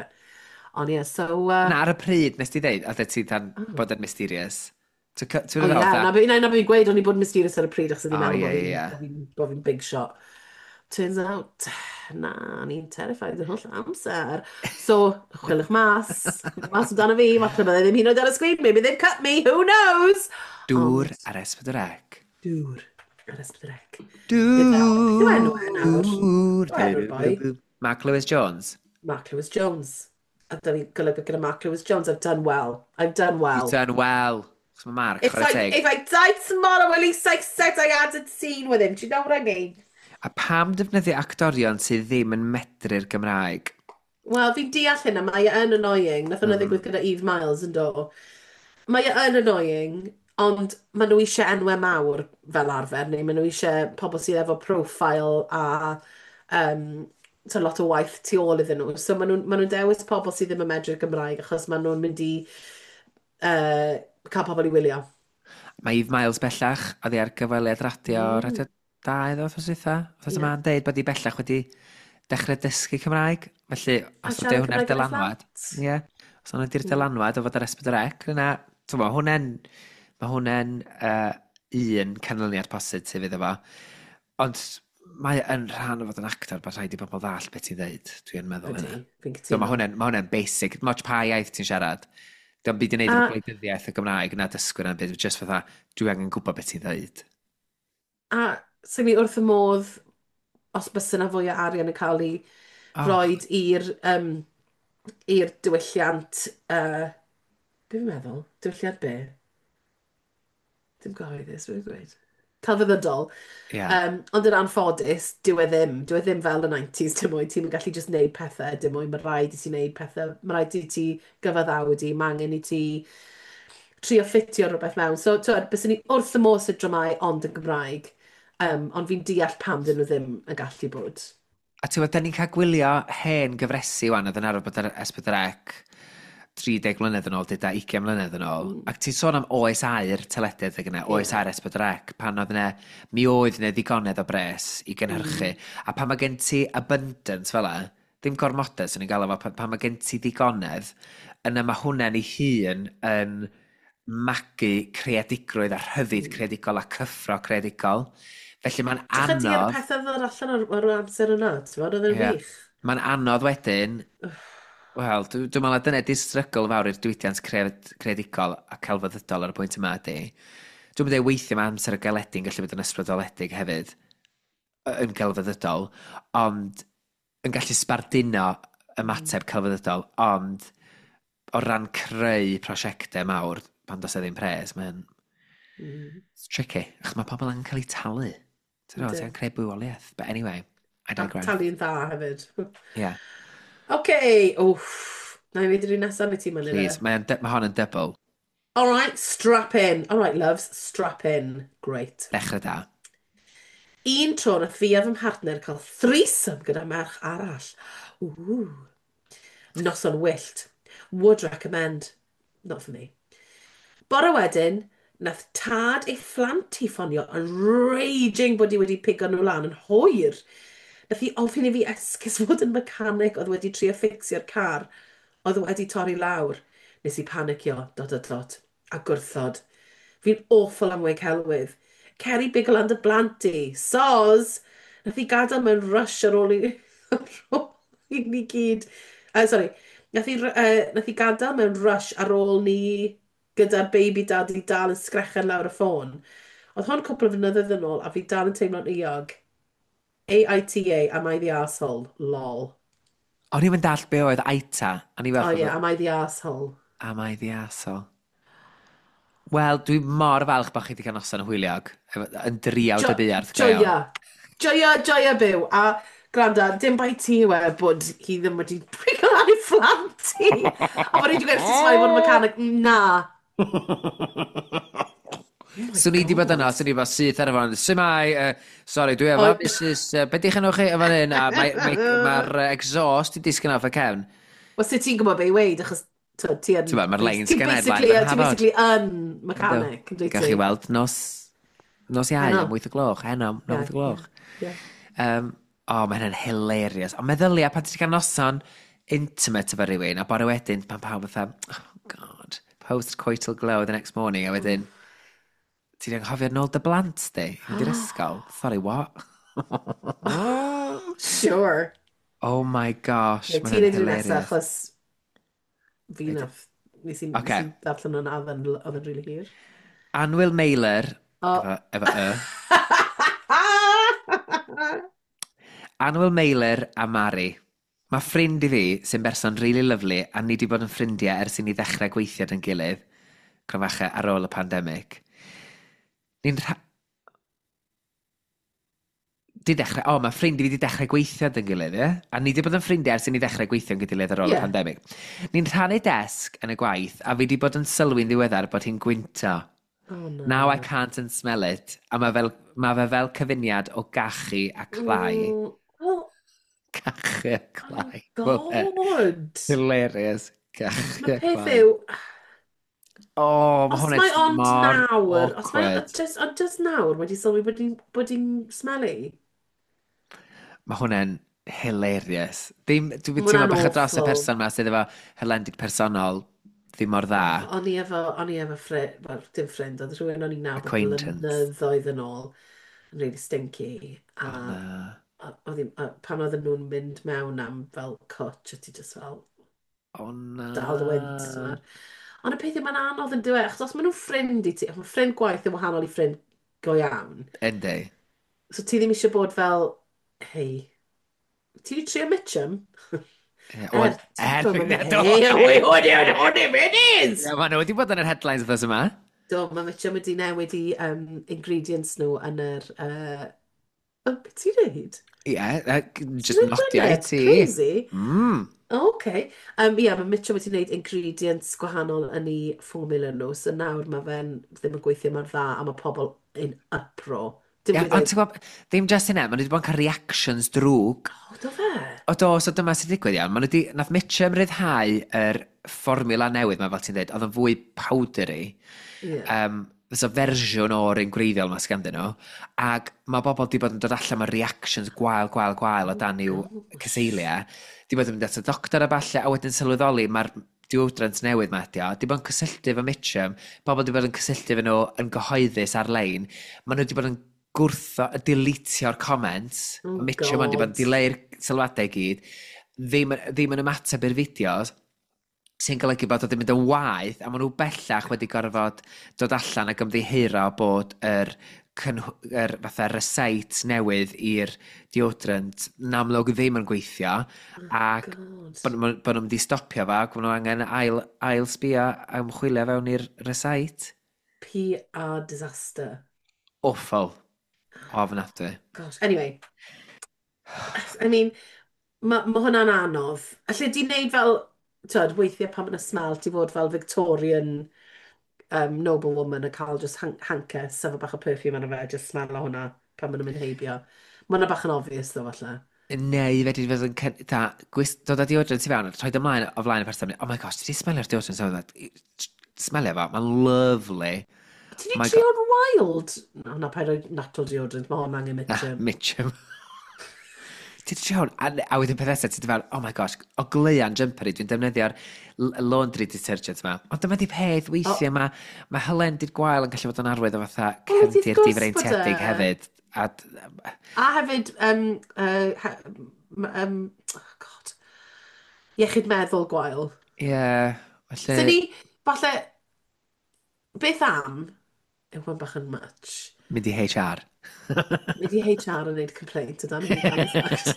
Ond ie, so... Na, ar y pryd nes ti ddeud, oedd ti dan bod yn mysterious. O ie, na fi'n gweud o'n i bod yn mysterious ar y pryd, achos o'n i'n meddwl bod fi'n big shot. Turns out, na, o'n i'n terrified yr holl amser. So, chwilwch mas amdano fi, falle bydde ddim hyd yn oed ar y sgrin, maybe they've cut me, who knows? Dŵr ar S4C. Dŵr ar S4C. Dŵr. Enw e nawr. Mark Lewis Jones. Mark Lewis Jones. A da ni'n golygu gyda Mark Lewis Jones, I've done well. I've done well. You've done well. Chos mae Mark, chwarae teg. If I die tomorrow, at least I said I had a scene with him. Do you know what I mean? A pam defnyddio actorion sydd ddim yn medru'r Gymraeg? Wel, fi'n deall hynna, mae e yn annoying. Nath hwnna ddigwydd gyda Eve Miles yn do. Mae e yn annoying, ond maen nhw eisiau enwau mawr fel arfer, neu maen nhw eisiau pobl sydd efo profile a so lot o waith tu ôl iddyn nhw. So maen nhw dewis pobl sydd ddim yn medru'r Gymraeg achos maen nhw'n mynd i cael pobl i wylio. Mae Eve Miles bellach, oedd hi ar gyfweliad radio, radio 2 ddo, wythnos dwytha. Wythnos yma'n deud bod hi bellach wedi dechrau dysgu Cymraeg. Felly, os ydy hwnna'r dylanwad. Ie. Os hwnna di'r dylanwad o fod ar S4C, yna, mae hwnna'n un canlyniad positif iddo fo. Ond mae yn rhan o fod yn actor bod rhaid i bobl ddall beth ti'n ddeud. Dwi'n meddwl hynna. Fi'n cytuno. So, mae hwnna'n basic. Moch pa iaith ti'n siarad. Dio'm byd i wneud efo gwleidyddiaeth y Gymraeg na dysgwyr na'n byd. Just fatha, dwi angen gwybod beth ti'n ddeud. A so mi wrth y modd, os bys yna fwy o arian yn cael ei roed i'r diwylliant, be fi'n meddwl? Diwylliant be? Dim gyhoeddus, beth fi'n gweud? Celfyddydol. Yeah. Ond yn anffodus, dyw e ddim. Dyw e ddim fel y 90s, dim mwy. Ti'n gallu just neud pethau, dim mwy. Mae rhaid i ti neud pethau, mae rhaid i ti gyfaddawdu, mae angen i ti trio ffitio rhywbeth mewn. So, twyd, byswn ni wrth y modd sydd dramau ond yn Gymraeg, ond fi'n deall pam dyn nhw ddim yn gallu bod. A ti'n gwybod, da ni'n cael gwylio hen gyfresi wan, oedd yn arfer bod ar S4C 30 mlynedd yn ôl, dyda 20 mlynedd yn ôl. Ac ti'n sôn am oes aur teledu adeg yna, oes aur S4C, pan oedd yna, mi oedd yna ddigonedd o bres i gynhyrchu. A pan mae gen ti abundance fel 'a, ddim gormodedd sy'n ni'n galw fo, pan mae gen ti ddigonedd, yna mae hwnna'n ei hun yn magu creadigrwydd a rhyddid creadigol a cyffro creadigol. Felly mae'n anodd... Dych ar y pethau ddod allan o'r amser yna, ti'n fawr, oedd yn wych. Mae'n anodd wedyn... Wel, dwi'n meddwl dyna di'r strygl fawr i'r diwydiant creadigol a celfyddydol ar y pwynt yma ydy. Dwi'n mynd i weithio mae amser y galedu'n gallu bod yn ysbrydoledig hefyd, yn gelfyddydol, ond yn gallu sbarduno ymateb celfyddydol, ond o ran creu prosiectau mawr, pan does e ddim pres, mae'n it's tricky. Achos mae pobl angen cael eu talu. Ti'n gwybod, Yndi. ti'n creu bywoliaeth. But anyway, I A digress. talu'n dda hefyd. Yeah, OK, wff. Na i wneud yr un nesaf neu ti'n mynd please. Mae hon yn double. All right, strap in. All right, loves, strap in. Great. Dechrau da. Un tro nath fi a fy mhartner cael threesome gyda merch arall. Ooh. Noson wyllt. Would recommend. Not for me. Bore wedyn, nath tad ei phlant hi ffonio yn raging bod hi wedi pigo nhw lan yn hwyr. Nath hi ofyn i fi esgus fod yn mechanic oedd wedi trio fixio'r car oedd wedi torri lawr. Nes i panicio, dot dot dot, a gwrthod. Fi'n awful am weud celwydd. Cer i bigo lan dy blant di. Soz! Nath hi gadael mewn rush ar ôl i ni gyd. Sorry. Nath hi gadael mewn rush ar ôl ni gyda'r baby daddy dal yn sgrechian lawr y ffôn. Oedd hwn cwpl o flynyddoedd yn ôl a fi dal yn teimlo'n euog. AITA, am I the arsehole? Lol. O'n i'n dallt be oedd AITA. O'n i Oh fel, yeah, am I the arsehole? Am I the arsehole? Wel, dwi mor falch bod chi wedi cael noson hwyliog. Yn driawd y buarth go iawn. Joia. Joia, joia byw. A gwranda, dim bai ti yw e bod hi ddim wedi pigo lan ei phlant hi. A bod hi wedi gweud sut mae fod yn mechanic. Na. Swn i wedi bod yno, swn i wedi bod syth ar y ffôn. Sut mae, sorry, dwi efo Mrs. Be di'ch enw chi efo hyn? A mae'r mae, mae exhaust i disgyn off y cefn. Wel, sut ti'n gwybod be i weud, achos ti yn... Ti'n gwbod, mae'r lines ti'n gen i basically, flaen fy ti'n nhafod. basically yn mechanic, yn dwyt Gawch ti? chi weld nos Iau Heno. am 8 o gloch, heno, am 8 o gloch. Ie. Oh, mae hynny'n hilarious. Ond meddylia, pan ti'n cael noson intimate efo rhywun, a bore wedyn, pan pawb fatha, oh God, post-coital glow the next morning, a wedyn, ti'n anghofio nôl dy blant, di, i fynd i'r ysgol. Sorry, what? Sure. Oh my gosh, Ie, mae ti'n hynny'n neud yr un nesaf, hilarious. achos fi nath... Nes i darllen hwnna, oedd yn rili hir. Anwyl Meilir, O. efo y. Anwyl Meilir a Mari. Mae ffrind i fi sy'n berson really lovely a ni wedi bod yn ffrindiau ers i ni ddechrau gweithio dy'n gilydd, cromfache ar ôl y pandemig. Ni'n rha... Di dechrau, o, mae ffrind i fi wedi dechrau gweithio dy'n gilydd, ie? A ni wedi bod yn ffrindiau ers i ni ddechrau gweithio yn gilydd ar ôl y pandemig. Ni'n rhannu desg yn y gwaith a fi wedi bod yn sylwi'n ddiweddar bod hi'n gwynto. Oh, no. Now I can't unsmell it. A mae fe fel cyfuniad o gachu a clai. Oh, Cachu a clai. Wel, God. Hilarious. Cachu Mae a peth clai. yw, Oh, mae os hwnna'n mae ond mor nawr, os mae awkward. ond just nawr wedi sylwi bod hi'n smelly. Mae hwnna'n hilarious. Ddim, dwi'n Ma' teimlo hwnna'n bach o dros y awful. person ma sydd efo hylendid personol ddim mor dda. Oh, o'n i efo ffrind, wel, dim ffrind, oedd rhywun o'n i'n nabod Acquaintance. blynyddoedd yn ôl, yn really stinky. A, Oh, na. a pan oedden nhw'n mynd mewn am fel cwtch, a ti just fel, Oh, na. dal dy wynt. T'mod. Ond y peth yw, mae'n anodd yn dweud, achos os maen nhw'n ffrind i ti, mae ffrind gwaith yn wahanol i ffrind go iawn. Yndi. So ti ddim eisiau bod fel, "Hei, ti wedi trio Mitchum?" Ie, Er, wel, ti'n er, gwbod, do. Hei, wy, hwn yw, hwn yw, it is! Ie, ma' nhw wedi bod yn yr headlines wythnos yma. Do, mae Mitchum wedi newid i ingredients nhw yn yr... Oh, beth ti'n neud? Ie, just Ti'n nodio i neud ti. Crazy. Oh, okay. Ie, mae Mitchum wedi gwneud ingredients gwahanol yn ei formula nhw, so nawr mae fe'n ddim yn gweithio mor dda a mae pobl in uproar. Dim Ie, gweud ond ti'n gwybod, ddim just hynna, maen nhw wedi bod yn cael reactions drwg. Oh, do fe? O do, so dyma sy'n digwydd iawn. Maen nhw wedi, nath Mitchum ryddhau yr fformiwla newydd ma, fel ti'n dweud, oedd yn fwy powdery. So fersiwn o'r un gwreiddiol ma sganddyn nhw. Ac mae bobl wedi bod yn dod allan mewn reactions gwael, gwael, gwael o dan i'w cyseiliau. Di bod yn mynd at y doctor a falle, a wedyn sylweddoli mae'r deodorant newydd ma ydi o. Di bod yn cysylltu efo Mitchum, bobl di bod yn cysylltu efo nhw yn gyhoeddus ar-lein. Maen nhw wedi bod yn gwrtho, deletio'r comments. Oh, Mitchum ond di bod yn God. dileu'r sylwadau i gyd. Ddim, ddim yn ymateb i'r fideos. Sy'n golygu bod o wedi mynd yn waeth, a maen nhw bellach wedi gorfod dod allan ac ymddiheuro bod yr fatha recite newydd i'r deodorant yn amlwg ddim yn gweithio, Oh, ac God. bod nhw'n mynd i stopio fo, ac maen nhw angen ail sbio a ymchwilio fewn i'r recite. PR disaster. Awful. Ofnadwy. Gosh, anyway. I mean, ma hwnna'n anodd. Alle di wneud fel, twyd, weithiau pan mae'n smell, ti fod fel Victorian noblewoman a cael just hanker, sefo bach o perfume arno fe, just smell o hwnna pan maen nhw'n mynd heibio. Mae hwnna bach yn obvious though, falle. Neu fedri fod yn dod â deodorant i fewn, rhoi ymlaen o flaen y person, "Oh my gosh, ti di smelio'r deodorant so smelio fo, mae'n lovely." Ti di My God. trio'n wild? No, na, paid rhoi natural deodorant, mae hwn angen Na, Mitchum. Mitchum. Ti di trio hwn, a wedyn peth nesaf, ti di fel, "Oh my gosh, o gleuan jumper i, dwi'n defnyddio'r laundry detergent yma." Ond dyma di peth, weithiau mae hylendid gwael yn gallu fod yn arwydd o fatha O, wrth cefndir gwrs bod difreintiedig e. hefyd. A, A hefyd, oh God, iechyd meddwl gwael. Ie, yeah, So felly, ni, falle, beth am, yw hwn bach yn much, mynd i HR. Mynd i HR yn gwneud complaint o dan fi dan fact.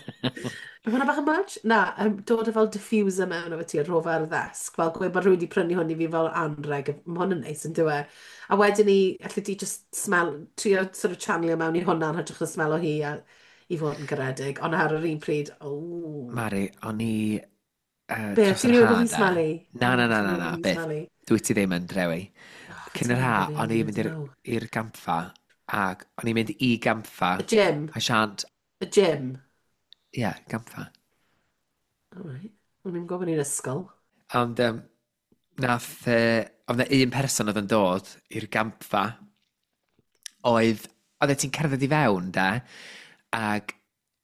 Yw hwnna bach yn much? Na, dod â fel diffuser mewn efo ti a rho fe ar y ddesg, fel gweud bod rhywun wedi prynu hwn i fi fel anreg, mae hwn yn neis yn dyw e. A wedyn ni, allu di just smell, trio sort of channelio mewn i hwnna yn hytrach na smell o hi a i fod yn garedig, ond ar yr un pryd, oh. Mari, o'n i Be, dros ti'n yr meddwl ha bod fi'n de. smelly? Na, na, na, Ti'n na, meddwl na, bod fi'n byth. smelly? Dwi ti ddim yn drewi. Oh, Cyn yr ha, o'n i'n mynd I know. i'r gampfa, ac o'n i'n mynd i gampfa. Y gym. A siant, Y gym. ie, yeah, gampfa. All right. O'n i'n gwybod i'n ysgol. Ond oedd 'na un person oedd yn dod i'r gampfa, oedd ti'n cerdded i fewn, de, ac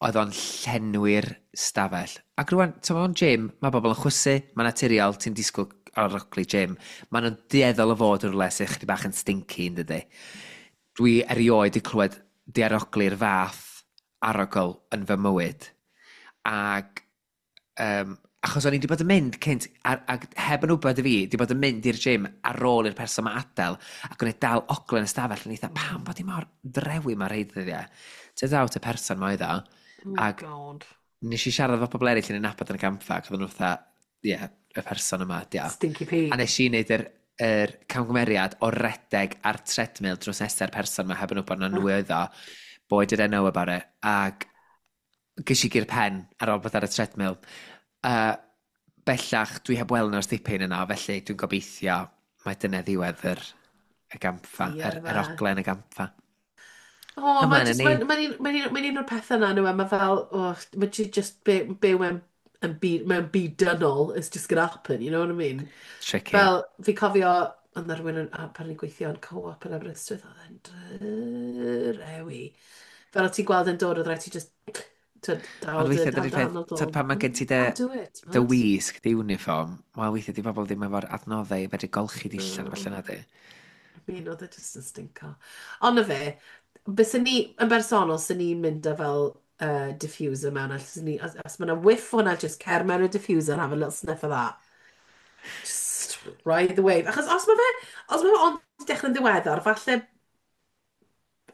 oedd o'n llenwi'r stafell. Ac rwan, ti'n mewn gym, mae bobl yn chwysu, mae'n naturiol, ti'n disgwyl arogli gym. Maen nhw'n dueddol o fod yn rhywle sy'n chydig bach yn stinky, yn dydy. Dwi erioed 'di clywed diarogli'r fath arogl yn fy mywyd. Ac achos o'n i wedi bod yn mynd cynt, ac heb yn wybod i fi, wedi bod yn mynd i'r gym ar ôl i'r person ma adael, ac o'n i dal ogl yn y stafell, yn eitha, pam bod i mor drewi mae'r rhai ddyddiau. Turns out y person ma oedd o, Oh, ac God. nes i siarad efo pobl eraill yn ei nabod yn y gampfa, ac oedden nhw fatha, "Ie, yeah, y person yma, dia." Stinky P. A nes i wneud yr camgymeriad o redeg ar treadmill drws nesa'r person ma heb yn wybod na nhw oedd o. Boy did I know about it. Ac ges i gur pen ar ôl bod ar y treadmill. Bellach, dwi heb weld nhw'r dipyn yna, felly dwi'n gobeithio mae dyna ddiwedd y gampfa, Ie, yr fe. oglen y gampfa. O, Ymlaen mae â just, ni. mae'n un o'r pethau yna, nhw, e, mae fel, oh, mae just byw mewn byd dynol, it's just gonna happen, you know what I mean? Tricky. Fel, fi cofio, oedd 'na rhywun yn, pan o'n i'n gweithio yn Co-op yn Aberystwyth, oedd e'n drewi. Fel o ti'n gweld yn dod, oedd rhaid ti just, twyd, dal Ond dy weithiau dal dydy'r dy peth, anadl. tyd, pan mae gen ti dy, Can't do it, dy mad. wisg, dy uniform, wel weithiau di bobl ddim efo'r adnoddau i fedru golchi dillad No. falle na di. I mean, oedd e just yn stinko. Ond na fe, byswn ni, yn bersonol, sy'n ni'n mynd â fel diffuser mewn, a swn ni, os mae yna whiff hwnna, just cer mewn y diffuser and have a little sniff of that. Just ride the wave. Achos os mae fe ond dechrau'n ddiweddar, falle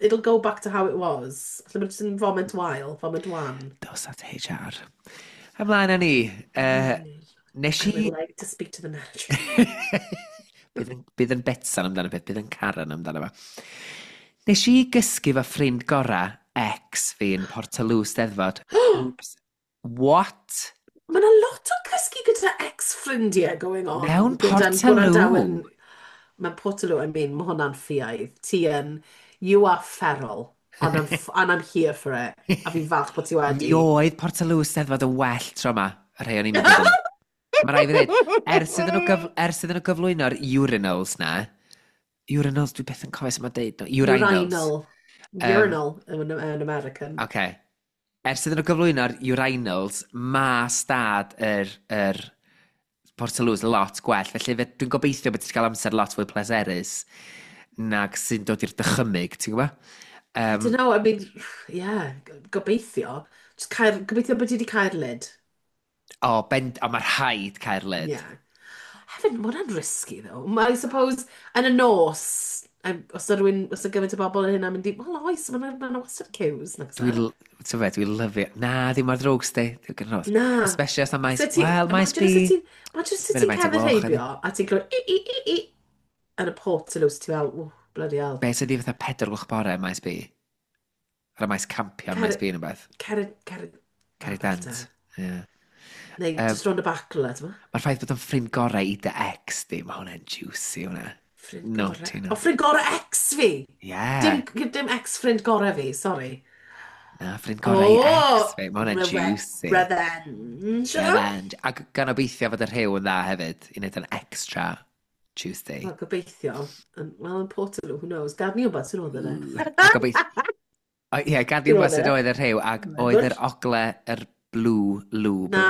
it'll go back to how it was. Falle mae'n just yn foment wael, foment wan. Dos at HR. Ymlaen â ni. Nes I i would like to speak to the manager. Bydd yn Betsan amdano beth, bydd yn Karen amdano fo. Nes i gysgu fo ffrind gora, ex fi yn Portaloo Steddfod. Oops. What? Mae yna lot o cysgu gyda ex-ffrindiau going on. Mewn Gyda'n Portaloo. gwrandawyr. Mae Portaloo, I mean, mae hwnna'n ffiaidd. Ti yn, you are feral. And I'm here for it. A fi'n falch bod ti wedi. Mi oedd Portaloo Steddfod yn well tro yma, y rhai o'n i'n mynd iddyn nhw. Mae rhaid fi ddweud, ers iddyn nhw gyflwyno'r urinals na, urinals, dwi beth yn cofio sut mae'n deud, no, urinals. Urinal. Urinal yn American. OK. Ers iddyn nhw gyflwyno'r urinals, ma stad yr Portaloos lot gwell. Felly dwi'n gobeithio bod ti'n cael amser lot fwy pleserus nag sy'n dod i'r dychymyg, ti'n gwybod? I don't know, I mean, yeah, gobeithio. Just cael, gobeithio bod ti wedi cael lid. O, ben, o, mae rhaid cael lid. Yeah. Hefyd, mae hwnna'n risky, though. I suppose, yn y nos, os yna rhywun, os yna gymaint o bobl yn hynna mynd i, well, oes, mae'n ma wastad queues, nag oes Dwi'n, e? ti'n fe, dwi'n lyfio. Na, ddim mor ddrwg, sti. Dwi'n gyda nos. Na. Especially os na maes, So ti, wel, maes imagine B. os ti'n, imagine os Fyny ti'n faint o cerdded gloch, ydi. heibio a ti'n clywed i, i, i, i, yn y Portaloo, so ti fel, oh, bloody hell. Be sydd i fatha 4 gloch bore maes B? Ar y maes campio yn maes Cer, B yn beth. cer, cer, Ceri oh, Dant. better. Yeah. Neu just rond y back rhywle, ti'n Mae'r ffaith bod o'n ffrind gorau i dy ex di, mae hwnna'n juicy hwnna. Ffrind No, gorau. ti O, no. ffrind gorau ex fi! Yeah. Dim, dim ex ffrind gorau fi, sorry. Na, ffrind gorau i ex Oh, fi. Mae hwnna'n juicy. Revenge. Revenge. Ac gan obeithio fod y rhyw yn dda hefyd, i wneud yn extra Tuesday. Wel, gobeithio. Wel, yn Portaloo, who knows? Gad ni wybod sy'n oedd yna. A gobeithio... O, ie, gad ni Dwi'n wybod sut meddwl. oedd y rhyw, ac Oh my oedd God. yr ogle, yr blue lube, Na.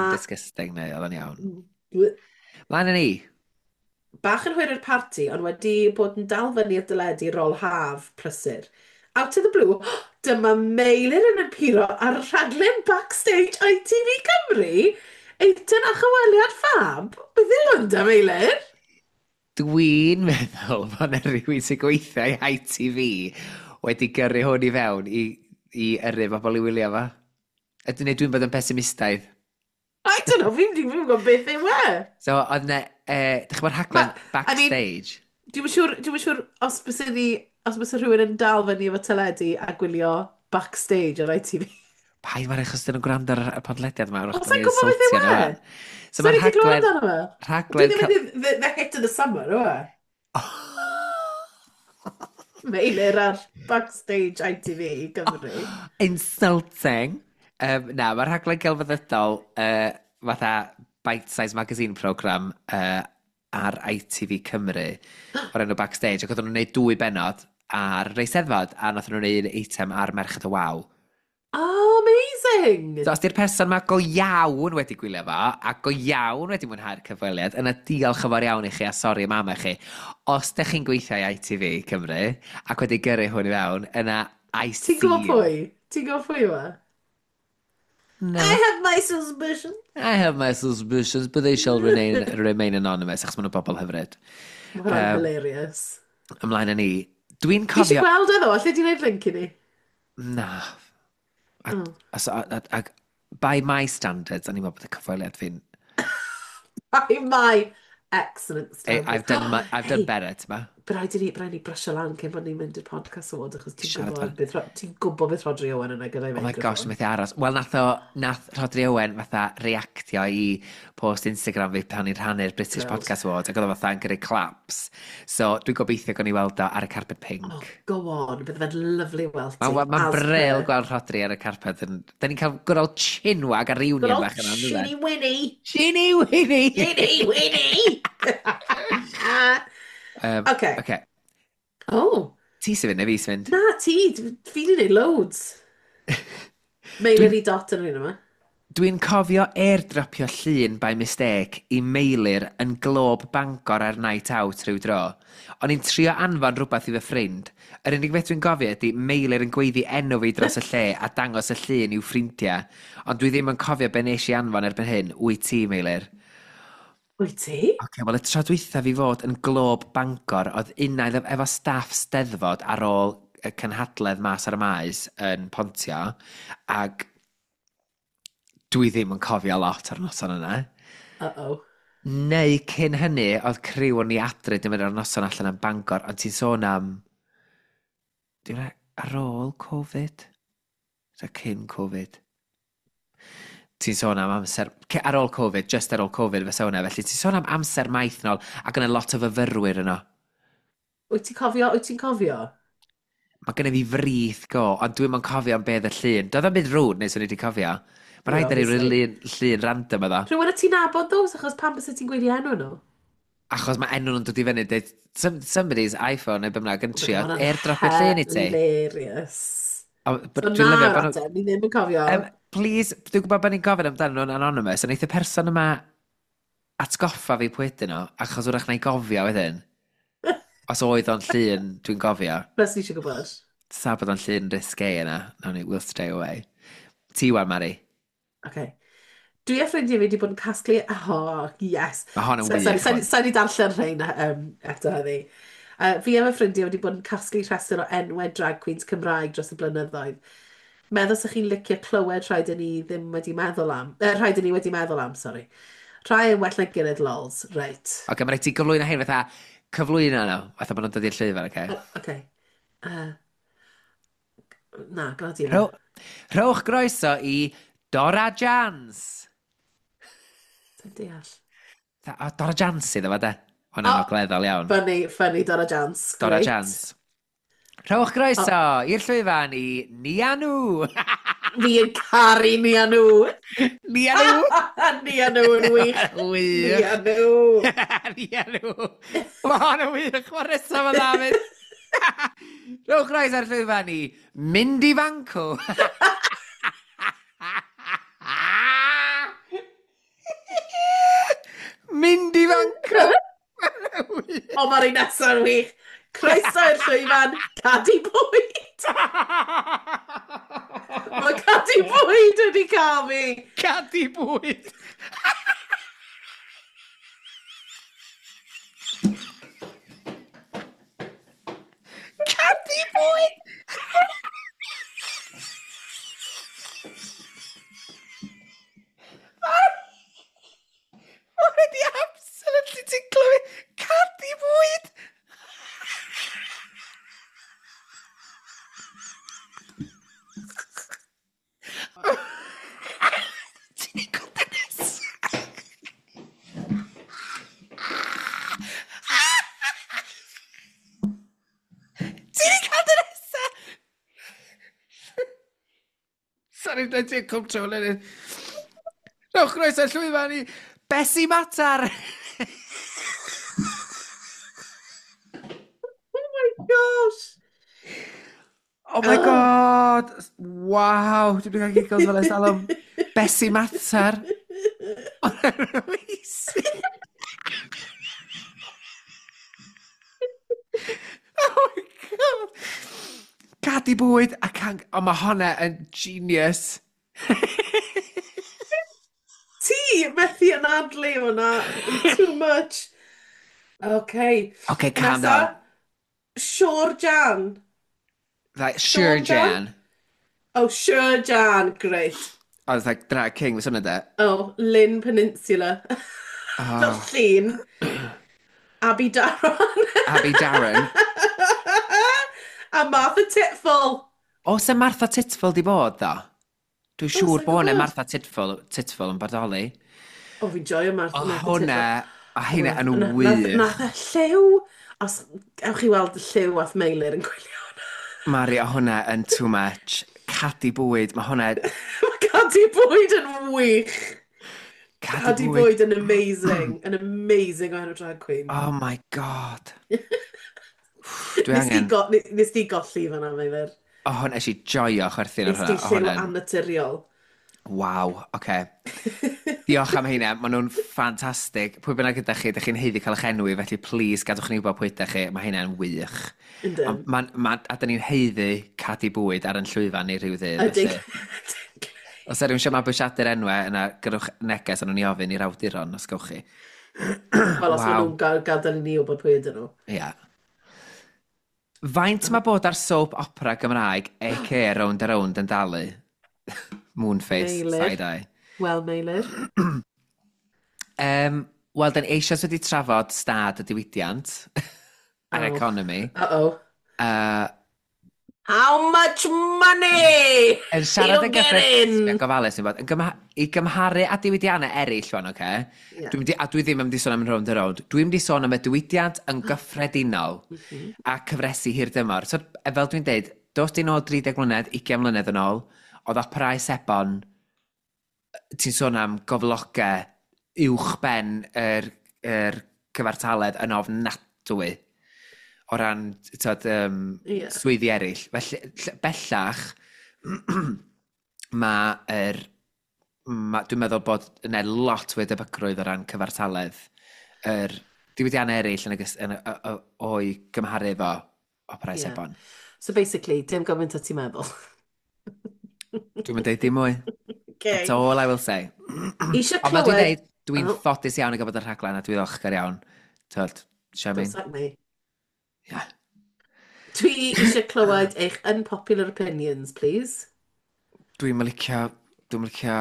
yn disgusting neu oedd o'n iawn. Mlaen â ni. Bach yn hwyr i'r parti, ond wedi bod yn dal fyny ar deledu rôl haf prysur. Out of the blue, dyma Meilir yn appearo ar rhaglen Backstage ITV Cymru. Eitem a chyfweliad ffab. Beth yw hwn da, Meilir? Dwi'n meddwl bod yna rhywun sy'n gweithio i ITV wedi gyrru hwn i fewn i yrru bobl i wylio fo. Ydyn neu dwi'n bod yn pessimistaidd. I don't know, fi'n gwybod beth yw e. So, oedd yna, dych chi'n bod rhaglen I mean, Backstage? Dwi'm yn siŵr os bys ni, os bys rhywun yn dal fyny efo teledu a gwylio Backstage ar ITV. Paid mae'n achos dyn nhw'n gwrando ar y podlediad yma, wrach O, bod sa'n ni'n gwybod beth yw insultio nhw e? wan. So Sa'n mae'r ni wedi clywed rhaglen... amdano fe? Dwi Rhaglen... ddim yn the hit of the summer, yw e? Meilir ar Backstage ITV Gymru. Insulting. Na, mae'r rhaglen gelfyddydol fatha Bite Size Magazine program ar ITV Cymru o'r enw Backstage, ac oedden nhw'n gwneud dwy bennod ar yr Eisteddfod, a nath nhw'n gwneud eitem ar Merched y Wawr. Oh, amazing! So, os di'r person yma go iawn wedi gwylio fo, a go iawn wedi mwynhau'r cyfweliad, yna diolch yn fawr iawn i chi a sori am am chi. Os ydych chi'n gweithio i ITV Cymru ac wedi gyrru hwn i fewn, yna I Ti'n see gwybod you. pwy? Ti'n gwybod pwy yw e? No. I have my suspicions. I have my suspicions, but they shall remain anonymous, achos maen nhw'n bobl hyfryd. Mae hwnna'n hilarious. Ymlaen â ni. Dwi'n Fi eisiau cofio. gweld e ddo, alle di wneud link i ni? Na. A, Oh. a, by my standards, o'n i'n meddwl bod y cyfweliad fi'n By my excellent standards. I've done Hey, better, ti'n ma? Bydd rhaid i ni brysio lan cyn bod ni'n mynd i'r podcast award, achos ti'n Siarad gwybod beth, ti'n gwybod beth Rodri Owen yna gyda'i Oh my gosh, meicroffon. methu aros. Wel, nath Rodri Owen fatha reactio i post Instagram fi pan i'n rhannu'r British Thrilled. Podcast Awards, ac oedd o fatha yn gyrru claps. So, dwi'n gobeithio gawn ni weld o ar y carpet pink. Oh, go on, bydd fe'n lovely weld ti. Mae'n ma as bril per. gweld Rodri ar y carpet. Da ni'n cael good old chinwag a Good reunion old bach yna, ynddo fe? Chinny Winnie! Chinny Winnie! Chinny Winnie! Okay. Okay. Oh, Ti sy'n fynd neu fi sy'n fynd? Na, ti, fi di wneud loads. Meilir i dot yn yr un yma. Dwi'n cofio airdropio llun by mistake i Meilir yn Glob Bangor ar night out rhyw dro. O'n i'n trio anfon rhywbeth i fy ffrind. Yr unig beth dwi'n gofio ydy Meilir yn gweiddi enw fi dros y lle a dangos y llun i'w ffrindiau. Ond dwi ddim yn cofio be nes i anfon erbyn hyn. Wyt ti, Meilir? Wyt ti? Oce, okay, wel y tro dwytha fi fod yn Glob Bangor, oedd unai efo staff Steddfod ar ôl y cynhadledd mas ar y maes yn Pontio, ac dwi ddim yn cofio lot ar noson yna. Uh-oh. Neu cyn hynny, oedd criw o'n i adre dim yn ar noson allan am Bangor, ond ti'n sôn am... Dwi'n ar ôl Covid? Ta cyn Covid? Ti'n sôn am amser... Ar ôl Covid, just ar ôl Covid fysa hwnna. Felly ti'n sôn am amser maith nôl, ac yna lot o fyfyrwyr yno. Wyt ti'n cofio? Wyt ti'n cofio? Mae gennym fi frith go, ond dwi'm yn cofio am beth y llun. Doedd o'm byd rude neu swn i wedi cofio. Mae rhaid ar ei Obviously. llun random iddo. Rhywun y ti'n nabod those, achos pam byse ti'n gweud i enw nhw? Achos mae enw nhw'n dod i fyny, deud, somebody's iPhone neu be bynnag yn trio Hwnna'n airdropio llun i ti. Hilarious. O, but So dwi'n na, lyfio bod nhw- ateb, ni ddim yn cofio. Please, dwi'n gwybod bod ni'n gofyn amdano nhw'n anonymous, ond eith y person yma atgoffa fi pwy ydyn nhw, achos wrach na i gofio wedyn. Os oedd o'n llun, dwi'n gofio. Plus ni eisiau gwybod. Sa bod o'n llun risque yna, nawn ni, we'll stay away. Ti wan, Mari. Okay. Dwi a ffrindiau fi wedi bod yn casglu... Oh, yes. Mae hon yn So, sorry, wych, sa'n hwn. sa ni darllen rhain eto heddi. Fi a fy ffrindiau wedi bod yn casglu rhestr o enwau drag queens Cymraeg dros y blynyddoedd. Meddwl sa'ch chi'n licio clywed rhai dyn ni ddim wedi meddwl am. Rhai dyn ni wedi meddwl am, sorry. Rhai yn well na gilydd, lols. Reit. Oce, okay, mae rhaid ti gyflwyno hyn fatha cyflwyno nhw, fatha bod nhw'n dod i'r llwyfan, oce? Okay? Okay. Na, gwna di na. Rhowch groeso i Dora Jans. Dwi'n deall. O, Dora Jans iddo fo, de. Hwna'n oh, ogleddol iawn. Funny, funny Dora Jans. Dora Jans. Rhowch groeso oh. i'r llwyfan i Nia Nhw. Fi yn caru Nia Nhw. Nia Nhw. Nia Nhw yn wych. Wych. Nia Nhw. Nia Nhw. Mae hon yn wych. Mae'r nesaf yn ddafyd. Rhowch groeso i'r llwyfan i Mindy Fanco. Mindy Fanco. O, mae'r un nesaf yn wych. Croeso i'r llwyfan, Cadi Bwyd. Mae Cadi Bwyd wedi cael fi. Cadi Bwyd. Cadi Bwyd! Mae wedi absolutely ti'n clywed Cadi Bwyd! Ti'n ei gweld y nesaf? Ti'n ei cael dy nesaf? Sorry, dwi'n ti'n control yn. Rhowch groeso llwyfan i Bessie Matar! Oh my gosh! Oh my god! Wow! Dwi'n mynd cael giggles fel ers talwm. Bessie Matar! Amazing! Oh my god! Cadi bwyd a can... O, mae honna yn genius. Ti methu anadlu hwnna. Too much. Okay. Okay, calm Nesa, down. Siôr Jan. Like, Sure Jan. Oh, Sure Jan. Great. I was like, drag king, fysa hwnna de. Oh, Lynn Peninsula. Oh. Fel llun. Abby Darren. Abby Darren. A Martha Titful. Oes e Martha Titful di bod, ddo? Dwi'n siŵr bod yna Martha Titful, Titful yn bodoli. O, fi'n joio Martha, Martha Titful. Hwna, a hynna yn wych. Nath e lliw. Os ewch chi weld lliw ath Meilir yn gwylio hwnna. Mari, o hwnna yn too much. Cadi bwyd, mae hwnna... Mae cadi bwyd yn wych. Cadi bwyd yn amazing. Yn amazing o enw drag queen. Oh my god. Dwi angen... Nes di golli fan'na, Meilir. O, oh, nes i joio chwerthin ar hwnna. Nes di lliw annaturiol. Waw, oce. Okay. Diolch am heina, maen nhw'n ffantastig. Pwy bynnag ydych chi, ydych chi'n haeddu cael eich enwi, felly please gadwch ni wybod pwy ydych chi, mae hynna'n wych. Yndyn. Ma, ma, a dyn ni'n haeddu cadi bwyd ar yn llwyfan ni rhyw ddydd. Ydyn. Os er rhywun eisiau mabwysiadu'r enwau, yna gyrrwch neges ond o'n i ofyn i'r awduron, os gawch chi. Wel, os maen nhw'n gadael i ni wybod pwy ydyn nhw. Ia. Yeah. Faint mae bod ar soap opera Gymraeg, a.k.a. Rownd a Rownd yn dalu? Moonface, side-eye. Wel, Meilir. Wel, da ni eisoes wedi trafod stad y diwydiant a'r economi. Uh-oh. How much money yn siarad yn gyffredin, gofalus, yn bod, i gymharu â diwydiannau eraill, wan, oce? Okay? Yeah. A dwi ddim yn mynd i sôn am Rownd a Rownd. Dwi'n mynd i sôn am y diwydiant yn gyffredinol a cyfresu hir dymor. So, fel dwi'n deud, dos di nôl 30 mlynedd, 20 mlynedd yn ôl, oedd operau sebon, ti'n sôn am goflogau uwch ben yr cyfartaledd yn ofnadwy o ran tyd, yeah. swyddi eraill. Felly, bellach, mae dwi'n meddwl bod yna lot fwy debygrwydd o ran cyfartaledd yr diwydiannau eraill yn, yn, yn, o'i gymharu efo operau yeah. sebon. So basically, dim gymaint o ti'n meddwl. Dwi'n mynd deud dim mwy. That's Okay. all I will say. Eisiau Ond fel dwi'n clywed. deud, dwi'n Oh, ffodus iawn i gael bod yn rhaglen a dwi'n ddiolchgar iawn. Tyd, don't I sack me. Yeah. Dwi eisiau clywed eich unpopular opinions, please. Dwi'n licio, dwi'n licio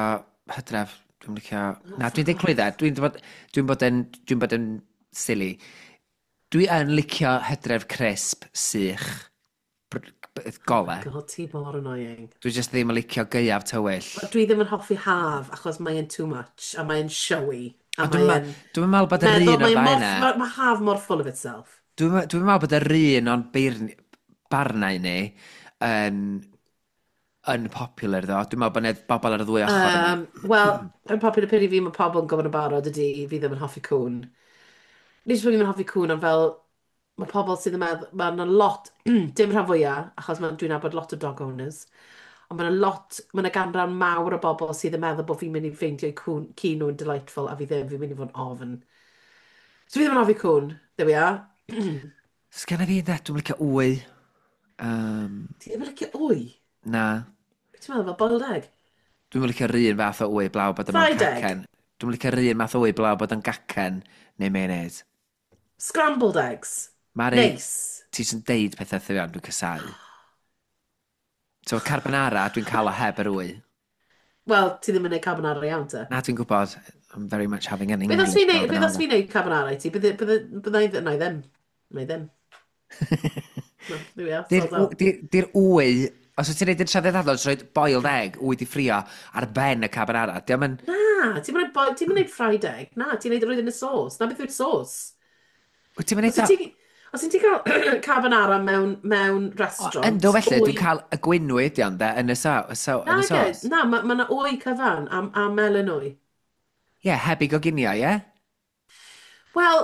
hydref, dwi'n licio. Oh, Na, dwi'n fuck deud clwydda, off. dwi'n bod yn silly. Dwi yn licio hydref crisp, sych, Oh my gole. God, ti mor annoying. Dwi just ddim yn licio gaeaf tywyll. Wel, dwi ddim yn hoffi haf achos mae'n too much a mae'n showy a Ond dwi'n mae'n dwi meddwl bod yr meddwl un o'r mae'n ddau mor yna. mae ma haf mor full of itself. Dwi'n meddwl bod yr un o'n barnau ni yn unpopular ddo. Dwi'n meddwl bod 'na bobl ar y ddwy ochr yna. Wel, yn popular opinion fi, mae pobl yn gwybod yn barod ydy fi ddim yn hoffi cwn. Nid jyst bod fi ddim yn hoffi cwn, ond fel mae pobl sydd yn meddwl, mae yna lot, dim rhan fwyaf, achos dwi'n nabod lot o dog owners, ond mae yna lot, mae yna ganran mawr o bobl sydd yn meddwl bod fi'n mynd i ffeindio cwn, ci nhw'n delightful, a fi ddim, fi'n mynd i fod yn ofn. So fi ddim yn hoffi cwn, there we are. Sgenna fi de, dwi'n licio wy. Um, Ti ddim yn licio wy? Na. Beth ti'n meddwl, fel boiled egg? Dwi'n licio'r un fath o wy blaw bod yn mewn Fried egg? cacen. Dwi'n licio'r un math o wy blaw bod yn gacen neu mayonnaise. Scrambled eggs? Mari, Neis. ti sy'n deud pethau wrtho dwi'n casau. So carbonara, dwi'n cael o heb yr wy. Wel, ti ddim yn neud carbonara iawn te. Na, dwi'n gwybod, I'm very much having an Beth os English fi'n neud, beth os carbonara. fi'n neud carbonara i ti? Bydde, bydde, bydde, bydde, na i ddim. Na i ddim. No, there we are, Di'r sold out. di wy, os wyt ti'n neud yn traddodiadol, jyst rhoid boiled egg, wy di ffrio ar ben y carbonara. Diolch yn. Na, ti'n mynd ti'n mynd fried egg. Na, ti'n neud roed yn y sauce. Na beth yw'r sauce. Wyt ti'n mynd Os o? wyt ti, os wyt ti'n cael carbonara mewn O, ynddo restaurant, felly, wy. dwi'n cael y gwynwy ydi ond de, yn y so, so, Na, yn y ge, sos. na, mae ma 'na wy cyfan a melyn wy. Ie, yeah, heb i goginio, ie? Wel,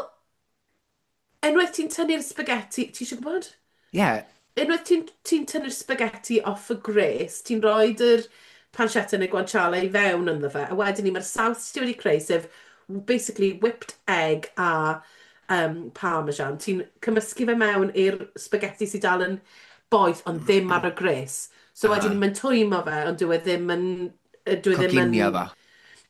unwaith ti'n tynnu'r spaghetti, ti eisiau gwybod? Ie. Yeah. Unwaith ti tynnu'r spaghetti off y gres, ti'n rhoi yr pancetta neu guanciale i fewn ynddo fe, a wedyn ni mae'r saws ti wedi creu, sef basically whipped egg a parmesan. Ti'n cymysgu fe mewn i'r spaghetti sydd dal yn boeth, ond ddim ar y gres. So wedyn Aha. ni mae'n twymo fe, ond dyw e ddim yn... Dyw e ddim yn. Coginio fo.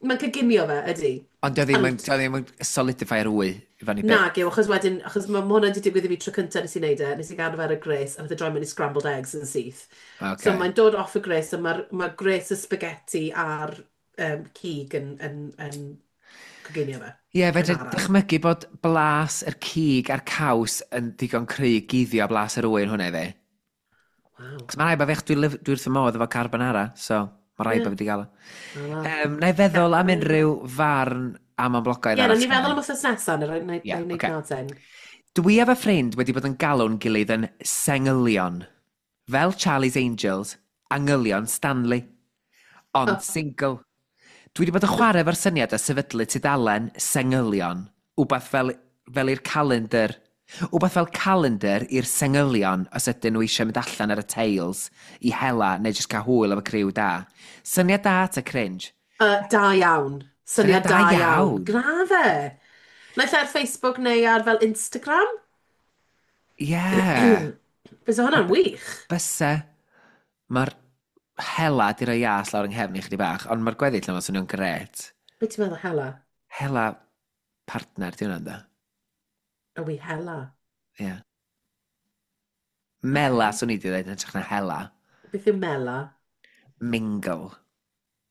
Mae'n coginio fe, ydy. Ond dio ddim yn, Ond dio ddim yn solidify'r wy i fyny nag byth. yw, achos wedyn, achos mae hwnna wedi digwydd i fi tro cyntaf nes i wneud e, nes i gadw fe ar y gres, a nath e droi mewn i scrambled eggs yn syth. So Okay. mae'n dod off y gres, a mae'r ma gres y spaghetti a'r cig yn coginio fe, Ie, yeah, yn fedra araf. dychmygu bod blas yr cig a'r caws yn digon cry i guddio blas yr wy yn hwnna i fi. Waw. Cos mae rhaid bod fi, dwi wrth fy modd efo carbonara, so mae rhaid Ie, bod fi wedi gael o. yeah. Wel. Na i feddwl am unrhyw farn am amlogaidd Ie, arall na ni sgynna feddwl i. am wythnos nesaf, na Ie, i wneud oce. nod then. Dwi efo ffrind wedi bod yn galw'n gilydd yn sengylion. Fel Charlie's Angels, angylion Stanley. Ond single. Dwi wedi bod yn chwarae efo'r syniad o sefydlu tudalen sengylion. Wbath fel i'r calendar. Wbath fel calendar i'r sengylion os ydyn nhw eisiau mynd allan ar y tails i hela neu jyst cael hwyl efo criw da. Syniad da ta cringe? Da iawn. Syniad Syniad da da iawn. iawn. Gwna fe. Naill ai ar Facebook neu ar fel Instagram. Ie. Yeah. Bysa hwnna'n wych. Byse. Mae'r hela di roi ias lawr yng nghefn i chdi bach, ond mae'r gweddill yma swnio'n gret. Be ti'n meddwl hela? Hela partner, di hwnna'n da. Are we hela? Ie. Yeah. Mela, Okay. swn i di ddweud, yn hytrach na hela. Beth yw mela? Mingle.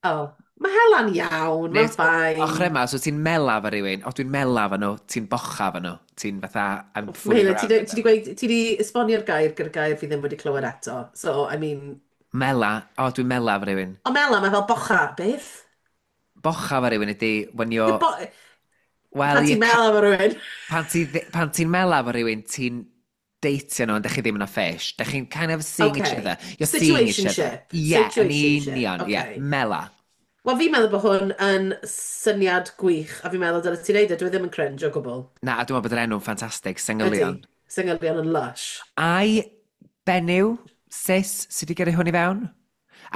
Oh, mae hela'n iawn, Neu, mae'n ochr fine. yma, so ti'n mela fo rhywun, o dwi'n mela fo nhw, ti'n bocha fo nhw, ti'n fatha, I'm fooling Mela, ti around di with ti them. di gweud, ti di esbonio'r gair gyda'r gair fi ddim wedi clywed eto. So, I mean, Mela, o dwi'n mela fo rhywun. o mela, mae fel bocha, beth? Bocha fo rhywun ydy, when you're, Bo well, pan you ti'n mela efo rhywun. pan ti'n mela fo rhywun, ti'n deitio nhw, ond dych chi ddim yn a fish. Dych chi'n kind of seeing each Okay. other. You're seeing each other. Situationship. Ie, yeah, yn Situationship. union, ie, yeah, Okay. mela. Wel, fi'n meddwl bod hwn yn syniad gwych, a fi'n meddwl dyle ti'n neud e, dwi ddim yn cringe o gwbl. Na, a dwi'n meddwl bod yr enw'n ffantastig, Ydy. Sengylion. Syngylion yn lush. Ai benyw, cis, sydd wedi gyrru hwn i fewn?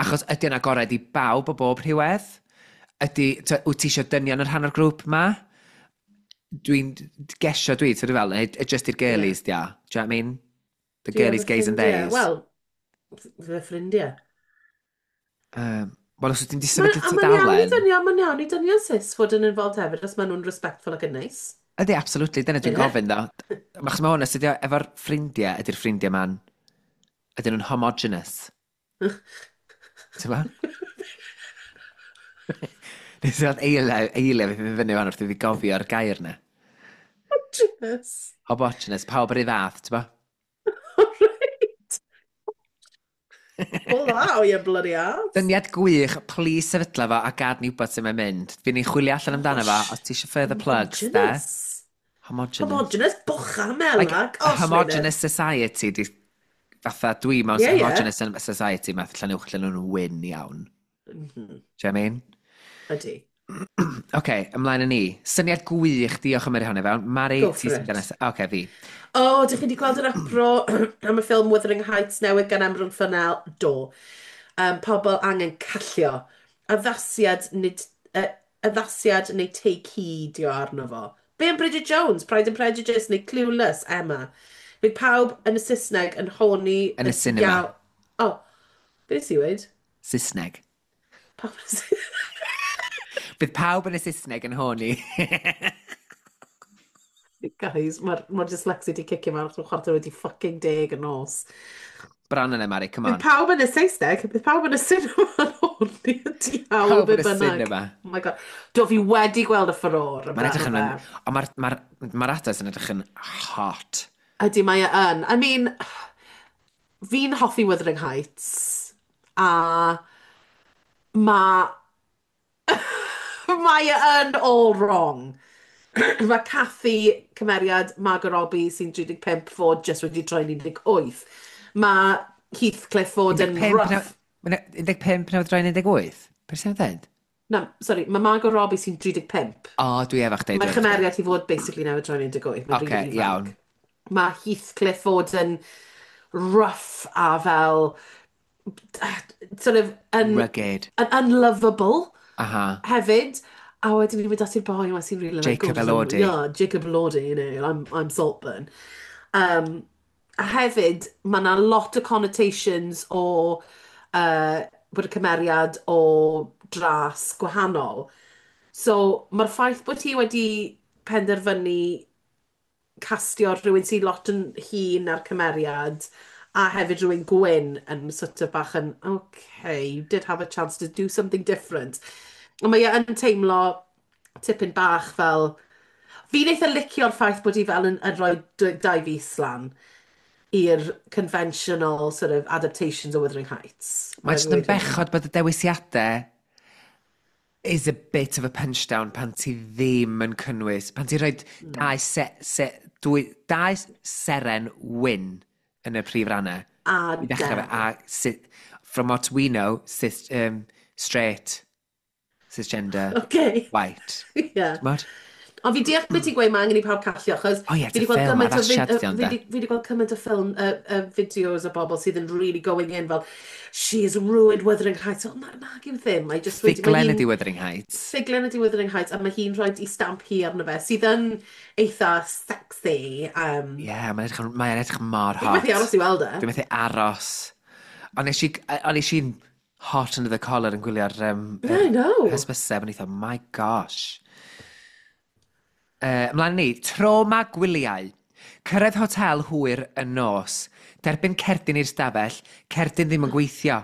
Achos ydy o'n agored i bawb o bob rhywedd? Ydy, wyt ti eisiau dynion yn rhan o'r grŵp ma? Dwi'n gesio dwi, ti'n fel, neu just i'r Ie. girlies, dia. Do you know what I mean? The Dwi girlies, efo gays and ffrindiau. theys. Wel, fy ffrindiau. Um, Wel, os wyt ti'n di Mae'n sefydlu a mae'n iawn i tudalen. dynion, mae'n iawn i dynion cis fod yn involved hefyd os maen nhw'n respectful ac yn neis. Ydy, absolutely, dyna dwi'n Ie. gofyn, ddo. Achos mae hwn, os ydy o efo'r ffrindiau, ydy'r ffrindiau ma'n, ydyn nhw'n homogenous? Ti'n ma? Nes i weld eiliau, eiliau fi fyny fan wrth i fi gofio'r gair na. Homogenous. Homogenous, pawb yr un fath, ti'n ba? Right. Pull that out, you bloody ass. Dyniad gwych, please sefydla fo a gad ni wybod sut mae'n mynd. Fi'n ni'n chwilio allan amdano fo, Gosh. os ti eisiau further plugs, de? Homogenous. Homogenous. Homogenous, bwcha mela. Like, a Gosh, Meinir. homogenous society, di, fatha dwi mewn Ie. homogenous society, math Llanuwch lle nhw'n wyn iawn. Do you know what I mean? Ydy. Oce, okay, ymlaen â ni. Syniad gwych, diolch am yr hwnna fewn. Mari, Go ti for sy'n it. nesaf. Oce, okay, fi. O, oh, dych chi wedi gweld yr uproar am y ffilm Wuthering Heights newydd gan Emerald Fennell? Do. Pobl angen callio. Addasiad, nid, addasiad neu take heed o arno fo. Be am Bridget Jones, Pride and Prejudice neu Clueless, Emma? Bydd pawb yn y Saesneg yn horny. Yn y cinema. O, oh, be nes i weud? Saesneg. Pawb yn y Saesneg. Bydd pawb yn y Saesneg yn horny. Guys, mae'r ma dyslexia di cicio mewn achos 10:15 y nos. Bron yna, Mari, come Bydd on. pawb yn y Saesneg, bydd pawb yn y cinema yn horny y diawl Pawb be yn y bynnag. cinema. Oh my God. Do, fi wedi gweld y furore. Mae'n edrych yn... amdano fe. Ond mae'r ma ma actors yn edrych yn hot. Ydy, mae e yn. I mean, fi'n hoffi Wuthering Heights, a mae e yn all wrong. Mae Cathy, cymeriad Margot Robbie sy'n 35 fod just wedi troi'n 18. Mae Heathcliff fod yn 15 rough. 15 newydd droi'n 18? Beth sy'n dweud? Na, sorry, mae Margot Robbie sy'n 35. O, dwi efo chdi. Mae dwi efo chdi. chymeriad hi fod basically newydd troi'n 18. Mae'n Ocê, really ifanc. iawn. Mae Heathcliff fod yn rough a fel sort of yn, Rugged. yn unlovable hefyd. A wedyn ni'n mynd at i'r boi yma sy'n really like, Jacob gorgeous. Elordi. Yeah, Jacob Elordi, I'm Saltburn. A hefyd, mae yna lot o connotations o bod y cymeriad o dras gwahanol. So, mae'r ffaith bod hi wedi penderfynu castio rhywun sy'n lot yn hŷn na'r cymeriad a hefyd rhywun gwyn yn sort of bach yn, okay, you did have a chance to do something different. Ond mae e yn teimlo tipyn bach fel. Fi'n eitha licio'r ffaith bod hi fel yn rhoi dau fys lan i'r conventional sort of adaptations o Wuthering Heights. Mae jyst yn bechod bod y dewisiadau is a bit of a punchdown pan ti ddim yn cynnwys, pan ti'n rhoi dau seren wyn yn y prif rannau. A I ddechrau fe, del. a from what we know, cis, straight, cisgender, white. T'mod? Ond fi deall beth ti'n gweud, mae angen i pawb callio, achos O ie, fi it's 'di a gweld ffilm, gymaint o addasiad 'di ond fi de. 'di gweld cymaint o ffilm, fideos o bobl sydd yn really going in fel, "She has ruined Wuthering Heights." O, na, na, gyw ddim. Mae just wedi, mae Ffuglen hi'n ydi Wuthering Heights. Ffuglen ydi Wuthering Heights, a mae hi'n rhoi i stamp hi arno fe, sydd yn eitha sexy. Ie, yeah, mae'n edrych mor Fi'n hot. methu aros i weld e. Dwi'n methu aros. Ond nes i'n hot under the collar yn gwylio'r Yeah, I know. hysbyseb, yn eitha, my gosh. Ymlaen ni, trauma gwyliau. Cyrraedd hotel hwyr yn nos. Derbyn cerdyn i'r stafell, cerdyn ddim yn gweithio.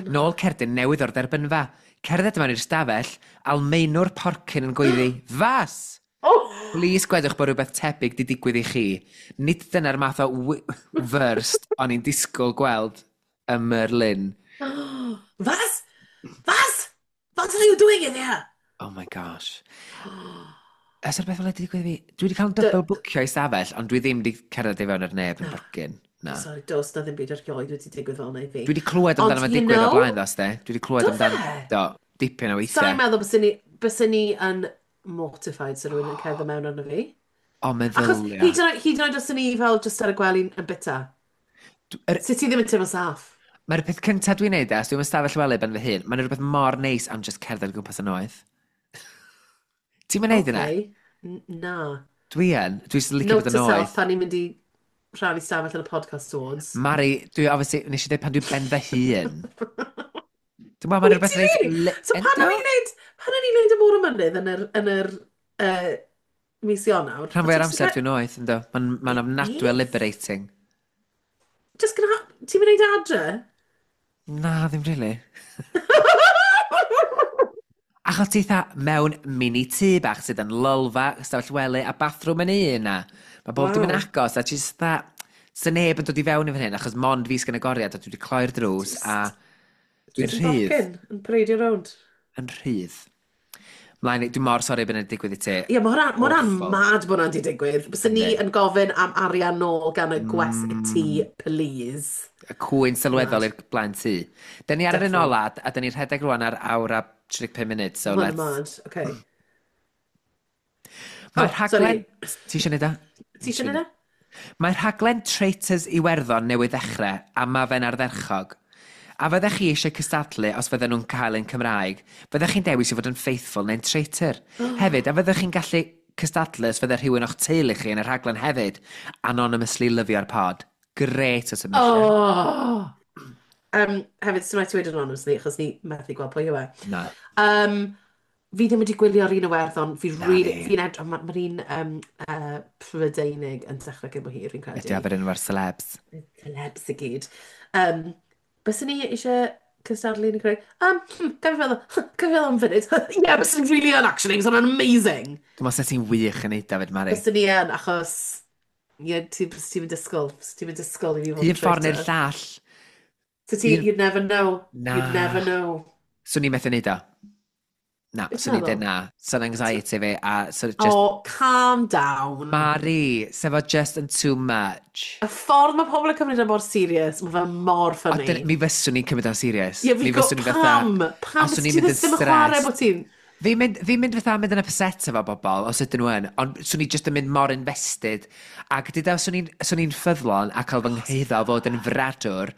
Nôl cerdyn newydd o'r derbynfa. Cerdded mewn i'r stafell, Almaenwr porcyn yn gweiddi, "Was!" Oh! Please gwedwch bod rhywbeth tebyg di digwydd i chi. Nid dyna'r math o first o'n i'n disgwyl gweld ym Merlin. Was? Was? What are you doing in here? Oh my gosh. Ys o'r beth fel wedi digwydd i fi? Dwi wedi cael yn double bwcio i stafell, ond dwi ddim wedi cerdded i fewn ar neb yn borgyn. Na. Sorry, dos na ddim byd erioed wedi digwydd fel yna i fi. Dwi wedi clywed amdano Ond, fe you digwydd o blaen, ddos, de. Dwi wedi clywed Do amdano. fe? Do, dipyn o Sa'n weithiau. meddwl byswn ni yn mortified sy'n rhywun yn cerdded mewn arno fi. O, Achos meddylia. hyd yn oed os o'n i fel just ar y gwely yn bita. Sut ti ddim yn teimlo saff? Mae'r peth cyntaf dwi'n neud, e, os dwi'n ystafell wely ben fy hun, mae'n rhywbeth mor neis am just cerdded o gwmpas y noeth. Ti'n mynd neud yna? Okay. Na. Dwi yn. Dwi jyst yn licio Note bod yn to self noeth. pan ni'n mynd i rhannu stafell yn y podcast awards. Mari, dwi obviously, nes i dweud pan dwi'n ben fy hun. Dwi'n meddwl mae'n Wyt rhywbeth ti reit. really? So pan Ynddo? o'n i'n neud, pan o'n i'n neud y môr o mynydd yn yr mis Ionawr, Rhan o fwy ti o'r jyst yn amser cael. dwi'n noeth, ynddo. Mae'n ofnadwy o Beth? liberating. Just gonna, ti'n mynd neud adre? Na, ddim really. Achos ti eitha mewn mini tŷ bach sydd yn lolfa, ystafell wely a bathroom yn un na. Mae bob dim yn Wow. agos a ti jyst fatha. Sa neb yn dod i fewn i fan hyn achos mond fi sgan agoriad a dwi wedi cloi'r drws a Just, dwi'n just yn rhydd. docyn, yn pareidio rownd. Yn rhydd. Mlaen, dwi'n mor sori bod yna'n digwydd i ti. Ie, mae hwnna'n Awful. mad bod hwnna'n di digwydd. Bysen ni Yndi. yn gofyn am arian nôl gan y gwesty, please. Y cwyn sylweddol Mad. i'r blaen tŷ. Da ni ar yr un Defo. ola, a da ni'n rhedeg rwan ar awr a 35 munud, so Mae hwnna'n let's. mad, okay. Mae'r Oh, rhaglen. sorry. Ti eisiau neud o? Ti eisiau neud e? Mae'r rhaglen Traitors Iwerddon newydd ddechrau, a mae fe'n ardderchog. A fyddech chi eisiau cystadlu os fydden nhw'n cael yn Cymraeg, fyddech chi'n dewis i fod yn faithful neu'n traitor? Hefyd, a fyddech chi'n gallu cystadlu os fydde rhywun o'ch teulu chi yn y rhaglen hefyd? Anonymously lyfio'r pod. Great o submission. Oh! Hefyd, sy'n rhaid ti wedi anonymously, achos ni methu gweld pwy yw e. Na. Fi ddim wedi gwylio'r un Iwerddon. Fi Na really, fi. fi'n edrych, mae'r un Prydeinig yn dechrau cyn bo hir, fi'n credu. Ydy o'r un efo'r celebs. Celebs i gyd. Byswn ni eisiau cystadlu yn y creu? Gael fi feddwl am funud. Yeah, byswn ni really yn, actually. Byswn nhw'n amazing. Dwi'n meddwl ti'n wych yn neud David Mari. Byswn ni yn, achos. Ie, ti'n mynd disgwyl i fi fod Un yn ffordd neu'r traitor. llall. So ti, you'd never know. Na. You'd never know. Swn i'n methu neud o. Na, Beth swn i'n meddwl? dweud na. Swn anxiety fi, a so just. Oh, calm down. Mari, sef o just yn too much. Y ffordd mae pobl yn cymryd e mor serious, mae fe mor O, funny. mi fyswn i'n cymryd o'n serious. Ie, fi Mi go, fyswn i fatha. pam? A Pam swn i'n ti mynd yn ddim yn chwarae stressed. bod ti'n. Fi'n mynd fatha mynd yn upset efo bobl, os ydyn nhw yn, ond swn i just yn mynd mor invested. Ac dyda, swn i'n ffyddlon a cael fy nghyhuddo o fod yn fradwr,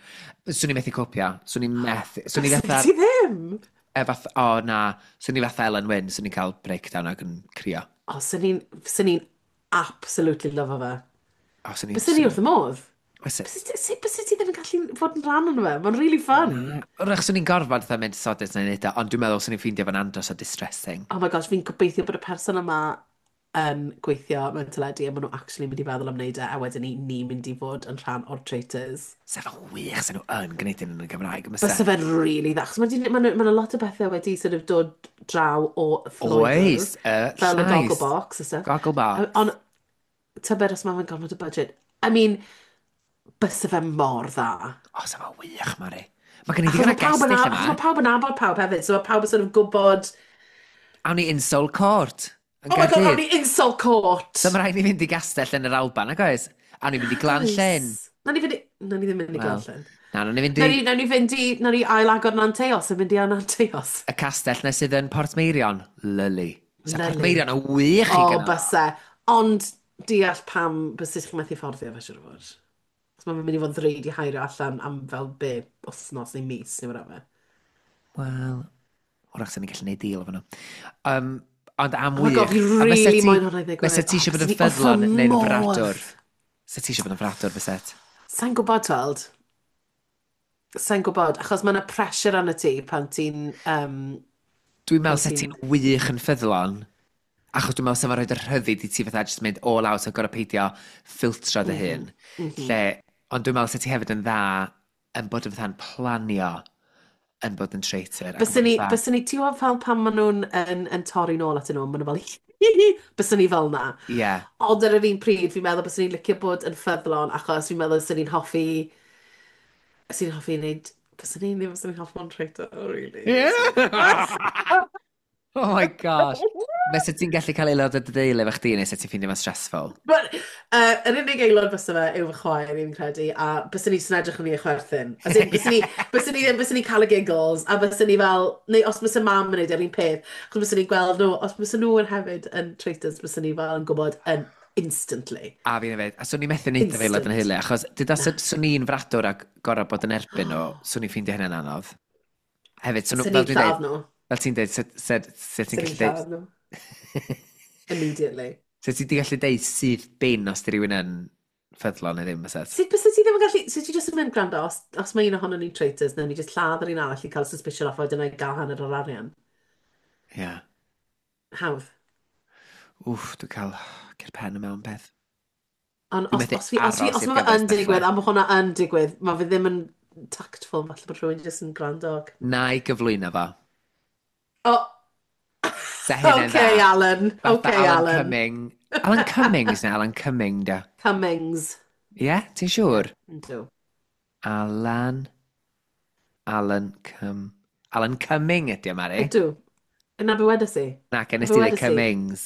swn i'n methu copio. Swn i'n methu. Swn i fatha, Ti ddim? E fath, o na, swn i fatha Ellen Wynne, swn i'n cael breakdown ac yn crio. O, swn i'n absolutely lyfo fe. O, swn i'n. Byswn ni wrth y modd. Fyse- Byse ti ddim yn gallu fod yn rhan o'n fe? Mae'n really fun. Wrach, swn i'n gorfod fatha mynd sodus na'n neud o, ond dwi'n meddwl swn i'n ffeindio fo'n andros o distressing. Oh my gosh, fi'n gobeithio bod y person yma yn gweithio mewn teledu a maen nhw actually mynd i feddwl am wneud e, a wedyn ni ni'n mynd i fod yn rhan o'r traitors. Sef o'n wych sy'n nhw yn gwneud hyn yn y Gymraeg. Byse fe'n really dda. Achos mae 'na lot o bethau wedi sort of dod draw o Lloegr. Oes, y Fel y llais. Gogglebox a stuff. Gogglebox. Ond tybed os mae fe'n gormod o budget. I mean, byse fe mor dda. O, sef o'n wych, Mari. Mae gen i Achos ddigon o mae pawb yn gestyll achos yma. mae pawb yn nabod pawb hefyd, so mae pawb yn sort of gwybod. Awn ni Insole Court yn Oh my God, awn Gaerdydd. ni Insole Court! So mae rhaid ni fynd i gastell yn yr Alban, ag oes? Awn ni fynd i Glan Llyn. Na ni fynd i. Na ni ddim mynd i Wel, Glan Llyn. Na, nawn ni fynd Na i ni fynd i. Na ni ail-agor Nanteos yn mynd i Nanteos. Y castell na sydd yn Portmeirion. Lyli. Sa Lyli. Portmeirion yn wych i O, gynnal. byse. Ond deall pam byse chi'n methu fforddio fe, siŵr o fod. Achos mae'n mynd i fod yn ddrud i heirio allan am fel be, wythnos neu mis neu whatever. Wel, wrach sy'n ni'n gallu neud deal efo nhw. Ond am Oh my wych. God, fi A fysa really moyn hwnna i ddigwydd. Fysa ti Oh, eisiau bod yn bysen i wrth fy ffyddlon neu'n modd. fradwr? Fysa ti eisiau bod yn fradwr, fyset? Sa'n gwybod, tweld. Sa'n gwybod, achos mae yna pressure arno ti pan ti'n Dwi'n meddwl pan sa ti'n ti'n wych yn ffyddlon, achos dwi'n meddwl sa fo'n rhoi y rhyddid i ti fatha jyst mynd all out a gorau peidio ffiltro dy hun. Lle, ond dwi'n meddwl sa ti hefyd yn dda yn bod yn fatha'n planio yn bod yn traitor ac yn Byswn bod ni, yn fatha byswn ni, ti'n gwybod fel pan maen nhw'n yn torri nôl atyn nhw, maen nhw fel, byswn ni fel na. Ond ar yr un pryd, fi'n meddwl byswn ni'n licio bod yn ffyddlon, achos fi'n meddwl byswn ni'n hoffi wneud, byswn ni'n ddim byswn ni'n hoffi bod yn traitor, really. Yeah. Oh my gosh. Fysa ti'n gallu cael aelod o dy deulu efo chdi neu sa ti'n ffeindio fo'n stressful? But yr unig aelod bysa fe yw fy chwaer, fi'n credu, a byswn ni jyst yn edrych yn ni a chwerthin. As in, byswn ni cael y giggles, a byswn ni fel, neu os bysa mam yn neud yr un peth, achos byswn ni'n gweld nhw, os bysa nhw yn hefyd yn traitors, byswn ni fel yn gwybod yn instantly. A fi'n hefyd. A swn i'n methu neud efo aelod yn Instant. hyle, achos dyda swn i'n fradwr ac gorau bod yn erbyn nhw, swn i'n ffeindio hynny'n anodd. Hefyd, swn Swn fel i'n dwi'n lladd dweud, nhw. fel ti'n dweud, sut ti'n Swn i'n gallu dweud, lladd nhw. Immediately. sut ti'n gallu dweud syth bin os di rhywun yn ffyddlon neu ddim, fyset? Sut byse ti ddim yn gallu... Sut ti jyst yn mynd gwrando, os mae un ohono ni'n traitors, nawn ni jyst lladd yr un arall i cael suspicion off, a wedyn i gael hanner o'r arian. Ie. Yeah. Hawdd. Wff, dwi'n cael cur pen yma mewn peth. Ond Dwi'n os, methu os, fi, os, fi, aros os i'r mae fe gyfres yn digwydd, dechrau. a mae hwnna yn digwydd, mae fe ddim yn tactful, falle bod rhywun jyst yn gwrando. Na i gyflwyno fo. Oh, Sa hynny'n dda. okay, Alan. Fatha Okay, Alan Alan. Cumming. Alan Cummings neu Alan Cumming, da. Cummings. Ie, yeah, ti'n Yeah, siŵr? yndw. Alan... Alan Cum... Alan Cumming ydi o, Mari. Ydw. Yna be wedes i? Na, gen Na nes be ti ddeud wedes i? Cummings.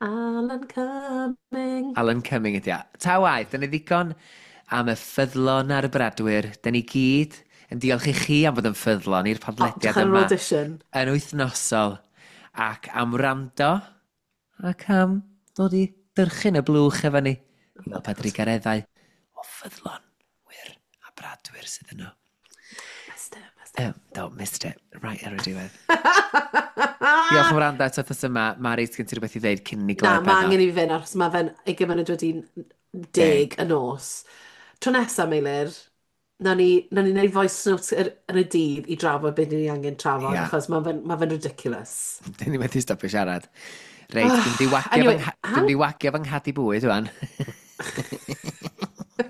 Alan Cumming. Alan Cumming ydi o. Ta waeth, dyna ddigon am y ffyddlon a'r bradwyr. Dyna ni gyd yn diolch i chi am fod yn ffyddlon i'r O, podlediad dechrau'r yma audition. yn wythnosol ac am wrando ac am ddod i dyrchyn y blwch efo ni. I weld pa drugareddau o ffyddlon wir a bradwyr sydd yno. Missed it, missed it. Do, missed it. Right ar y diwedd. Diolch am wrando eto wythnos yma. Mari, sgen ti rhywbeth i ddeud cyn i ni Na, gloi mae bennod? angen i fi fynd, achos mae fe'n ugain munud wedi 10. 10 y nos. Tro nesaf, Meilir, nawn ni wneud voice notes yn y dydd i drafod beth ni angen trafod, achos mae fe'n ma fe ridiculous. Dyn ni methu stopio siarad. Reit, dwi'n di wagio Anyway, fy dwi'n di wagio fy nghadi bwyd wan.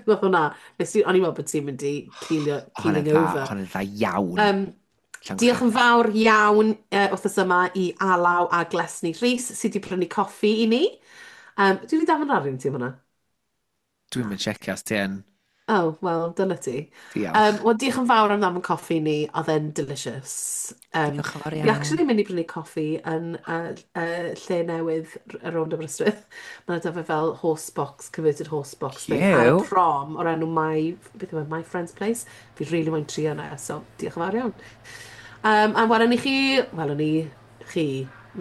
Nath hwnna, nes i, o'n i'n meddwl bod ti'n mynd i keelio, Hwnna'n keeling dda, over. hwnna'n dda iawn. Diolch yn fawr iawn wythnos yma i Alaw a Glesni Rhys sydd wedi prynu coffi i ni. Dwi wedi dafod arian ti am hwnna? Dwi'n mynd checio os ti yn. Oh, wel, dyna ti. Diolch. Wel, diolch yn fawr am ddamon coffi ni, oedd e'n delicious. Diolch yn fawr Fi iawn. actually mynd i brynu coffi yn lle newydd rownd Aberystwyth. Mae'n dyfa fel horse box, converted horse box thing ar y Cute. prom o'r enw My, beth yw e, My Friend's Place. Fi really moyn trio yna, so diolch yn fawr iawn. A welwn ni chi, welwn ni chi,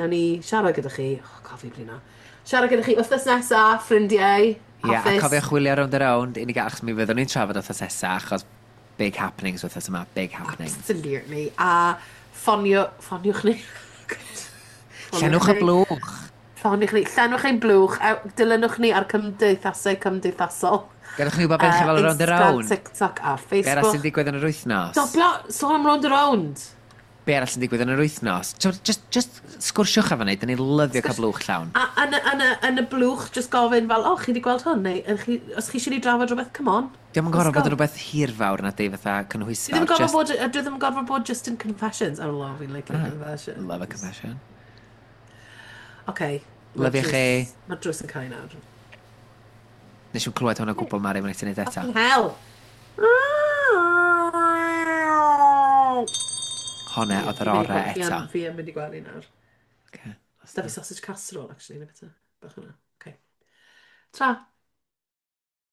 nawn ni siarad gyda chi, oh, cofi blino, siarad gyda chi wythnos nesa, ffrindiau, Ie, a hapus. cofiwch chwilio Rownd a Rownd i ni gael, achos mi fyddwn ni'n trafod wythnos nesa, achos big happenings wythnos yma, big happenings. Absolutely. A ffonio, ffoniwch ni. Llenwch y blwch. Ffoniwch ni. Llenwch ein blwch. A dilynwch ni ar cymdeithasau cymdeithasol. Gadewch ni wybod beth chi fel Rownd a Instagram, Rownd. TikTok a Be arall sy'n Facebook. digwydd yn yr wythnos? Stopio, sôn am Rownd a Rownd. Be arall sy'n digwydd yn yr wythnos? Just sgwrsiwch efo ni, dyn ni'n lyfio cael blwch llawn. A yn y blwch, just gofyn fel, "O, chi wedi gweld hwn?" Neu, "Ych chi, os chi eisiau ni drafod rhywbeth, come on. Diolch yn Let's gorfod bod go." yn rhywbeth hirfawr na di fatha Dwi ddim cynhwysfawr. yn gorfod Just bod, dwi ddim yn gorfod bod just in confessions. Oh, love, fi'n like confessions. Love a confession. Okay. Lyfio chi. Mae'r drws yn cau nawr. Nes i'n clywed hwn o gwbl, Mari, mae'n ti'n neud eto. Fucking hell! Honna oedd yr orau eto. Fi yn mynd i gwely nawr. Okay. Da fi sausage casserole, actually, neu beth. Bach hwnna. Okay. Tra.